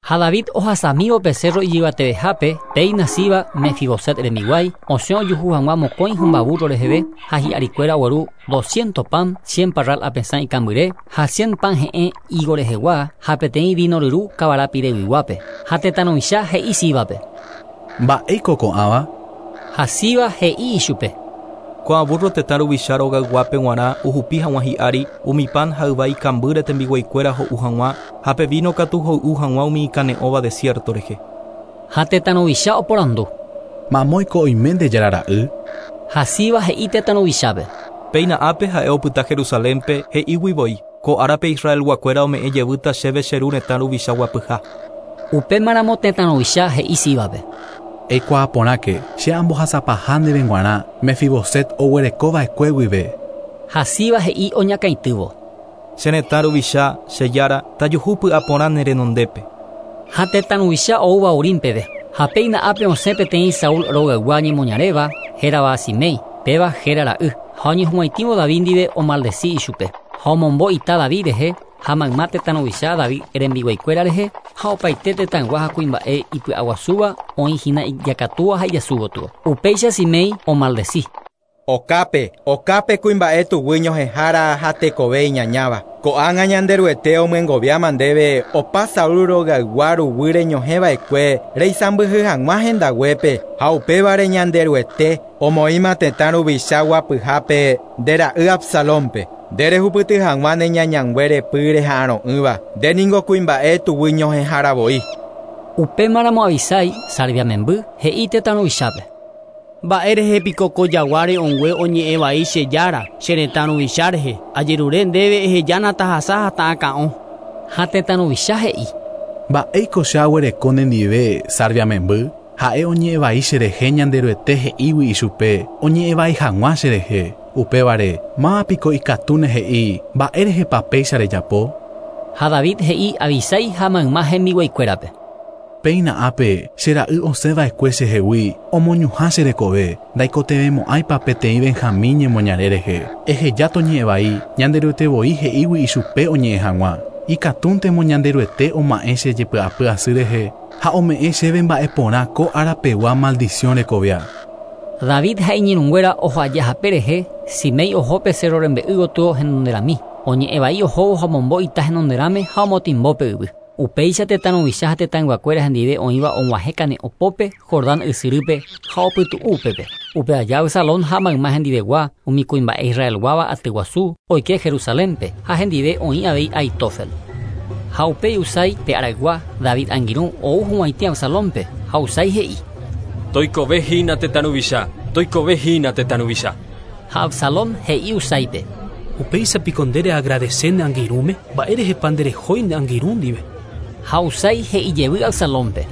Ha David ohasamívo pe cerro ijyvatevehápe péina Siba Mefiboset rembiguái osẽ ojuhu hag̃ua mokõi hymba burro reheve ha hi'arikuéra ogueru doscientos pan, cien parral apesã ikambyre ha cien pan he'ẽ higo rehegua ha peteĩ vino ryru kavara pireguiguápe. Ha tetã ruvicha he'i Síbape. Mba'éiko ko'ãva? Ha Siba he'i ichupe. Ko'ã burro tetã ruvicha rogayguápe g̃uarã ohupi hag̃ua hi'ári umi pan ha yva ikambýre tembiguaikuéra ho'u hag̃ua ha pe vino katu hoy'u hag̃ua umi ikane'õva desierto rehe. Ha tetã ruvicha oporandu. Mamóiko oime nde jára ra'y? Ha Siba he'i tetã ruvichápe. Péina ápe ha'e opyta Jerusalénpe he'ígui voi ko árape Israelguakuéra ome'ẽ jevýta chéve che ru retã ruvicha guapyha. Upémaramo tetã ruvicha he'i Síbape. Eikuaaporãke che ambohasapaha ndéve g̃uarã Mefiboset oguerekova'ekue guive. Ha Siba he'i oñakãitývo. Che retã ruvicha che jára tajuhu py'aporã ne renondépe. Ha tetã ruvicha oúva Urim peve. Ha péina ápe osẽ peteĩ Saúl rogaygua ñemoñaréva hérava Simei, péva héra ra'y. Ha oñehug̃uaitĩvo David ndive omaldeci ichupe. Ha omombo ita David rehe ha mayma tetã ruvicha David rembiguaikuéra rehe ha opaite tetãygua ha kuimba'e ipy'aguasúva oĩhína ijakatúva ha ijasúgotyo. Upéicha Simei omaldeci. Okápe, okápe kuimba'e tuguy ñohẽhára ha tekove iñañáva. Ko'ág̃a Ñanderuete omyengoviáma ndéve opa Saúl rogaygua ruguy reñohẽva'ekue reisãmbyhy hag̃ua hendaguépe ha upévare Ñanderuete omoĩma tetã ruvicha guapyhápe nde ra'y Absalónpe. Nde rehupyty hag̃ua ne ñañangue repy reha'arõ'ỹva. Nde ningo kuimba'e tuguy ñohẽhára voi. Upémaramo Abisai, Sarvia memby, he'i tetã ruvichápe. Mba'e rehe piko ko jagua re'õngue oñe'ẽ vai che jára, che retã ruvicha rehe. Ajerure ndéve ehejána tahasa ha ta'akã'o. Ha tetã ruvicha he'i. Mba'éiko che aguereko nendive Sarvia memby? Ha'e oñe'ẽ vai cherehe Ñanderuete he'ígui ichupe oñe'ẽ vai hag̃ua cherehe. Upévare mávapiko ikatúne he'i mba'e rehepa péicha rejapo? Ha David he'i Abisai ha mayma hembiguaikuérape. Péina ápe che ra'y osẽva'ekue chehegui omoñuhã che rekove ndaikotevẽmo'ãipa peteĩ Benjamín ñemoñare rehe. Eheja toñe'ẽ vai Ñanderuete voi he'ígui ichupe oñe'ẽ hag̃ua. Ikatúntemo Ñanderuete oma'ẽ che jepy'apy asy rehe ha ome'ẽ chéve mba'e porã ko arapegua maldición rekovia. David ha iñirũnguéra ojoajahape rehe, Simei oho pe cerro rembe'y gotyo henonderami. Oñe'ẽ vai ohóvo ha omombo ita henonderãme ha omotimbo pe yvy. Upéicha tetã ruvicha ha tetãyguakuéra hendive oĩva og̃uahẽ kane'õpópe Jordán ysyrýpe ha opytu'u upépe. Upe aja Absalón ha mayma hendivegua umi kuimba'e Israelguáva atyguasu oike Jerusalénpe ha hendive oĩ avei Aitofel. Ha upéi Husai pe araygua David angirũ ou hug̃uaitĩ Absalónpe ha Husai he'i. Toikove hína tetã ruvicha, toikove hína tetã ruvicha. Ha Absalón he'i Husáipe. Upéicha piko nde reagradece ne angirũme, mba'e rehepa nderehói ne angirũ ndive. Ha Husai he'i jevy Absalónpe.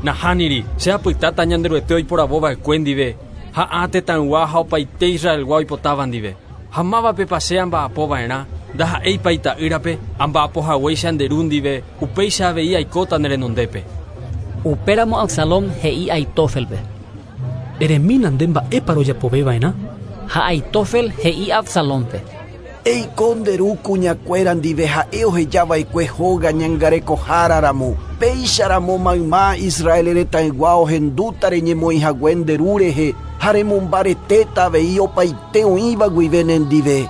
Nahániri, che apytáta Ñanderuete oiporavóva'ekue ndive, ha ã tetãygua ha opaite Israelgua oipotáva ndive. Ha mávapepa che amba'apova'erã, ndaha'éipa ita'ýrape, amba'apohaguéicha nde ru ndive, upéicha avei aikóta ne renondépe. Upéramo Absalón he'i Aitofelpe. Eremína nde mba'épa rojapoveva'erã. Ha Aitofel he'i Absalónpe. Eiko nde ru kuñakuéra ndive ha'e ohejava'ekue hóga ñangarekoháraramo. Péicharamo mayma Israel retãygua ohendúta reñemoĩhague nde ru rehe ha remombaretéta avei opaite oĩva guive nendive.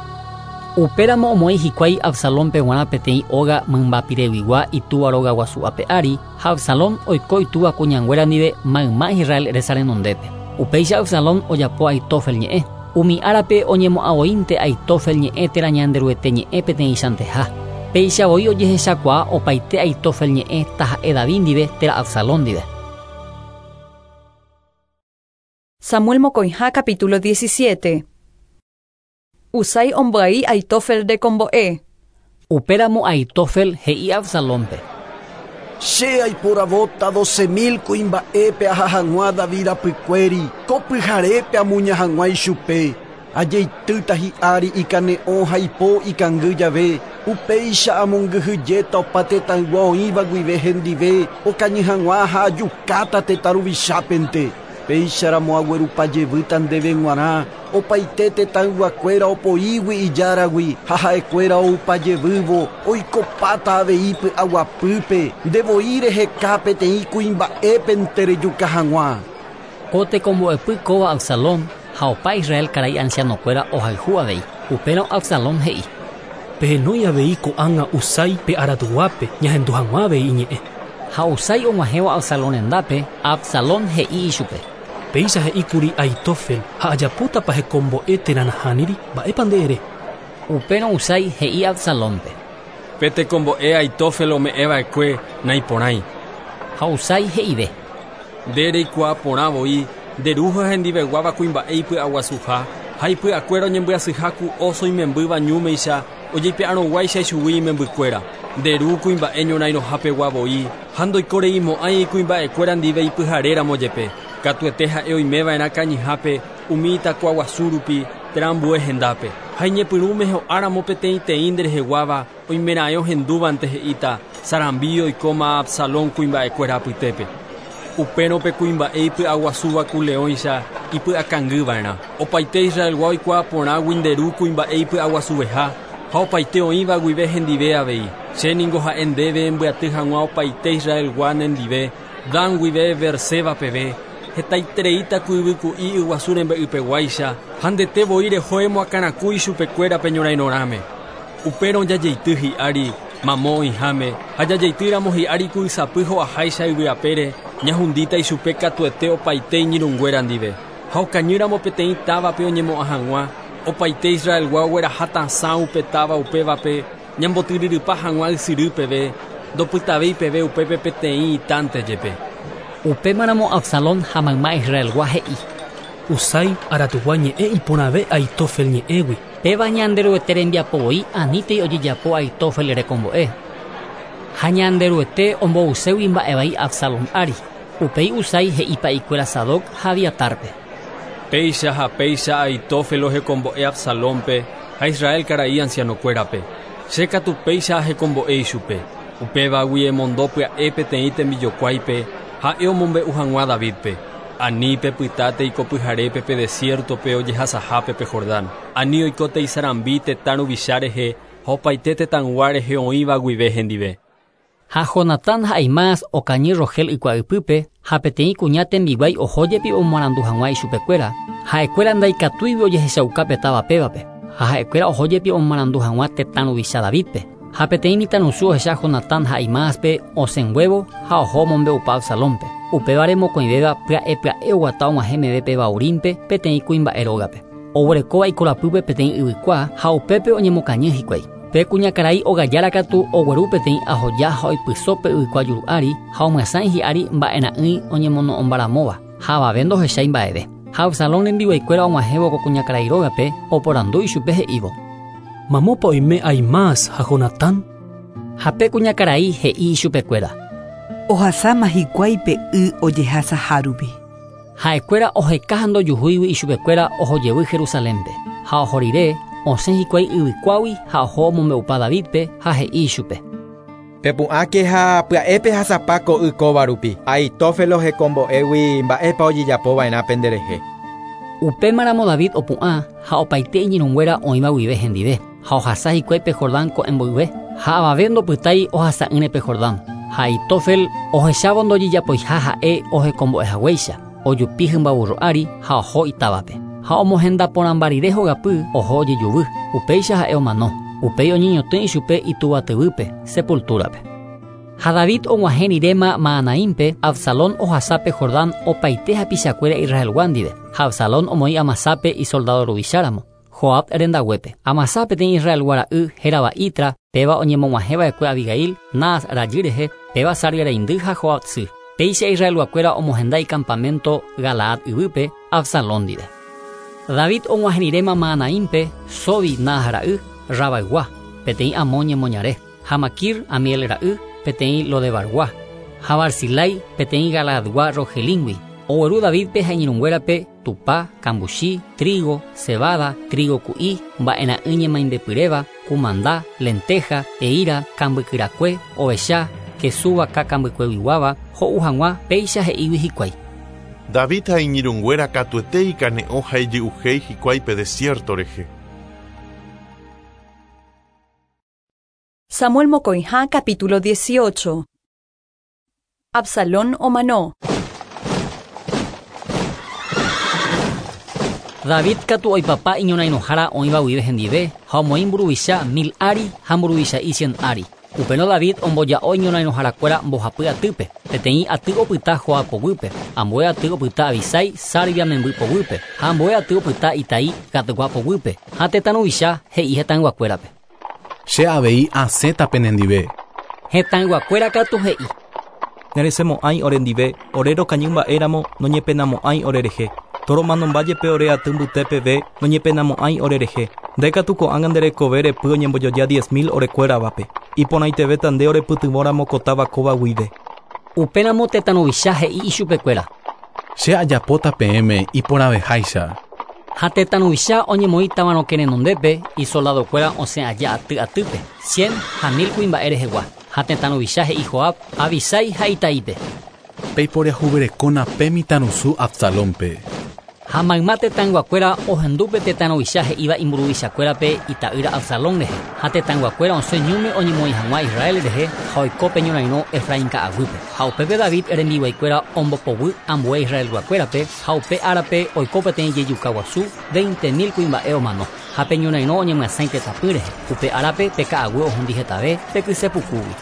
Upéramo omoĩ hikuái Absalónpe g̃uarã peteĩ óga mymbapireguigua itúva róga guasu ape ári ha Absalón oiko itúva kuñanguéra ndive mayma Israel resa renondépe. Upéicha Absalón ojapo Aitofel ñe'ẽ. Umi árape oñemo'ãvoínte Aitofel ñe'ẽ térã Ñanderuete ñe'ẽ peteĩchanteha. Péicha voi ojehechakuaa opaite Aitofel ñe'ẽ taha'e David ndive térã Absalón ndive. Samuel mokõiha capítulo diecisiete. Husai ombyai Aitofel rekombo'e. Upéramo Aitofel he'i Absalónpe. Che aiporavóta doce mil kuimba'épe aha hag̃ua David rapykuéri, ko pyharépe amuña hag̃ua ichupe. Ajeitýta hi'ári ikane'õ ha ipo ikangy jave, upéicha amongyhyjéta opa tetãygua oĩva guive hendive, okañy hag̃ua ha ajukáta tetã ruvichápente. Péicharamo aguerupajevýta ndéve g̃uarã, opaite tetãyguakuéra opoígui ijáragui ha ha'ekuéra oupajevývo oikopáta avei py'aguapýpe, ndevoi reheka peteĩ kuimba'épente rejuka hag̃ua. Ko tekombo'epy kóva Absalón ha opa Israel karai ancianokuéra ohayhu avei. Upérõ Absalón he'i. Pehenói avei ko'ág̃a Husai pe aratuguápe ñahendu hag̃ua avei iñe'ẽ. Ha Husai og̃uahẽvo Absalón rendápe, Absalón he'i ichupe. Péicha he'íkuri Aitofel ha ajapótapa hekombo'e térã nahániri, mba'épa nde ere? Upérõ Husai he'i Absalónpe. Pe tekombo'e Aitofel ome'ẽva'ekue naiporãi. Ha Husai he'ive. Nde reikuaa porã voi, nde ru ha hendiveguáva kuimba'e ipy'aguasuha, ha ipy'akuéra oñembyasyha ku oso imembýva ñúmeicha ojeipe'arõguáicha ichugui imembykuéra. Nde ru kuimba'e ñorãirõhapegua voi, ha ndoikoreimo'ãi kuimba'ekuéra ndive ipyharéramo jepe. Katuete ha'e oimeva'erã kañyhápe umi itakuaguasu rupi térã ambue hendápe. Ha iñepyrũme ho'áramo peteĩteĩ ndereheguáva oimeraẽ ohendúvante he'íta sarambi oikóma Absalón kuimba'ekuéra apytépe. Upérõ pe kuimba'e ipy'aguasúva ku leõicha ipy'akangyva'erã. Opaite Israelgua oikuaa porãgui nde ru kuimba'e ipy'aguasuveha ha opaite oĩva guive hendive avei. Che ningo ha'e ndéve embyaty hag̃ua opaite Israelgua nendive, Dan guive Berseba peve, hetaitereíta ku yvyku'i yguasu rembe'ypeguáicha ha ndete voi reho emoakãraku ichupekuéra pe ñorãirõrãme. Upérõ jajeity hi'ári mamo oĩháme ha jajeitýramo hi'ári ku ysapy ho'aháicha yvyapére ñahundíta ichupe katuete opaite iñirũnguéra ndive. Ha okañýramo peteĩ távape oñemo'ã hag̃ua, opaite Israelgua ogueraha tasã upe táva upévape ñambotyryrypa hag̃ua ysyry peve, ndopytavéi peve upépe peteĩ itánte jepe. Upémaramo Absalón ha mayma Israelgua he'i. Husai Aratugua ñe'ẽ iporãve Aitofel ñe'ẽgui. Péva Ñanderuete rembiapo voi anítei ojejapo Aitofel rekombo'e. Ha Ñanderuete ombouségui mba'evai Absalón ári. Upéi Husai he'i pa'ikuéra Sadoc ha Abiatarpe. Péicha ha péicha Aitofel ohekombo'e Absalónpe ha Israel karai ancianokuérape. Che katu péicha ahekombo'e ichupe. Upévagui emondo pya'e peteĩ tembijokuáipe ha'e omombe'u hag̃ua Davidpe. Ani pepytáte ikopyharépe pe desiertope ojehasahápe pe Jordán. Ani oikóte isarambi tetã ruvicha rehe ha opaite tetãygua rehe oĩva guive hendive. Ha Jonatán ha Ahimaas okañy Rogel ykua'ypýpe ha peteĩ kuña tembiguái oho jepi omoarandu hag̃ua ichupekuéra. Ha'ekuéra ndaikatúigui ojehechauka pe táva pévape. Ha ha'ekuéra oho jepi omoarandu hag̃ua tetã ruvicha Davidpe. Ha peteĩ mitãrusu ohecha Jonatán ha Ahimaaspe osẽnguévo ha oho omombe'upa Absalónpe. Upévare mokõivéva pya'e pya'e oguata og̃uahẽ meve pe Bahurímpe peteĩ kuimba'e rógape. Oguerekóva ikorapýpe peteĩ yvykua ha upépe oñemokañy hikuái. Pe kuñakarai ogajára katu ogueru peteĩ ahoja ha oipyso pe yvykua juru ári ha omyasãi hi'ári mba'era'ỹi oñemono'õmbaramóva ha avave ndohechái mba'eve. Ha Absalón rembiguaikuéra og̃uahẽvo ko kuñakarai rógape oporandu ichupe he'ívo. Mamópa oime Ahimaas ha Jonatán? Ha pe kuñakarai he'i ichupekuéra. Ohasáma hikuái pe y ojehasahárupi. Ha'ekuéra oheka ha ndojuhúigui ichupekuéra ohojevy Jerusalénpe. Ha oho rire osẽ hikuái yvykuágui ha oho omombe'upa Davidpe ha he'i ichupe. Pepu'ãke ha pya'épe hasapa ko y kóva rupi. Aitofel ohekombo'égui mba'épa ojejapova'erã penderehe. Upémaramo David opu'ã ha opaite iñirũnguéra oĩva guive hendive. Ha ohasa hikuái pe Jordán ko'ẽmboyve ha avave ndopytái ohasa'ỹre pe Jordán. Ha Aitofel ohechávo ndojejapoiha ha'e ohekombo'ehaguéicha. Ojupi hymbaburro ári ha oho itávape. Ha omohendaporãmba rire hogapy oho ojejuvy. Upéicha ha'e omano. Upéi oñeñotỹ ichupe ituvatyvýpe, sepultúrape. Ha David og̃uahẽ riréma Mahanaímpe, Absalón ohasápe Jordán opaite hapichakuéra Israelgua ndive. Ha Absalón omoĩ Amasápe isoldado ruvicháramo. Joab rendaguépe. Amasá peteĩ Israelgua ra'y hérava Itra, péva oñemog̃uahẽva'ekue Abigail, Naas rajy rehe, péva Sarvia reindy ha Joab sy. Péicha Israelguakuéra omohenda icampamento Galaad yvýpe Absalón ndive. David og̃uahẽ riréma Mahanaímpe, Sobi Naas ra'y, Rabaygua, peteĩ Amón ñemoñare, ha Maquir Amiel ra'y, peteĩ Lodebargua, ha Barzilai peteĩ Galaadgua Rogelíngui. Ogueru Davidpe ha iñirũnguérape tupa, kambuchi, trigo, cebada, trigo ku'i, mba'era'ỹ ñemaimbepyréva, kumanda, lenteja, eíra, kambykyrakue, ovecha, kesu vaka kambykueguiguáva, ho'u hag̃ua péicha he'ígui hikuái. David ha iñirũnguéra katuete ikane'õ ha ijy'uhéi hikuái pe desierto rehe. Samuel Mocoijá, capítulo dieciocho. Absalón omanó. David katu oipapa iñorairõhára oĩva guive hendive ha omoĩ mburuvicha mil ári ha mburuvicha'i cien ári. Upérõ David omboja'o iñorairõharakuéra mbohapy atýpe. Peteĩ aty opyta Joab poguýpe, ambue aty opyta Abisai Sarvia memby poguýpe ha ambue aty opyta Itai Gatgua poguýpe ha tetã ruvicha he'i hetãyguakuérape. Che avei asẽta penendive. Hetãyguakuéra katu he'i. Neresemo'ãi orendive, ore rokañy mba'éramo noñepenamo'ãi orerehe. Toromanomba jepe ore aty mbytépeve noñepenamo'ãi orerehe. Nde katu ko'ág̃a nde rekove repy oñembojoja diez mil orekuéravape. Iporãitevéta nde orepytyvõramo ko táva kóva guive. Upéramo tetã ruvicha he'i ichupekuéra. Che ajapóta peẽme iporãveháicha. Ha tetã ruvicha oñemoĩ távarõke renondépe isoldadokuéra osẽ aja aty atýpe, cien ha mil kuimba'e rehegua. Ha tetã ruvicha he'i Joab, Abisai ha Itaípe. Peiporiahuverekóna pe mitãrusu Absalónpe. Ha mayma tetãyguakuéra ohendúpe tetã ruvicha he'íva imburuvichakuérape ita'ýra Absalón rehe. Ha tetãyguakuéra osẽ ñúme oñemoĩ hag̃ua Israel rehe ha oiko pe ñorairõ Efraín ka'aguýpe. Ha upépe David rembiguaikuéra ombopoguy ambue Israelguakuérape ha upe árape oiko peteĩ jejuka guasu veinte mil kuimba'e omano. Ha pe ñorairõ oñemyasãi tetãpy rehe. Upe árape pe ka'aguy ohundi hetave pe kysepukúgui.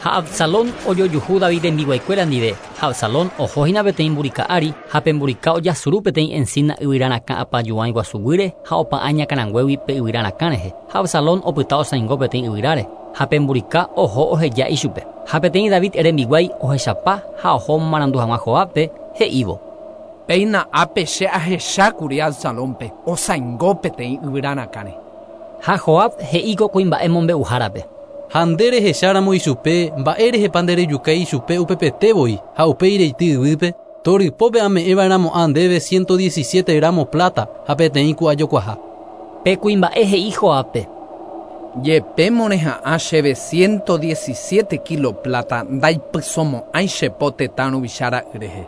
Ha Absalón ojojuhu David rembiguaikuéra ndive. Ha Absalón ohohína peteĩ mburika ári ha pe mburika ojasuru peteĩ encina yvyrarakã apajuãi guasuguýre ha opa'ã ñakãranguégui pe yvyrarakã rehe. Ha Absalón opyta osãingo peteĩ yvyráre ha pe mburika oho oheja ichupe. Ha peteĩ David rembiguái ohechapa ha oho omomarandu hag̃ua Joabpe he'ívo. Péina ápe che ahechákuri Absalónpe osãingo peteĩ yvyrarakãre. Ha Joab he'i ko kuimba'e mombe'uhárape. Ha nde rehecháramo ichupe mba'érehepa nderejukái ichupe upepete voi ha upéi reity yvýpe torypópe ame'ẽva'erãmo'ã ndéve ciento diecisiete gramo plata ha peteĩ ku'ajokuaha. Pe kuimba'e he'i Joabpe. Jepémo reha'ã chéve ciento diecisiete kilo plata ndaipysomo'ãi che po tetã ruvicha ra'y rehe.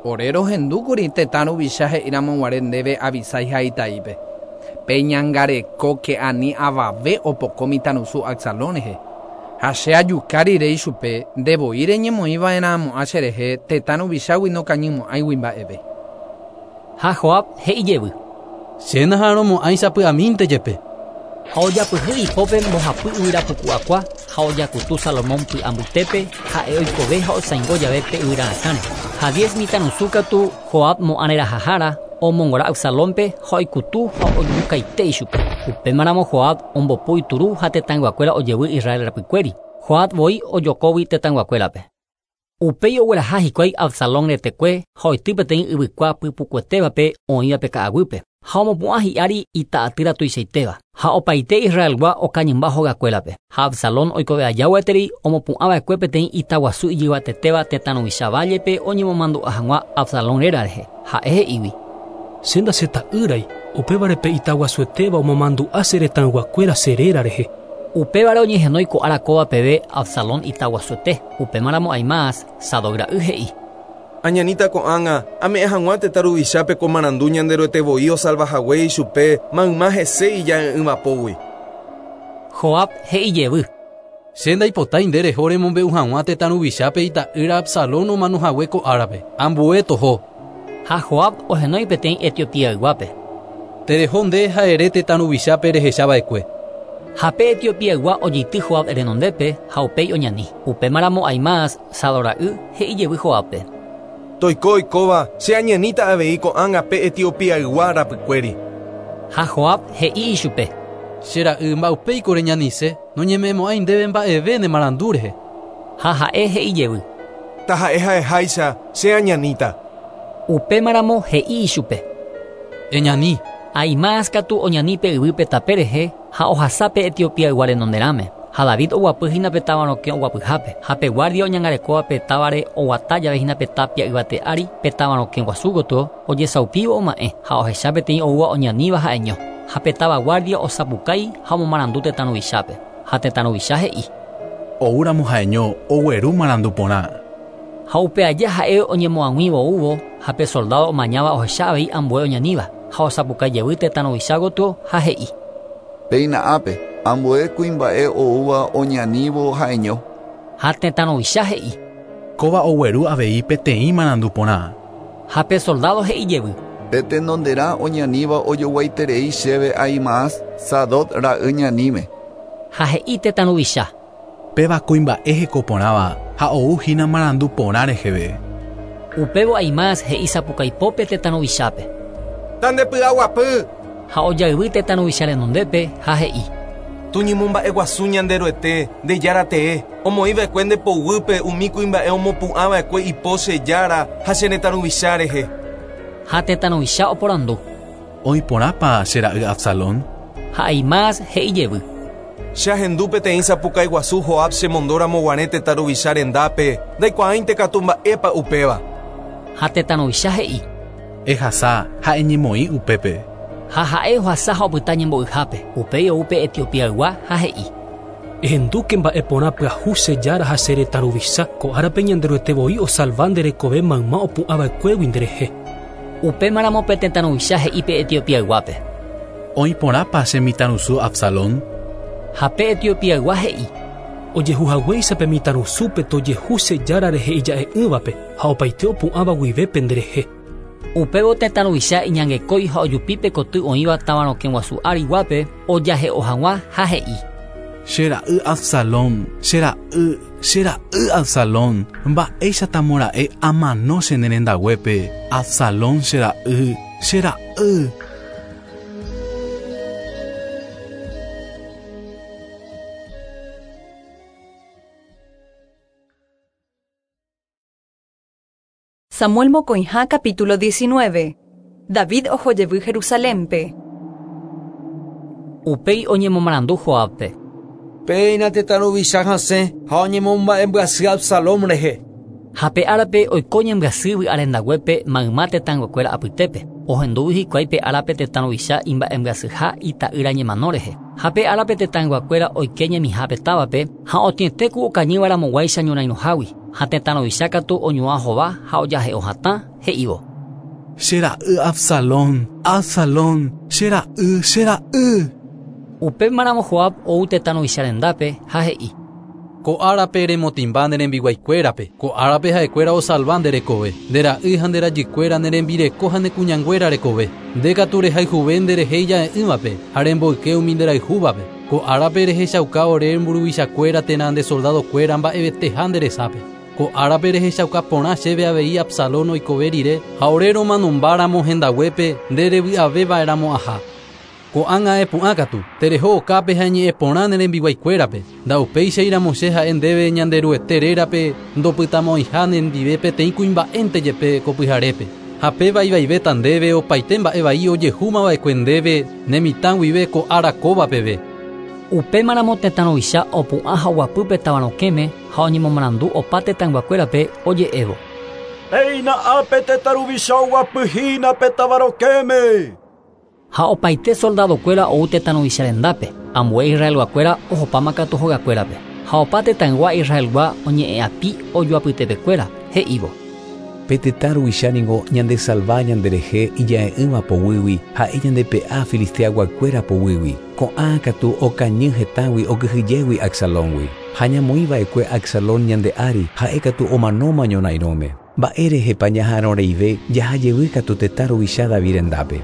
Ore rohendúkuri tetã ruvicha he'íramoguare ndéve Abisai ha Itaípe. Peñangarekóke ani avave opoko mitãrusu Absalón rehe. Ha che ajuka rire ichupe ndevoi reñemoĩva'erãmo'ã cherehe tetã ruvichágui nokañymo'ãigui mba'eve. Ha Joab he'i jevy. Che naharomo'ãi sapy'amínte jepe. Ha ojapyhy ipópe mbohapy yvyrapuku'akua ha ojakutu Salomón py'ambytépe ha'e oikove ha osãingo jave pe yvyrarakãre. Ha diez mitãrusu katu Joab mo'ãrerahahára omongora Absalónpe ha oikutu ha ojukaite ichupe. Upémaramo Joab ombopu ituru ha tetãyguakuéra ojevy Israel rapykuéri. Joab voi ojokógui tetãyguakuérape. Upéi ogueraha hikuái Absalón retekue ha oity peteĩ yvykua pypukuetévape oĩva pe ka'aguýpe. Ha omopu'ã hi'ári ita'atýra tuichaitéva. Ha opaite Israelgua okañymba hogakuérape. Ha Absalón oikove aja gueteri omopu'ãva'ekue peteĩ itaguasu ijyvatetéva tetã ruvicha vállepe oñemomandu'a hag̃ua Absalón réra rehe. Ha'e he'ígui. Che ndaseta'ýrai upévare pe itaguasuetéva omomandu'a che retãyguakuéra che réra rehe. Upévare oñehenói ko ára kóva peve Absalón itaguasuete. Upémaramo Ahimaas Sadoc ra'y he'i. Añaníta ko'ág̃a ame'ẽ hag̃ua tetã ruvichápe ko marandu Ñanderuete voi osalvahague ichupe mayma hese ija'e'ỹvapógui. Joab he'i jevy. Che ndaipotái nde reho remombe'u hag̃ua tetã ruvichápe ita'ýra Absalón omanohague ko árape. Ambue toho. Ha Joab ohenói peteĩ Etiopiayguápe. Tereho nde ha ere tetã ruvichápe rehechava'ekue. Ha pe Etiopiaygua ojeity Joab renondépe ha upéi oñani. Upémaramo Ahimaas Sadoc ra'y he'i jevy Joabpe. Toiko oikóva che añaníta avei ko'ág̃a pe Etiopiaygua rapykuéri. Ha Joab he'i ichupe. Che ra'y mba'upéiko reñanise noñeme'ẽmo'ãi ndéve mba'eve ne marandu rehe. Ha ha'e he'i jevy. Taha'e ha'eháicha che añaníta. Upémaramo he'i ichupe. Eñani. Ahimaas katu oñani pe yvýpe tape rehe ha ohasa pe Etiopiaygua renonderãme. Ha David oguapy hína pe táva rokẽ oguapyhápe. Ha pe guardia oñangarekóva pe távare oguata jave hína pe tapia yvate ári pe táva rokẽ guasu gotyo ojesaupívo oma'ẽ ha ohecha peteĩ oúva oñaníva ha'eño. Ha pe táva guardia osapukái ha omomarandu tetã ruvichápe. Ha tetã ruvicha he'i. Oúramo ha'eño ogueru marandu porã. Ha upe aja ha'e oñemoag̃uívo oúvo ha pe soldado omañáva ohecha avei ambue oñaníva ha osapukái jevy tetã ruvicha gotyo ha he'i. Péina ápe ambue kuimba'e oúva oñanívo ha'eño. Ha tetã ruvicha he'i. Kóva ogueru avei peteĩ marandu porã. Ha pe soldado he'i jevy. Pe tenonderã oñaníva ojoguaiterei chéve Ahimaas Sadoc ra'y ñaníme. Ha he'i tetã ruvicha. Péva kuimba'e hekoporãva ha ouhína marandu porã reheve. Upévo Ahimaas he'i sapukaipópe tetã ruvichápe. Tandepy'aguapy. Ha ojayvy tetã ruvicha renondépe ha he'i. Tuñemomba'eguasu Ñanderuete nde jára tee omoĩva'ekue nde poguýpe umi kuimba'e omopu'ãva'ekue ipo che jára ha che retã ruvicha rehe. Ha tetã ruvicha oporandu. Oĩporãpa che ra'y Absalón? Ha Ahimaas he'i jevy. Che ahendu peteĩ sapukái guasu Joab chemondóramo guare tetã ruvicha rendápe ndaikuaáinte katu mba'épa upéva. Ha tetã ruvicha he'i. Ehasa ha eñemoĩ upépe. Ha ha'e ohasa ha opyta ñembo'yhápe. Upéi ou pe Etiopiaygua ha he'i. Ehendúke mba'e porã pyahu che jára ha che retã ruvicha ko árape Ñanderuete voi osalva nde rekove mayma opu'ãva'ekuégui nderehe. Upémaramo pe tetã ruvicha he'i pe Etiopiayguápe. Oĩporãpa che mitãrusu Absalón? Ha pe Etiopiaygua he'i. Ojehuhaguéicha pe mitãrusúpe tojehu che jára rehe ija'e'ỹvape ha opaite opu'ãva guive penderehe. Upévo tetã ruvicha iñangekói ha ojupi pe koty oĩva táva rokẽ guasu áriguápe ojahe'o hag̃ua ha he'i. Che ra'y Absalón, che ra'y, che ra'y Absalón, mba'éichatamora'e amano che ne rendaguépe. Absalón che ra'y, che ra'y. Samuel mokõiha capítulo diecinueve. David ohojevy Jerusalénpe. Upéi oñemomarandu Joábpe. Péina tetã ruvicha hasẽ ha oñemomba'embyasy Absalón rehe. Ha pe árape oiko ñembyasy vy'arendaguépe mayma tetãnguekuéra apytépe. Ohendúvi hikuái pe árape tetã ruvicha imba'embyasyha ita'ýra ñemano rehe. Ha pe árape tetãnguakuéra oike ñemihápe távape ha otĩetéku okañývaramoguáicha ñorairõhágui. Ha tetã ruvicha katu oñuã hova ha ojahe'o hatã he'ívo. Che ra'y Absalón, Absalón, che ra'y, che ra'y. Upémaramo Joab ou tetã ruvicha rendápe ha he'i. Ko árape remotĩmba ne rembiguaikuérape, ko árape ha'ekuéra osalva nde rekove, nde ra'y ha nde rajykuéra ne rembireko ha ne kuñanguéra rekove, nde katu rehayhuve nderehe ija'e'ỹvape ha remboyke umi nderayhúvape, ko árape rehechauka ore mburuvichakuéra térã nde soldadokuéra mba'eveteha nde resápe. Ko árape rehechauka porã chéve avei Absalón oikove rire ha ore romanombáramo hendaguépe nde revy'aveva'erãmo'ãha. Ko'ág̃a epu'ã katu, tereho okápe ha eñe'ẽporã ne rembiguaikuérape, ndaupéichairamo che ha'e ndéve Ñanderuete rérape ndopytamo'ãiha nendive peteĩ kuimba'énte jepe ko pyharépe. Ha péva ivaivéta ndéve opaite mba'e vai ojehúmava'ekue ndéve ne mitã guive ko ára kóva peve. Upémaramo tetã ruvicha opu'ã ha oguapýpe tavarokẽme ha oñemomarandu opa tetãnguakuérape oje'évo. Péina ápe tetã ruvicha oguapyhína pe tavarokẽme. Ha opaite soldadokuéra ou tetã ruvicha rendápe, ambue Israelguakuéra ohopáma katu hogakuérape. Ha opa tetãygua Israelgua oñe'ẽapi ojoapytepekuéra, he'ívo. Pe tetã ruvicha ningo ñandesalva ñanderehe ija'e'ỹva poguýgui ha'e ñandepe'a filisteaguakuéra poguýgui. Ko'ã katu okañy hetãgui okyhyjégui Absalóngui. Ha ñamoĩva'ekue Absalón ñande ári ha'e katu omanóma ñorairõme. Mba'érehepa ñaha'arõreive jahajevy katu tetã ruvicha David rendápe.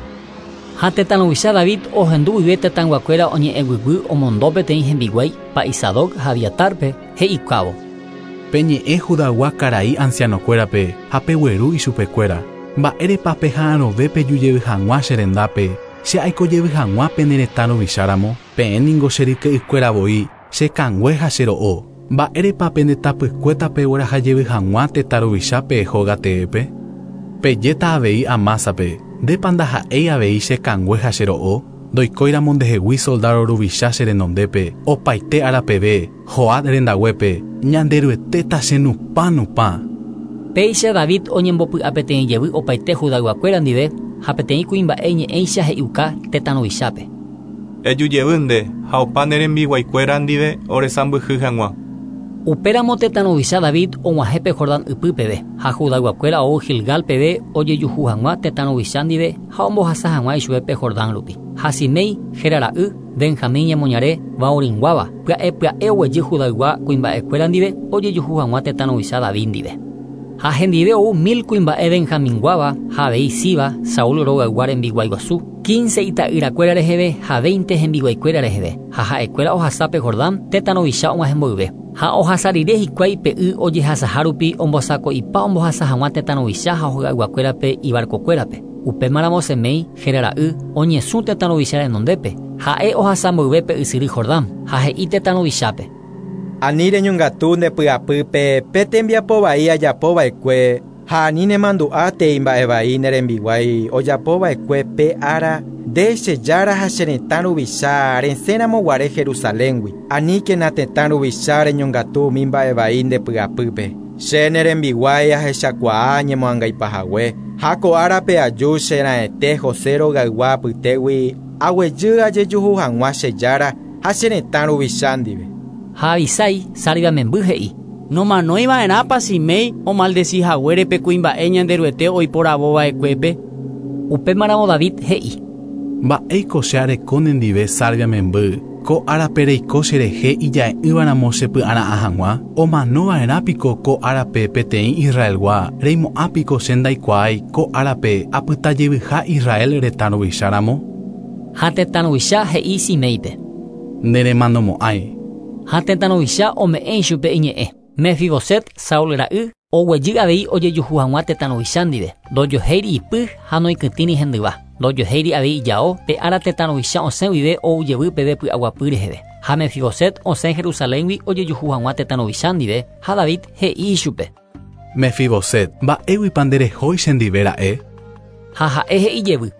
Ha tetã ruvicha David ohendu guive tetãnguakuéra oñe'ẽguyguy omondo peteĩ hembiguái pa'i Sadoc ha Abiatarpe he'ikávo. Peñe'ẽ Judagua karai ancianokuérape ha pegueru ichupekuéra. Mba'érepa peha'arõve pejujevy hag̃ua che rendápe, che aikojevy hag̃ua pene retã ruvicháramo, peẽ ningo che ryke'ykuéra voi, che kangue ha che ro'o. Mba'érepa pende tapykuéta peguerahajevy hag̃ua tetã ruvichápe hóga teépe? Pejéta avei Amásape, ndépa ndaha'éi avei che kangue ha che ro'o, ndoikóiramo ndehegui soldado ruvicha che renondépe, opaite árapeve, Joab rendaguépe, Ñanderuetéta che nupã nupã. Péicha David oñembopy'a peteĩ jevy opaite Judayguakuéra ndive ha peteĩ kuimba'e ñe'ẽicha he'iuka tetã ruvichápe. Ejujevy nde ha opa ne rembiguaikuéra ndive oresãmbyhy hag̃ua. Upéramo tetã ruvicha David og̃uahẽ pe Jordán ypýpeve ha Judayguakuéra ou Gilgal peve ojejuhu hag̃ua tetã ruvicha ndive ha ombohasa hag̃ua ichupe pe Jordán rupi. Ha Simei héra ra'y Benjamín ñemoñare Baoringuáva pya'e pya'e oguejy Judaygua kuimba'ekuéra ndive ojejuhu hag̃ua tetã ruvicha David ndive. Ha hendive ou mil kuimba'e Benjaminguáva ha avei Siba, Saúl rogaygua rembiguaiguasu, quince ita'yrakuéra reheve ha veinte hembiguaikuéra reheve ha ha'ekuéra ohasa pe Jordán tetã ruvicha og̃uahẽ mboyve. Ha ohasa rire hikuái pe y ojehasaha rupi ombosako'ipa ombohasa hag̃ua tetã ruvicha ha hogayguakuérape ibarcokuérape. Upémaramo Semei héra ra'y oñesũ tetã ruvicha renondépe ha'e ohasa mboyve pe ysyry Jordán ha he'i tetã ruvichápe. Ani reñongatu nde py'apýpe pe tembiapo vai ajapova'ekue ha ani nemandu'átei mba'e vai ne rembiguái ojapova'ekue pe ára nde che jára ha che retã ruvicha resẽramoguare Jerusaléngui. Aníkena tetã ruvicha reñongatu umi mba'e vai nde py'apýpe. Che ne rembiguái ahechakuaa ñemoangaipahague ha ko árape aju che raẽte José rogaygua apytégui aguejy ajejuhu hag̃ua che jára ha che retã ruvicha ndive. Ha Abisai Sarvia memby he'i. Nomanóiva'erãpa Simei omaldecihaguére pe kuimba'e Ñanderuete oiporavova'ekuépe. Upémaramo David he'i. Mba'éiko che areko nendive Sarvia memby, ko árape reiko cherehe ija'e'ỹvaramo che py'ara'ã hag̃ua, omanova'erãpiko ko árape peteĩ Israelgua, reimo'ãpiko che ndaikuaái ko árape apytajevyha Israel retã ruvicháramo. Ha tetã ruvicha he'i Simeipe. Neremanomo'ãi. Ha tetã ruvicha ome'ẽ ichupe iñe'ẽ. Mefiboset Saúl ra'y oguejy avei ojejuhu hag̃ua tetã ruvicha ndive. Ndojohéiri ipy ha noikytĩri hendyva. Ndojohéiri avei ijao pe ára tetã ruvicha osẽ guive oujevy peve py'aguapy reheve. Ha Mefiboset osẽ Jerusaléngui ojejuhu hag̃ua tetã ruvicha ndive ha David he'i ichupe. Mefiboset, mba'éguipa nderehói chendive ra'e? Ha ha'e he'i jevy.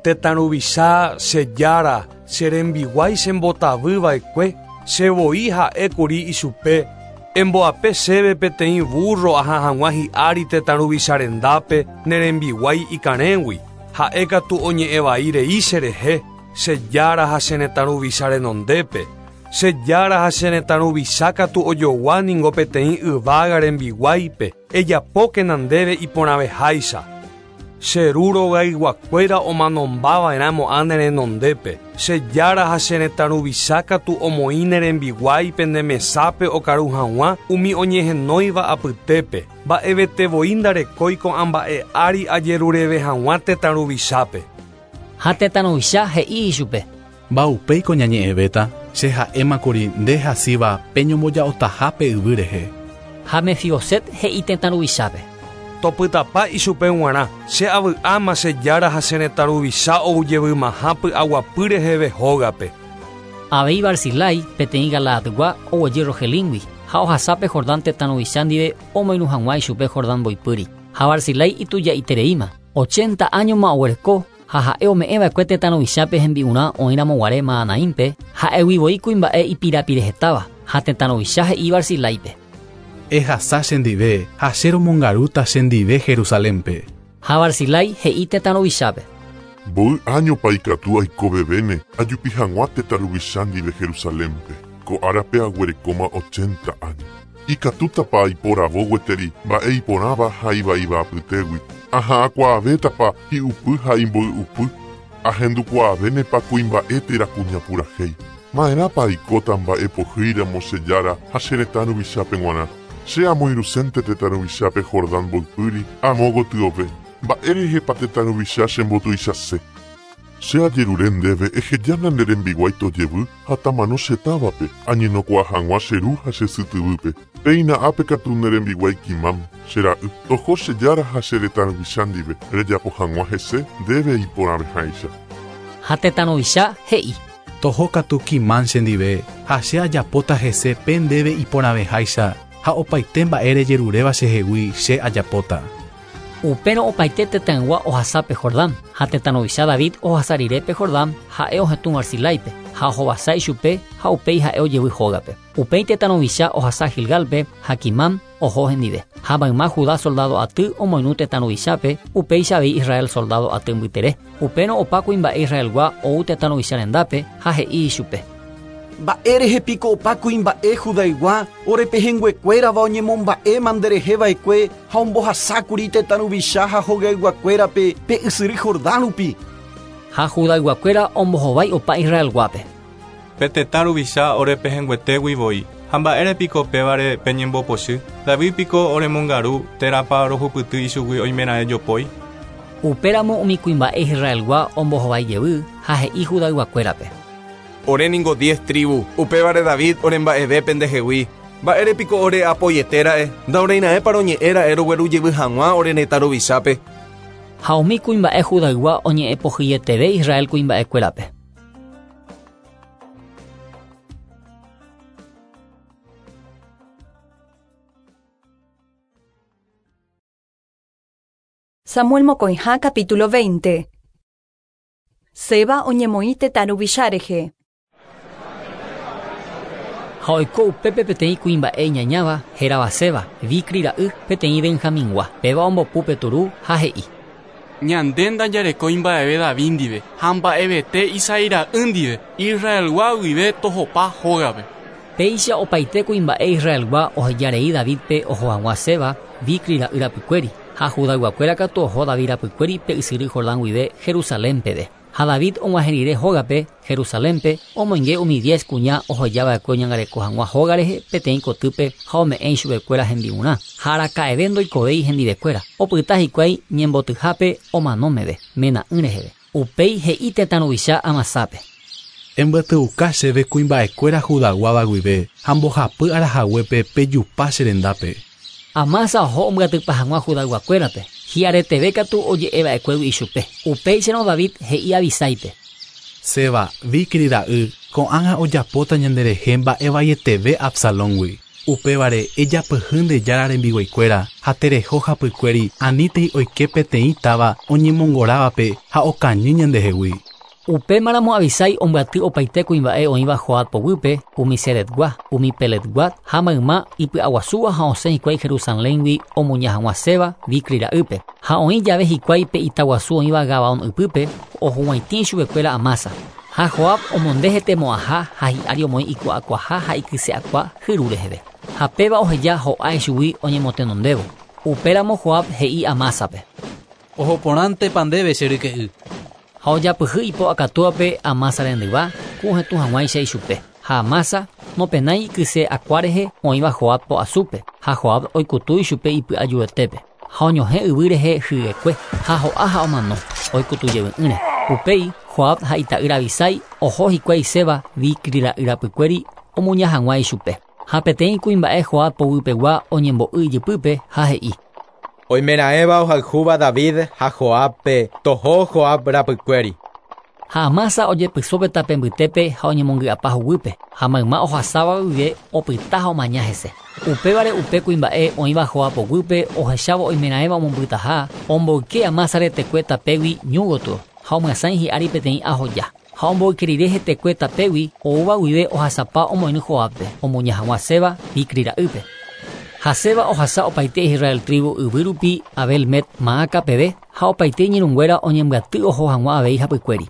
Tetã ruvicha che jára, che rembiguái chembotavyva'ekue, che voi ha'ékuri ichupe, emboape chéve peteĩ burro aha hag̃ua hi'ári tetã ruvicha rendápe ne rembiguái ikarẽgui. Ha'e katu oñe'ẽvai rei cherehe, che jára ha che retã ruvicha renondépe. Che jára ha che retã ruvicha katu ojogua ningo peteĩ yvága rembiguáipe, ejapókena ndéve iporãveháicha. Che ru rogayguakuéra omanombava'erãmo'ã ne renondépe. Che jára ha che retã ruvicha katu omoĩ ne rembiguáipe ne mesápe okaru hag̃ua umi oñehenóiva apytépe. Mba'evetevoi ndarekói ko'ã mba'e ári ajerureve hag̃ua tetã ruvichápe. Ha tetã ruvicha he'i ichupe. Mba'upéiko ñañe'ẽvéta, che ha'émakuri nde hasýva peñomboja'otaha pe yvy rehe. Ha Mefiboset he'i tetã ruvichápe. Topytapa ichupe g̃uarã, che avy'áma che jára ha che retã ruvicha ogujevymaha py'aguapy reheve hógape. Avei Barzilai peteĩ Galaadgua oguejy Rogelíngui ha ohasápe Jordán tetã ruvicha ndive omoirũ hag̃ua ichupe Jordán mboypýri. Ha Barzilai itujaitereíma, ochenta áñoma oguereko ha ha'e ome'ẽva'ekue tetã ruvichápe hembi'urã oĩramoguare Mahanaímpe, ha'eguivoi kuimba'e ipirapirehetáva ha tetã ruvicha he'i Barziláipe. Ehasa chendive ha che romongarúta chendive Jerusalénpe. Ha Barzilai he'i tetã ruvichápe. Mboy áñopa ikatu aikovevéne ajupi hag̃ua tetã ruvicha ndive Jerusalénpe. Ko árape aguerekóma ochenta áño. Ikatútapa aiporavo gueteri mba'e iporãva ha ivaíva apytégui. Aha'ãkuaavétapa hi'upy ha imboy'upy. Ahendukuaavénepa kuimba'e térã kuña purahéi. Ma'erãpa aikóta mba'e pohýiramo che jára ha che retã ruvichápe g̃uarã. Che amoirũsénte tetã ruvichápe Jordán mboypýri amo gotyove. Mba'érehepa tetã ruvicha chembotuichase. Che ajerure ndéve ehejána nde rembiguái tojevy ha tamano che távape añenokuaa hag̃ua che ru ha che sy tyvýpe. Péina ápe katu ne rembiguái Kimam, che ra'y, toho che jára ha che retã ruvicha ndive, rejapo hag̃ua hese ndéve iporãveháicha. Ha tetã ruvicha he'i. Toho katu Kimam chendive ha che ajapóta hese pe ndéve iporãveháicha ha opaite mba'e rejeruréva chehegui che ajapóta. Upérõ opaite tetãygua ohasápe Jordán ha tetã ruvicha David ohasa rire pe Jordán ha'e ohetũ Barziláipe ha ohovasa ichupe ha upéi ha'e ojevy hógape. Upéi tetã ruvicha ohasa Gilgálpe ha Kimam oho hendive. Ha mayma Judá soldado aty omoirũ tetã ruvichápe upéicha avei Israel soldado aty mbytere. Upérõ opa kuimba'e Israelgua ou tetã ruvicha rendápe ha he'i ichupe. Mba'érehe piko opa kuimba'e Judaygua orepehẽnguekuérava oñemomba'éma ndereheva'ekue ha ombohasákuri tetã ruvicha ha hogayguakuérape pe ysyry Jordán rupi. Ha Judayguakuéra ombohovái opa Israelguápe. Pe tetã ruvicha orepehẽnguetégui voi. Ha mba'ére piko pévare peñembopochy. David piko oremongaru térãpa rohupyty ichugui oimeraẽ jopói. Upéramo umi kuimba'e Israelgua ombohovái jevy ha he'i Judayguakuérape. Ore ningo diez tribu, upévare David oremba'evépe ndehegui. Mba'ére piko ore apoyetéra'e, ndaoreira'ẽpa roñe'ẽra'e rogueru jevy hag̃ua ore retã ruvichápe. Ha umi kuimba'e Judaygua oñe'ẽpohyeteve Israel kuimba'ekuérape. Samuel mokõiha capítulo veinte. Seba oñemoĩ tetã ruvicha rehe. Ha oiko upépe peteĩ kuimba'e iñañáva hérava Seba, Bicri ra'y peteĩ Benjamingua. Péva ombopu pe turu ha he'i. Ñande ndajarekói mba'eve David ndive ha mba'evete Isaí ra'y ndive, Israelgua guive tohopa hógape. Péicha opaite kuimba'e Israelgua ohejarei Davidpe oho hag̃ua Seba, Bicri ra'y rapykuéri. Ha Judayguakuéra katu oho David rapykuéri pe ysyry Jordán guive Jerusalén peve. Ha David og̃uahẽ rire hógape Jerusalénpe omoinge umi diez kuña ohejava'ekue oñangareko hag̃ua hóga rehe peteĩ kotýpe ha ome'ẽ ichupekuéra hembi'urã. Ha araka'eve ndoikovéi hendivekuéra. Opyta hikuái ñembotyhápe omano meve, mena'ỹ reheve. Upéi he'i tetã ruvicha Amasápe. Embyateuka chéve kuimba'ekuéra Judaguáva guive ha mbohapy arahaguépe pejupa che rendápe. Amasa oho ombyatypa hag̃ua Judayguakuérape. Hi'areteve katu oje'eva'ekuégui ichupe. Upéicharõ David he'i Abisáipe. Seba, Bicri ra'y, ko'ág̃a ojapóta ñanderehe mba'evaieteve Absalóngui. Upévare ejapyhy nde jára rembiguaikuéra ha tereho hapykuéri anítei oike peteĩ táva oñemongorávape ha okañy ñandehegui. Upémaramo Abisai ombyaty opaite kuimba'e oĩva Joab poguýpe, umi Seretgua, umi Peletgua ha mayma ipy'aguasúva ha osẽ hikuái Jerusaléngui omuña hag̃ua Seba Bicri ra'ýpe. Ha oĩ jave hikuái pe itaguasu oĩva Gabaón ypýpe ohuguaitĩ chupekuéra Amasa. Ha Joab omonde hetemo'ãha ha hi'ári omoĩ iku'akuaha ha ikyse'akua hyru reheve. Ha péva oheja ho'a ichugui oñemotenondévo. Upéramo Joab he'i Amásape. Ohoporãntepa ndéve che ryke'y. Ha ojapyhy ipo'akatúvape Amasa rendyva ku ohetũ hag̃uáicha ichupe. Ha Amasa nopenái ikyse'akua rehe oĩva Joab po'asúpe ha Joab oikutu ichupe ipy'ajuetépe. Ha oñohẽ yvy rehe hyekue ha ho'a ha omano oikutujevy'ỹre. Upéi Joab ha ita'ýra Abisai oho hikuái Seba Bicri ra'y rapykuéri omuña hag̃ua ichupe. Ha peteĩ kuimba'e Joab poguypegua oñembo'y ijypýpe ha he'i. Oimeraẽva ohayhúva David ha Joabpe toho Joab rapykuéri. Ha Amasa ojepysópe tape mbytépe ha oñemongy'apa huguýpe ha mayma ohasáva guive opyta ha omaña hese. Upévare upe kuimba'e oĩva Joab poguýpe ohechávo oimeraẽva omombytaha omboyke Amasa retekue tapégui ñu gotyo ha omyasãi hi'ári peteĩ ahoja. Ha omboyke rire hetekue tapégui oúva guive ohasapa omoirũ Joabpe omuña hag̃ua Seba Bicri ra'ýpe. Ha Seba ohasa opaite Israel tribu yvy rupi Abel Met Maaca peve ha opaite iñirũnguéra oñembyaty oho hag̃ua avei hapykuéri.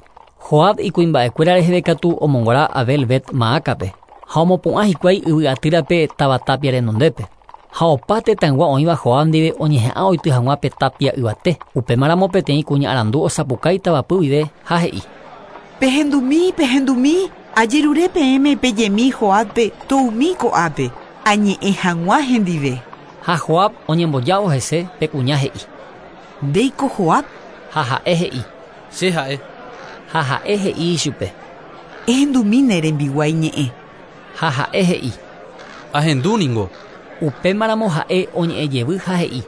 Joab ikuimba'ekuéra reheve katu omongora Abel Bet Maacape ha omopu'ã hikuái yvy atýrape táva tapia renondépe. Ha opa tetãygua oĩva Joab ndive oñeha'ã oity hag̃ua pe tapia yvate. Upémaramo peteĩ kuña arandu osapukái tavapy guive ha he'i. Pehendumi, pehendumi, ajerure peẽme pejemi Joabpe toumi ko'ápe, añe'ẽ hag̃ua hendive. Ha Joab oñembojávo hese pe kuña he'i. Ndéiko Joab? Ha ha'e he'i. Che ha'e. Ha ha'e he'i ichupe. Ehendumi ne rembiguái ñe'ẽ. Ha ha'e he'i. Ahendúningo. Upémaramo ha'e oñe'ẽjevy ha he'i.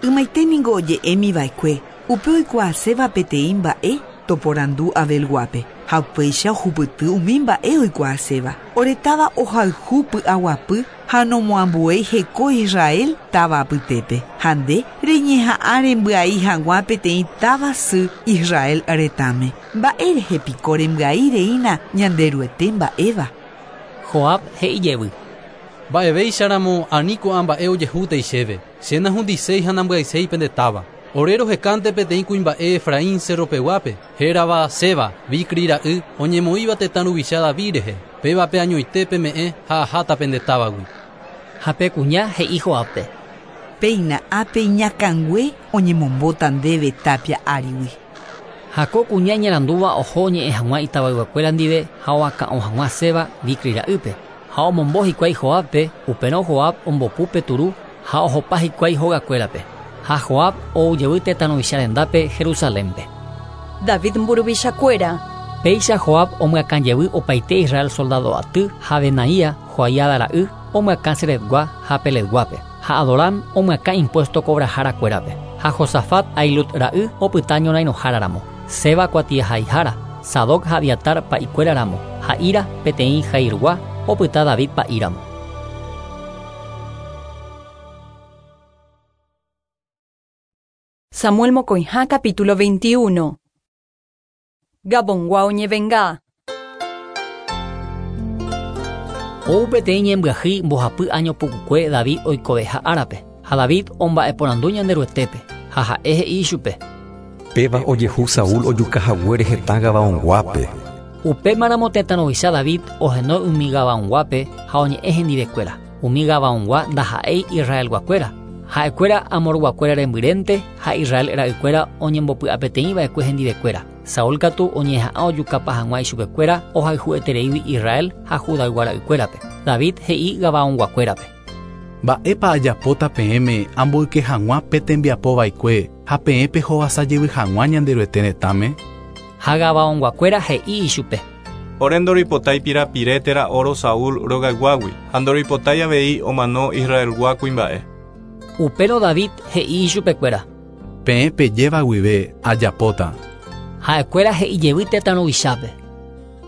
Ymaiténingo oje'émiva'ekue upe oikuaaséva peteĩ mba'e toporandu Abelguápe ha upéicha ohupyty umi mba'e oikuaaséva. Ore táva ohayhu py'aguapy ha nomoambuéi heko Israel táva apytépe. Ha nde reñeha'ã rembyai hag̃ua peteĩ táva sy Israel retãme. Mba'érehe piko rembyai reína Ñanderuete mba'éva. Joab he'ijevy. Mba'evéicharamo ani ko'ã mba'e ojehútei chéve. Che nahundiséi ha nambyaiséi pende táva. Ore rohekánte peteĩ kuimba'e Efraín cerropeguápe, hérava Seba, Bicri ra'y, oñemoĩva tetã ruvicha David rehe. Pévape añoite peme'ẽ ha aháta pende távagui. Ha pe kuña he'i Joabpe. Péina ápe iñakãngue oñemombóta ndéve tapia árigui. Ha ko kuña iñarandúva oho oñe'ẽ hag̃ua itavayguakuéra ndive ha oakã'o hag̃ua Seba Bicri ra'ýpe. Ha omombo hikuái Joabpe, upérõ Joab ombopu pe turu ha ohopa hikuái hogakuérape. Ha Joab oujevy tetã ruvicha rendápe Jerusalénpe. David mburuvichakuéra. Péicha Joab omyakãjevy opaite Israel soldado aty ha Benaía Joiada ra'y omyakã Seretgua ha Peletguápe. Ha Adoram omyakã impuesto cobraharakuérape. Ha Josafat Ahilut ra'y opyta ñorairõháraramo. Seba kuatiahaihára, Sadoc ha Abiatar pa'ikuéraramo. Ha Ira peteĩ Jairgua opyta David pa'íramo. Samuel Mocoijá, capítulo veintiuno. Gabongua oñevenga. Ou peteĩ ñembyahýi mbohapy año pukukue David oikoveha árape. Ha David omba'eporandu Ñanderuetépe. Ha ha'e he'i ichupe. Péva ojehu Saúl ojukahaguére hetã Gabaonguápe. Upémaramo tetã ruvicha David ohenói umi Gabaonguápe ha oñe'ẽ hendivekuéra. Umi Gabaongua ndaha'éi Israelguakuéra. Ha'ekuéra Amorguakuéra rembyrénte ha Israel ra'ykuéra oñembopy'apeteĩva'ekue hendivekuéra. Saúl katu oñeha'ã ojukapa hag̃ua ichupekuéra ohayhuetereígui Israel ha Judaygua ra'ykuérape. David he'i Gabaonguakuérape. Mba'épa ajapóta peẽme amboyke hag̃ua pe tembiapova'ekue ha peẽ pehovasajevy hag̃ua Ñanderuete retãme? Ha Gabaonguakuéra he'i ichupe. Ore ndoripotái pirapire térã oro Saúl rogayguágui ha ndoripotái avei omano Israelgua kuimba'e. Upérõ David he'i ichupekuéra. Peẽ pejéva guive ajapóta. Ha'ekuéra he'ijevy tetã ruvichápe.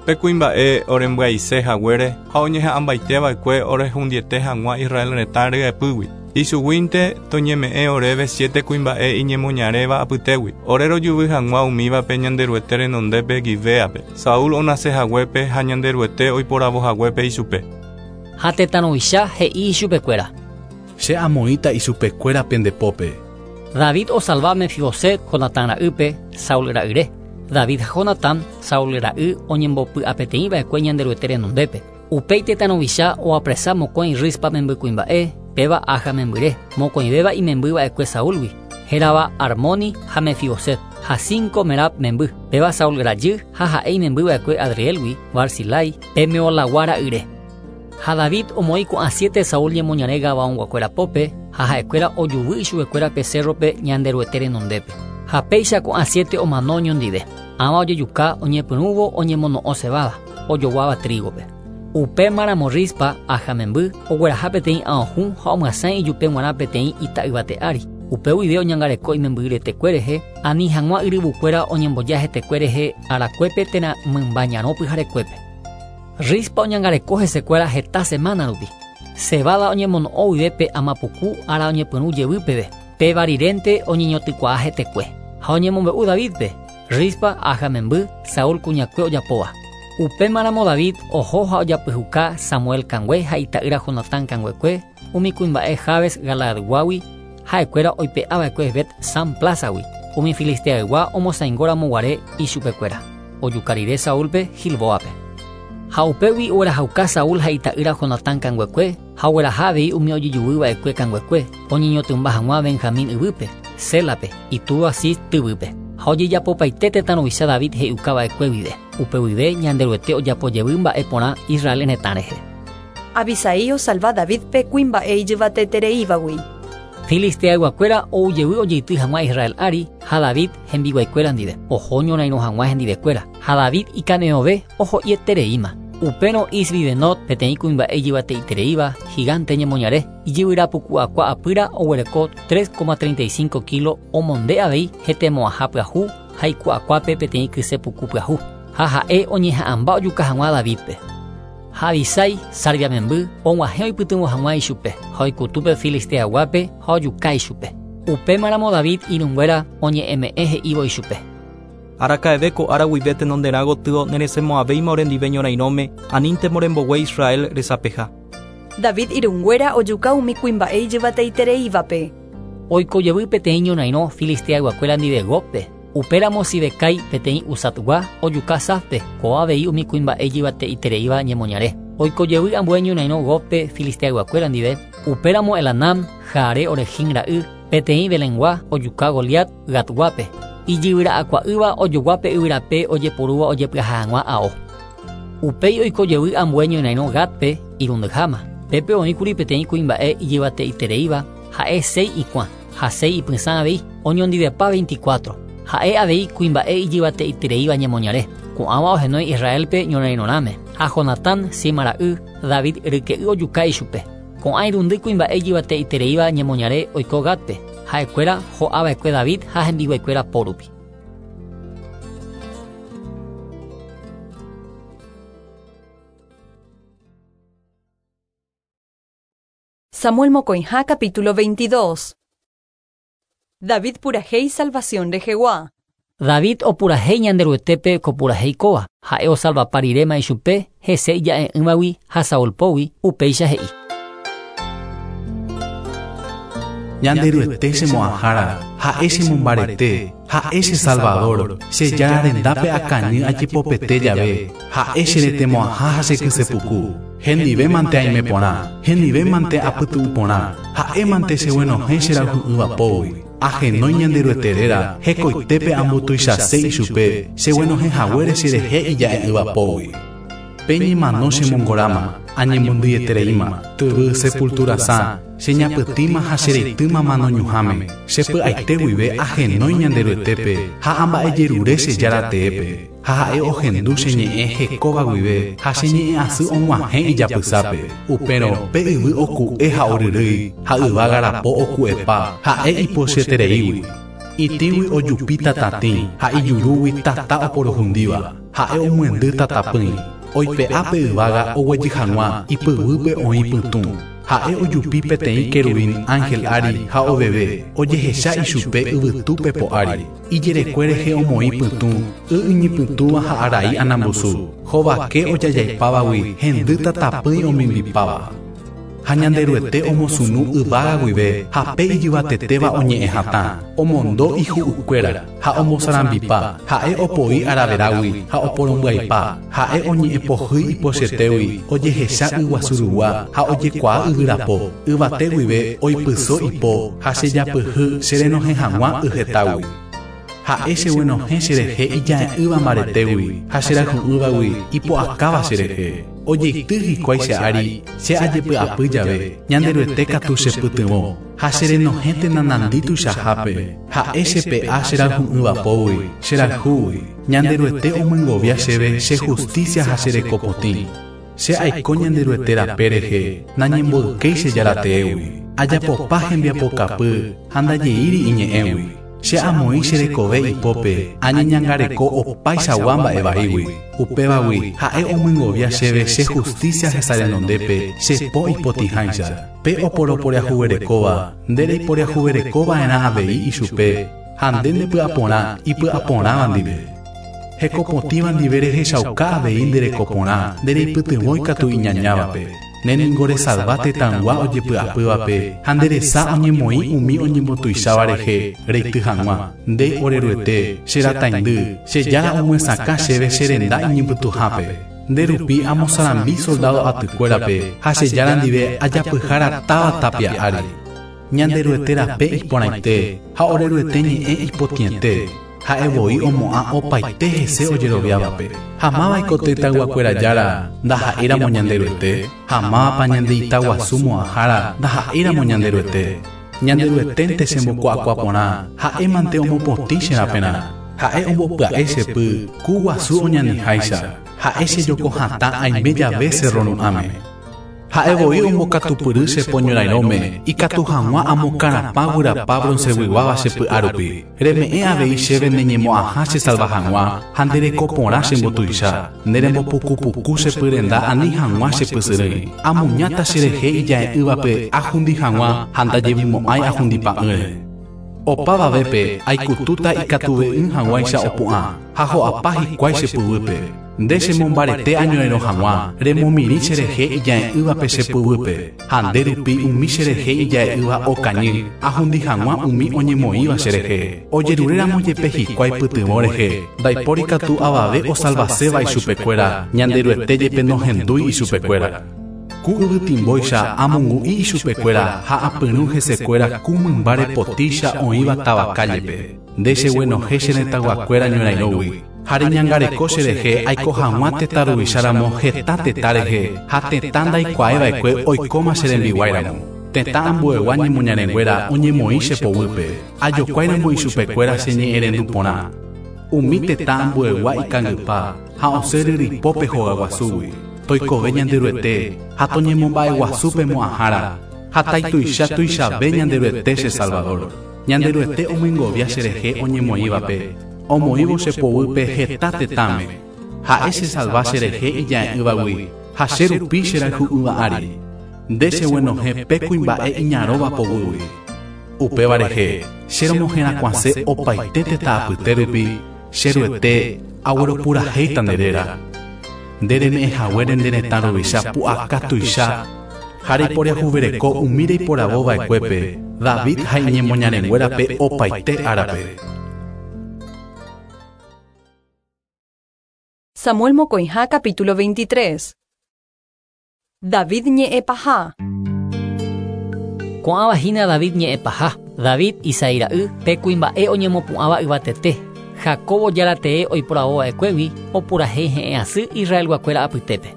Pe kuimba'e orembyaise haguére ha oñeha'ãmbaiteva'ekue orehundiete hag̃ua Israel retã ryepýgui. Ichuguínte toñeme'ẽ oréve siete kuimba'e iñemoñaréva apytégui. Ore rojuvy hag̃ua umívape Ñanderuete renondépe Gibeape. Saúl onase haguépe ha Ñanderuete oiporavo haguépe ichupe. Ha tetã ruvicha he'i ichupekuéra. Che amoĩta ichupekuéra pendepópe. David osalva Mefiboset Jonatán ra'ýpe Saúl ra'yre. David ha Jonatán Saúl ra'y oñembopy'apeteĩva'ekue Ñanderuete renondépe. Upéi tetã ruvicha oapresa mokõi Rispa membykuimba'e péva Aja membyre, mokõivéva imembyva'ekue Saúlgui, hérava Armoni ha Mefiboset, ha cinco Merab memby, péva Saúl rajy ha ha'e imembyva'ekue Adrielgui, Barzilai, pe Meolagua ra'yre. Ha David omoĩ ko'ã siete Saúl ñemoñare Gabaonguakuéra pópe ha ha'ekuéra ojuvy ichupekuéra pe cérrope Ñanderuete renondépe. Ha péicha ko'ã siete omano oñondive. Ãva ojejuka oñepyrũvo oñemono'õ cebada, ojoguáva trígope. Upémaramo Rispa Aja memby ogueraha peteĩ aohũ ha omyasãi ijupe g̃uarã peteĩ ita'yvate ári. Upe guive oñangareko imemby retekue rehe, ani hag̃ua yryvukuéra oñemboja hetekue rehe arakuépe térã mymba ñarõ pyharekuépe. Rispa oñangareko hesekuéra heta semana rupi. Cebada oñemono'õ guive pe amapuku ára oñepyrũ jevy peve. Péva rirénte oñeñotykuaa hetekue. Ha oñemombe'u Davidpe, Rispa Aja memby Saúl kuñakue ojapóva. Upémaramo David oho ha ojapyhuka Samuel kangue ha ita'ýra Jonatán kanguekue umi kuimba'e Jabes Galaadguágui ha'ekuéra oipe'ava'ekue Bet San Plazagui umi Filisteaygua omosãingóramo guare ichupekuéra. Ojuka rire Saúlpe Gilboape. Ha upégui oguerahauka Saúl ha ita'ýra Jonatán kanguekue ha ogueraha avei umi ojejuvýva'ekue kanguekue oñeñotỹmba hag̃ua Benjamín yvýpe, Sélape, itúva Cis tyvýpe. Ha ojejapopaite tetã ruvicha David he'iukava'ekue guive. Upe guive Ñanderuete ojapojevy mba'e porã Israel retã rehe. Abisai osalva Davidpe kuimba'e ijyvatetereívagui. Filisteayguakuéra oujevy ojeity hag̃ua Israel ári ha David hembiguaikuéra ndive. Oho ñorairõ hag̃ua hendivekuéra. Ha David ikane'õve oho'ietereíma. Upérõ Isbi-Benot peteĩ kuimba'e ijyvateitereíva gigante ñemoñare ijyvyrapuku'akua apýra oguereko tres coma treinta y cinco kilo omonde avei hetemo'ãha pyahu ha iku'akuápe peteĩ kyse puku pyahu. Ha ha'e oñeha'ãmba ojuka hag̃ua Davidpe. Ha Abisai Sarvia memby og̃uahẽ oipytyvõ hag̃ua ichupe ha oikutúpe Filisteaguápe ha ojuka ichupe. Upémaramo David irũnguéra oñe'ẽme'ẽ he'ívo ichupe. Araka'eve ko ára guive tenonderã gotyo neresemo'ãvéima orendive ñorairõme anínte morembogue Israel resapeha. David irũnguéra ojuka umi kuimba'e ijyvateitereívape. Oikojevy peteĩ ñorairõ Filisteayguakuéra ndive Gópe. Upéramo Sibekai peteĩ Usatgua ojuka Safpe, kóva avei umi kuimba'e ijyvateitereíva ñemoñare. Oikojevy ambue ñorairõ Gópe Filisteayguakuéra ndive. Upéramo Elanam, Jaare Orejin ra'y, peteĩ Belengua ojuka Goliat Gatguápe. Ijyvyra'akua'ýva ojoguápe yvyrape ojeporúva ojepyaha hag̃ua ao. Upéi oikojevy ambue ñorairõ Gatpe irundyháma. Pépe oĩkuri peteĩ kuimba'e ijyvateitereíva ha'e seis ikuã ha seis ipysã avei oñondivepa veinticuatro. Ha'e avei kuimba'e ijyvateitereíva ñemoñare. Ko'ãva ohenói Israelpe ñorairõrãme. Ha Jonatán Sima ra'y David ryke'y ojuka ichupe. Ko'ã irundy kuimba'e ijyvateitereíva ñemoñare oiko Gatpe. Ha'ekuéra ho'ava'ekue David ha hembiguaikuéra pórupi. Samuel Mocoinja, capítulo veintidós. David purajei salvación rehegua. David opurajei Ñanderuetépe kopurajei kóva. Ha'e osalvapa riréma ichupe hese ija'e'ỹvagui ha Saúl pógui upéicha he'i. Ñanderuete chemo'ãhára, ha'e chemombarete, ha'e che Salvador, che Jára rendápe akañy ajepopete jave, ha'e che retemo'ãha ha che kysepuku. Hendive mante aime porã, hendive mante apytu'u porã, ha'e mante cheguenohẽ che rayhu'ỹva pógui. Ahenói Ñanderuete réra, hekoitépe ambotuichase ichupe, cheguenohẽ haguére cherehe ija'e'ỹva pógui. Peñemano chemongoráma, añembondyetereíma, tyvy sepultura sã, cheñapytĩma ha chereitýma manoñuhãme, chepy'aite guive ahenói Ñanderuetépe ha amba'ejerure che Jára teépe, ha ha'e ohendu che ñe'ẽ hekóva guive ha che ñe'ẽ asy og̃uahẽ ijapysápe. Upérõ pe yvy oku'e ha oryrýi ha yvága rapo oku'epa ha'e ipochyetereígui. Itĩgui ojupi tatatĩ ha ijurúgui tata oporohundíva. Ha'e omyendy tatapỹi, oipe'a pe yvága oguejy hag̃ua ipyguýpe oĩ pytũ. Ha'e ojupi peteĩ querubín ángel ári ha oveve, ojehecha ichupe yvytúpe po'ári. Ijerekue rehe omoĩ pytũ, y iñypytũva ha arai anambusu. Hovake ojajaipávagui hendy tatapỹi omimbipáva. Ha Ñanderuete omosunu yvága guive ha pe ijyvatetéva oñe'ẽ hatã, omondo ihu'ykuéra ha omosarambipa, ha'e opoi araverágui ha oporombyaipa, ha'e oñe'ẽpohýi ipochetégui, ojehecha yguasurugua ha ojekuaa yvyrapo, yvate guive oipyso ipo ha chejapyhy cherenohẽ hag̃ua yhetágui. Ha'e cheguenohẽ cherehe ija'e'ỹva mbaretégui ha cherayhu'ỹvagui ipo'akáva cherehe. Ojeity hikuái che ári che ajepy'apy jave, Ñanderuete katu chepytyvõ ha cherenohẽ tenanandi tuichahápe. Ha'e chepe'a cherayhu'ỹva pógui, cherayhúgui. Ñanderuete omyengovia chéve che justicia ha cherekopotĩ. Che aiko Ñanderuete rape rehe, nañemboykéi che jarateégui. Ajapopa hembiapokapy ha ndajeíri iñe'ẽgui. Che amoĩ cherekove ipópe, añeñangareko opaichagua mba'evaígui. Upévagui ha'e omyengovia chéve che justicia hesarenondépe che po ipotĩháicha. Pe oporoporiahuverekóva, nde reiporiahuverekova'erã avei ichupe ha nde ndepy'aporã ipy'aporãva ndive. Hekopotĩva ndive rehechauka avei nderekoporã, ndereipytyvõi katu iñañávape. Ne ningo resalva tetãygua ojepy'apývape ha nderesa oñemoĩ umi oñembotuicháva rehe reity hag̃ua. Nde oreruete, che rataindy, che jára omyesakã chéve che renda iñypytũhápe. Nde rupi amosarambi soldado atykuérape ha che jára ndive ajapyhára táva tapia ári. Ñanderuete rape iporãite ha oreruete ñe'ẽ ipotĩete. Ha'e voi omo'ã opaite hese ojeroviávape. Ha mávaiko tetãyguakuéra jára ndaha'éramo Ñanderuete, ha mávapa ñandeitaguasu mo'ãhára ndaha'éramo Ñanderuete. Ñanderueténte chembokuaakuaaporã, ha'émante omopotĩ che raperã. Ha'e ombopya'e chepy ku guasu oñaniháicha, ha'e chejokohatã aime jave cerro ru'ãme. Ha'e voi ombokatupyry che poñorairõme, ikatu hag̃ua amokarapã guyrapa bronceguiguáva che py'árupi. Reme'ẽ avei chéve neñemo'ãha chesalva hag̃ua ha nderekoporã chembotuicha. Nderembopukupuku che pyrenda ani hag̃ua chepysyrỹi. Amuñáta cherehe ija'e'ỹvape ahundi hag̃ua ha ndajevimo'ãi ahundipa'ỹre. Opavavépe aikutúta ikatuve'ỹ hag̃uáicha opu'ã ha ho'apa hikuái che pyguýpe. Nde chemombarete añorairõ hag̃ua, remomirĩ cherehe ija'e'ỹvape che pyguýpe, ha nde rupi umi cherehe ija'e'ỹva okañy, ahundi hag̃ua umi oñemoĩva cherehe. Ojeruréramo jepe hikuái pytyvõ rehe, ndaipóri katu avave osalvaséva ichupekuéra, Ñanderuete jepe nohendúi ichupekuéra. Ku yvytimbóicha amongu'i ichupekuéra ha apyrũ hesekuéra ku mymba repotícha oĩva táva kállepe. Nde cheguenohẽ che retãyguakuéra ñorairõgui. Ha reñangareko cherehe aiko hag̃ua tetã ruvicháramo heta tetã rehe ha tetã ndaikuaava'ekue oikóma che rembiguáiramo. Tetã ambuegua ñemoñarenguéra oñemoĩ che poguýpe, ajokuáiramo ichupekuéra che ñe'ẽrendu porã. Umi tetã ambuegua ikangypa ha osẽ ryripópe hogaguasúgui. Toikove Ñanderuete ha toñemomba'eguasúpe mo'ãhára ha taituicha tuichave Ñanderuete che Salvador. Ñanderuete omyengovia cherehe oñemoĩvape, omoĩvo che poguýpe heta tetãme. Ha'e chesalva cherehe ija'e'ỹvagui ha che rupi cherayhu'ỹva ári. Nde cheguenohẽ pe kuimba'e iñarõva poguýgui. Upéva rehe che romoherakuãse opaite tetã apyte rupi, che ruete agueropurahéita nde réra. Nde reme'ẽhaguére nde retã ruvicha pu'aka tuicha ha reiporiahuvereko umi reiporavova'ekuépe, David ha iñemoñarenguérape opaite árape. Samuel Mocoijá, capítulo veintitrés. David ñe'ẽpaha. Ko'ãva hína David ñe'ẽpaha. David Isaí ra'y pe kuimba'e oñemopu'ãva yvatete. Jacobo jaratee oiporavova'ekuégui opurahéi he'ẽ asy Israelguakuéra apytépe.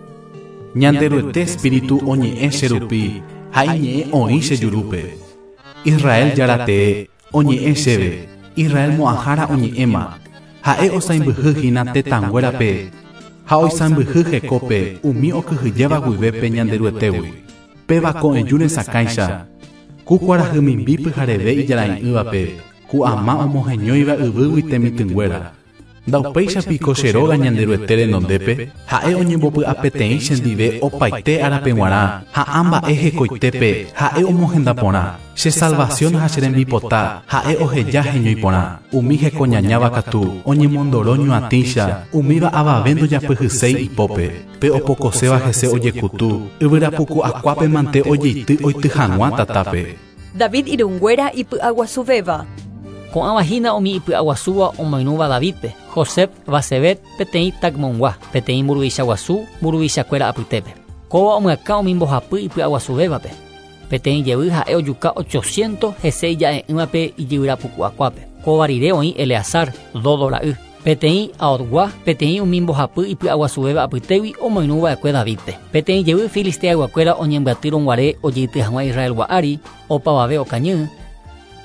Ñanderuete espíritu oñe'ẽ che rupi ha iñe'ẽ oĩ che jurúpe. Israel jaratee oñe'ẽ chéve, Israel mo'ãhára oñe'ẽma. Ha'e osãimbyhy hína tetãnguérape ha oisãmbyhy hekópe umi okyhyjéva guivépe Ñanderuetégui. Péva ko'ẽju resakãicha, ku kuarahy mimbi pyhareve ijarai'ỹvape, ku ama omoheñóiva yvýgui temitỹnguéra. Ndaupéicha piko che róga Ñanderuete renondépe, ha'e oñembopy'apeteĩ chendive opaite árape g̃uarã, ha ã mba'e hekoitépe ha'e omohenda porã. Che salvación ha che rembipota ha'e oheja heñói porã. Umi hekoñañáva katu oñemondoro ñuatĩcha, umíva avave ndojapyhyséi ipópe. Pe opokoséva hese ojekutu, yvyrapuku akuápe mante ojeity oity hag̃ua tatápe. David irũnguéra ipy'aguasuvéva. Ko'ãva hína umi ipy'aguasúva omoirũva Davidpe, Josep Basebet peteĩ Tacmongua, peteĩ mburuvicha guasu mburuvichakuéra apytépe. Kóva omyakã umi mbohapy ipy'aguasuvévape. Peteĩ jevy ha'e ojuka ochocientos hese ija'e'ỹvape ijyvyrapuku'akuápe. Kóva rire oĩ Eleazar, Dodo ra'y. Peteĩ Aotgua, peteĩ umi mbohapy ipy'aguasuvéva apytégui omoirũva'ekue Davidpe. Peteĩ jevy filisteayguakuéra oñembyatýrõguare ojeity hag̃ua Israelgua ári, opavave okañy.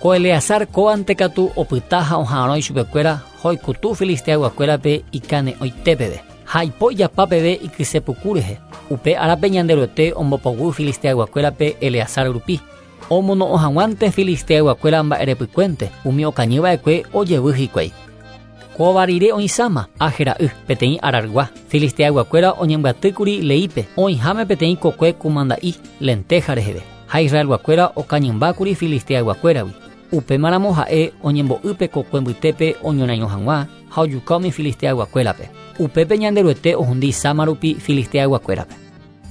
Ko Eleazar kóvante katu opyta ha oha'arõ ichupekuéra hoikutu filisteayguakuérape ikane'õitépeve. Ha ipo ijapápeve ikysepuku rehe. Upe árape Ñanderuete ombopoguy filisteayguakuérape Eleazar rupi. Omono'õ hag̃uánte filisteayguakuéra mba'erepykuénte, umi okañyva'ekue ojevy hikuái. Kóva rire oĩ Sama, Aje ra'y, peteĩ Arargua. Filisteayguakuéra oñembyatýkuri Leípe, oĩháme peteĩ kokue kumanda'i lenteja reheve. Ha Israelguakuéra okañymbákuri filisteayguakuéragui. Upémaramo ha'e oñembo'ýpe kokue mbytépe oñorairõ hag̃ua ha ojuka umi filisteayguakuérape. Upépe Ñanderuete ohundi Sama rupi filisteayguakuérape.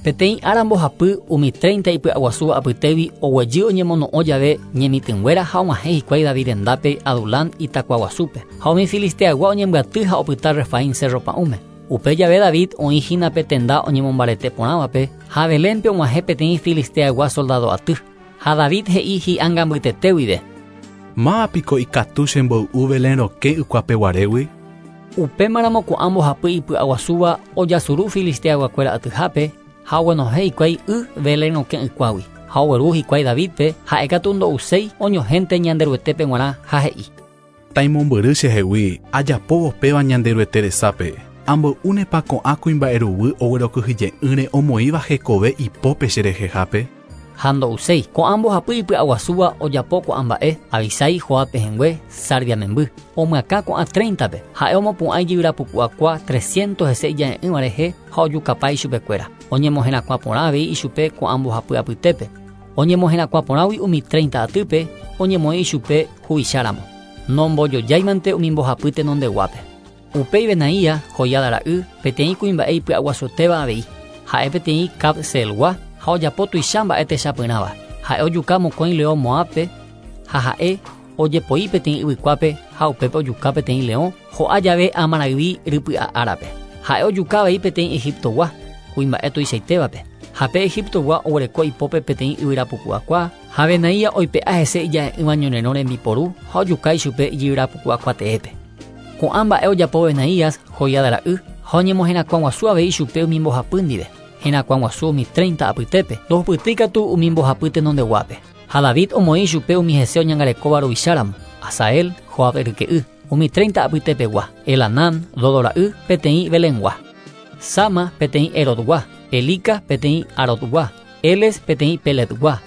Peteĩ ára mbohapy umi treinta ipy'aguasúva apytégui oguejy oñemono'õ jave ñemitỹnguéra ha og̃uahẽ hikuái David rendápe Adulán itakuaguasúpe. Ha umi filisteaygua oñembyaty ha opyta Refaim cerro pa'ũme. Upe jave David oĩ hína pe tenda oñemombarete porãvape ha Belénpe og̃uahẽ peteĩ filisteaygua soldado aty. Ha David he'i hi'ánga mbytete guive. Máva piko ikatu chemboy'u Belén rokẽ ykuapeguarégui? Upémaramo ko'ã mbohapy ipy'aguasúva ojasuru filisteayguakuéra atyhápe ha oguenohẽ hikuái y Belén rokẽ ykuágui. Ha ogueru hikuái Davidpe ha'ékatu ndo'uséi oñohénte Ñanderuetépe g̃uarã ha he'i. Taimombyry chehegui ajapóvo péva Ñanderuete resápe. Amboy'únepa ko'ã kuimba'eruguy oguerokyhyje'ỹre omoĩva hekove ipópe cherehehápe. Ha ndo'uséi. Ko'ã mbohapy ipy'aguasúva ojapo ko'ã mba'e, Abisai Joab pehẽngue, Sarvia memby. Omyakã ko'ã treinta-pe. Ha'e omopu'ã ijyvyrapuku'akua trescientos hese ija'e'ỹva rehe ha ojukapa ichupekuéra. Oñemoherakuã porã avei ichupe ko'ã mbohapy apytépe. Oñemoherakuã porãgui umi treinta atýpe oñemoĩ ichupe huvicháramo. Nombojojáimante umi mbohapy tenondeguápe. Upéi Benaía, Joiada ra'y, peteĩ kuimba'e ipy'aguasuetéva avei. Ha'e peteĩ Cabseelgua ha ojapo tuicha mba'e techapyrãva. Ha'e ojuka mokõi leõ Moábpe ha ha'e ojepoi peteĩ yvykuápe ha upépe ojuka peteĩ leõ ho'a jave amarayvi rypy'a árape. Ha'e ojuka avei peteĩ Egiptogua, kuimba'e tuichaitévape. Ha pe Egiptogua oguereko ipópe peteĩ yvyrapuku'akua ha Benaía oipe'a hese ija'e'ỹva ñorerõ rembiporu ha ojuka ichupe ijyvyrapuku'akuateépe. Ko'ã mba'e ojapo Benaías, Joiada ra'y, ha oñemoherakuã guasu avei ichupe umi mbohapy ndive. Herakuã guasu umi treinta apytépe, ndohupytýi katu umi mbohapy tenondeguápe. Ha David omoĩ ichupe umi hese oñangarekóva ruvicháramo, Asael, Joab ryke'y, umi treinta apytepegua, Elanán, Dodo ra'y, peteĩ Belengua. Sama, peteĩ Erodgua, Elika, peteĩ Arodgua, Eles, peteĩ Peletgua,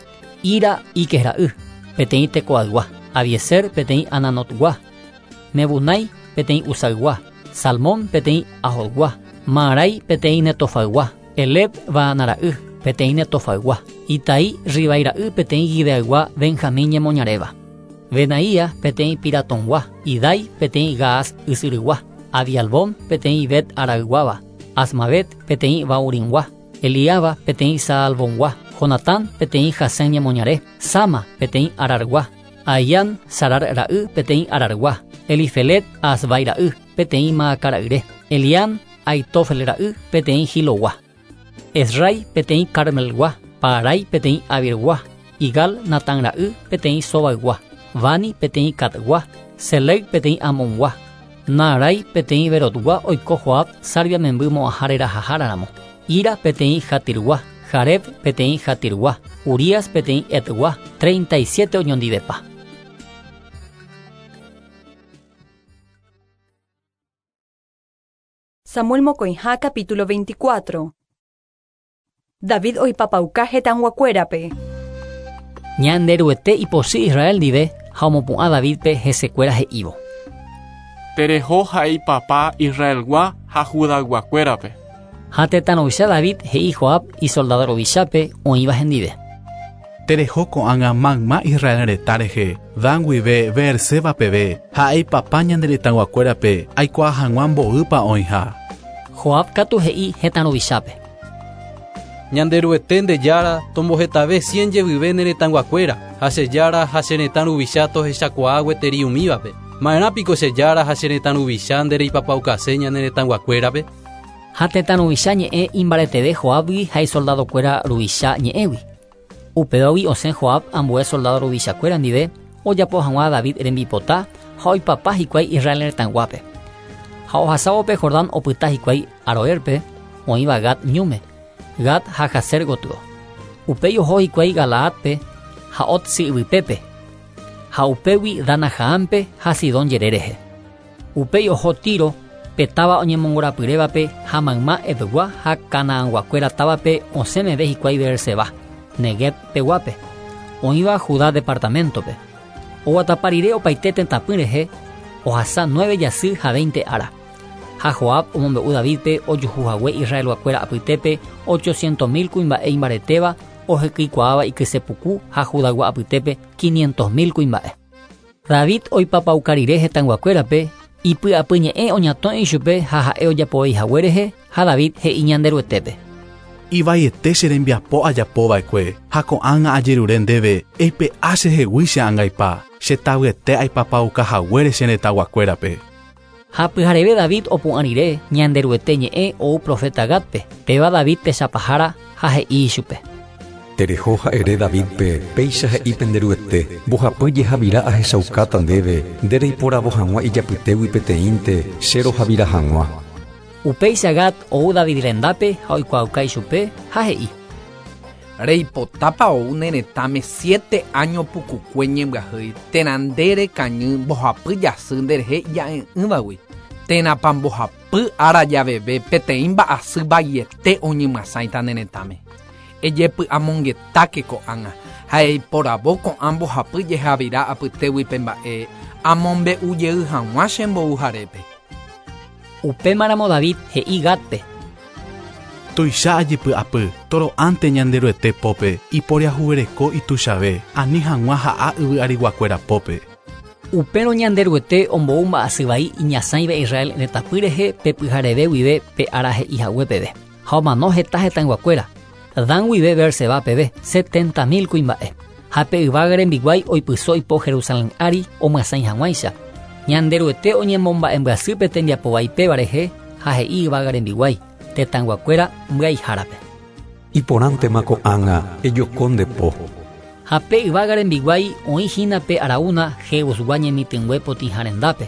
Ira, Iques ra'y, peteĩ Tecoaygua, Abieser, peteĩ Ananotgua, Mebunai, peteĩ Usaygua, Salmón, peteĩ Ahodgua, Maarai, peteĩ Netofaygua, Eleb, Baanara'y, peteĩ Netofaygua, Itai, Ribai ra'y, peteĩ Gibeaygua, Benjamín ñemoñaréva. Benaía, peteĩ Piratongua, Idai, peteĩ Gaas ysyrygua, Abialbón, peteĩ Bet Arayguáva, Asmavet, peteĩ Bauringua, Eliaba, peteĩ Saalbongua, Jonatán, peteĩ Jasén ñemoñare, Sama, peteĩ Arargua, Ahián, Sarar ra'y, peteĩ Arargua, Elifelet, Asbai ra'y, peteĩ Maaca ra'yre, Eliam, Aitofel ra'y, peteĩ Gilogua, Esrai, peteĩ Carmelgua, Parai, peteĩ Abirgua, Igal, Natán ra'y, peteĩ Sobaygua, Bani, peteĩ Catgua, Selec, peteĩ Amongua, Naarai, peteĩ Berotgua oiko Joab, Sarvia memby mo'ãha rerahaháraramo, Ira, peteĩ Jatirgua, Jareb, peteĩ Jatirgua, Urías, peteĩ Etgua, treinta y siete oñondivepa. Samuel mokõiha capítulo veinticuatro. David oipapauka hetãguakuérape. Ñanderuete ipochy Israel ndive ha omopu'ã Davidpe hesekuéra he'ívo. Tereho ha eipapa Israelgua ha Judayguakuérape. Ha tetã ruvicha David he'i Joab isoldado ruvichápe oĩva hendive. Tereho ko'ág̃a mayma Israel retã rehe, Dan guive Beerseba peve ha eipapa ñande retãyguakuérape aikuaa hag̃ua mboýpa oĩha. Joab katu he'i hetã ruvichápe. Ñanderuete nde jára tombohetave cien jevyve ne retãyguakuéra ha che jára ha che retã ruvicha tohechakuaa gueteri umívape. Ma'erãpiko che jára ha che retã ruvicha ndereipapaukase ñane retãyguakuérape. Ha tetã ruvicha ñe'ẽ imbareteve Joabgui ha isoldadokuéra ruvicha ñe'ẽgui. Upévagui osẽ Joab ambue soldado ruvichakuéra ndive ojapo hag̃ua David rembipota ha oipapa hikuái Israel retãyguápe. Ha ohasávo pe Jordán opyta hikuái Aroerpe oĩva Gad ñúme, Gad ha Jazer gotyo. Upéi oho hikuái Galaadpe ha Otsi yvypépe, ha upégui Danajaánpe ha Sidón jere rehe. Upéi oho Tiro pe táva oñemongorapyrévape ha mayma Hevgua ha Canaanguakuéra távape osẽmeve hikuái Beerseba, Negueb peguápe, oĩva Judá departamentope. Oguatapa rire opaite tetãpy rehe ohasa nueve jasy ha veinte ára. Ha Joab omombe'u Davidpe ojuhuhague Israelguakuéra apytépe ochocientos mil kuimba'e imbaretéva ohekykuaáva ikysepuku ha Judaygua apytépe quinientos mil kuimba'e. David oipapauka rire hetãyguakuérape ipy'apyñe'ẽ oñatõi ichupe ha ha'e ojapoveihague rehe ha David he'i Ñanderuetépe. Ivaiete che rembiapo ajapova'ekue ha ko'ág̃a ajerure ndéve eipe'a chehegui che angaipa chetavyete aipapaukahaguére che retãyguakuérape. Ha pyhareve David opu'ã rire Ñanderuete ñe'ẽ ou profeta Gadpe, péva David techapahára ha he'i ichupe. Tereho ha'ere Davidpe péicha he'i penderuete mbohapy jehavira ahechaukáta ndéve ndereiporavo hag̃ua ijapytégui peteĩnte che rohavira hag̃ua. Upéicha Gad ou David rendápe ha oikuaauka ichupe ha he'i. Reipotápa ou ne retãme siete año pukukue ñembyahýi térã nde rekañy mbohapy jasy nderehe ija'e'ỹvagui térãpa mbohapy ára javeve peteĩ mba'asy vaiete oñemyasãita ne retãme. Ejepy'amongetáke ko'ág̃a ha eiporavo ko'ã mbohapy jehavira apytégui pe mba'e amombe'ujey hag̃ua che mbouharépe. Upémaramo David he'i Gadpe. Tuicha ajepy'apy toro'ánte Ñanderuete pópe iporiahuvereko ituichave ani hag̃ua ha'a yvy'ariguakuéra pópe. Upérõ Ñanderuete ombou mba'asy vai iñasãiva Israel retãpy rehe pe pyhareve guive pe ára he'ihague peve. Ha omano heta hetãyguakuéra Dan guive Beerseba peve setenta mil kuimba'e. Ha pe yvága rembiguái oipyso ipo Jerusalén ári omyasãi hag̃uáicha. Ñanderuete oñemomba'embyasýpe tembiapovaipéva rehe ha he'i yvága rembiguái tetãyguakuéra mbyaihárape. Iporãntema ko'ág̃a ejoko nde po. Ha pe yvága rembiguái oĩhína pe Araúna Jebusgua ñemitỹngue potĩha rendápe.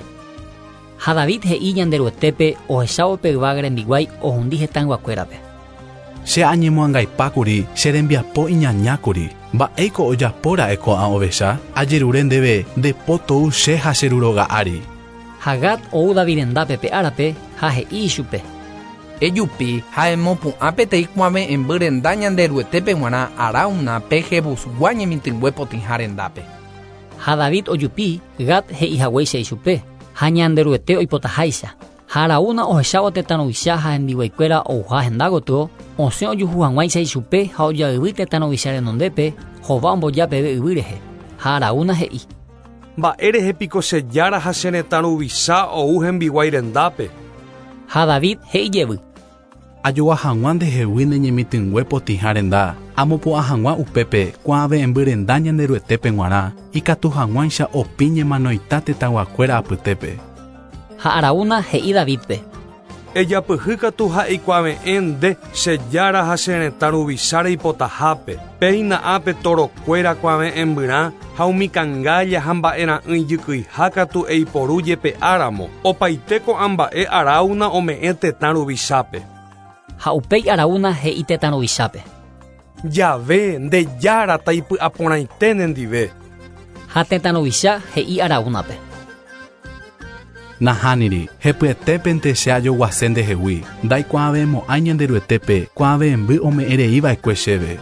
Ha David he'i Ñanderuetépe ohechávo pe yvága rembiguái ohundi hetãyguakuérape. Che añemoangaipákuri che rembiapo iñañákuri mba'éiko ojapóra'e ko'ã ovecha ajerure ndéve ndepo tou che ha che ruróga ári. Ha Gad ou David rendápe pe árape ha he'i ichupe. Ejupi ha emopu'ã peteĩ kuave'ẽmby renda Ñanderuetépe g̃uarã Araúna pe Jebusgua ñemitỹngue potĩha rendápe. Ha David ojupi Gad he'ihaguéicha ichupe ha Ñanderuete oipotaháicha. Ha Araúna ohechávo tetã ruvicha ha hembiguaikuéra ouha henda gotyo osẽ ojuhu hag̃uáicha ichupe ha ojayvy tetã ruvicha renondépe hova omboja peve yvy rehe. Ha Araúna he'i. Mba'érehe piko che jára ha che retã ruvicha ou hembiguái rendápe. Ha David he'i jevy. Ajogua hag̃ua ndehegui ne ñemitỹngue potĩha renda amopu'ã hag̃ua upépe kuave'ẽmby renda Ñanderuetépe g̃uarã ikatu hag̃uáicha opi ñemanoita tetãyguakuéra apytépe. Ha Araúna he'i Davidpe. Ejapyhy katu ha eikuave'ẽ nde che jára ha che retã ruvicha reipotahápe péina ápe torokuéra kuave'ẽmbyrã ha umi kangálla ha mba'era'ỹi jykyiha katu eiporu jepe'áramo opaite ko'ã mba'e Araúna ome'ẽ tetã ruvichápe. Ha upéi Araúna he'i tetã ruvichápe. Jave nde jára taipy'aporãite nendive. Ha tetã ruvicha he'i Araúnape. Nahániri, hepyetépente che ajoguase ndehegui ndaikuaavemo'ãi Ñanderuetépe kuave'ẽmby ome'ẽreiva'ekue chéve.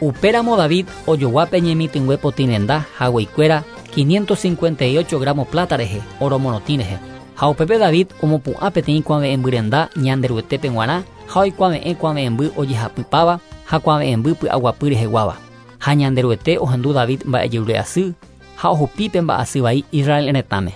Upéramo David ojogua pe ñemitỹngue potĩ renda hagueikuéra quinientos cincuenta y ocho gramos plata rehe oro morotĩ rehe. Ha upépe David omopu'ã peteĩ kuave'ẽmbyrenda Ñanderuetépe g̃uarã ha oikuave'ẽ kuave'ẽmby ojehapypáva ha kuave'ẽmby py'aguapy reheguáva. Ha Ñanderuete ohendu David mba'ejerure'asy ha ohupi pe mba'asy vai Israel retãme.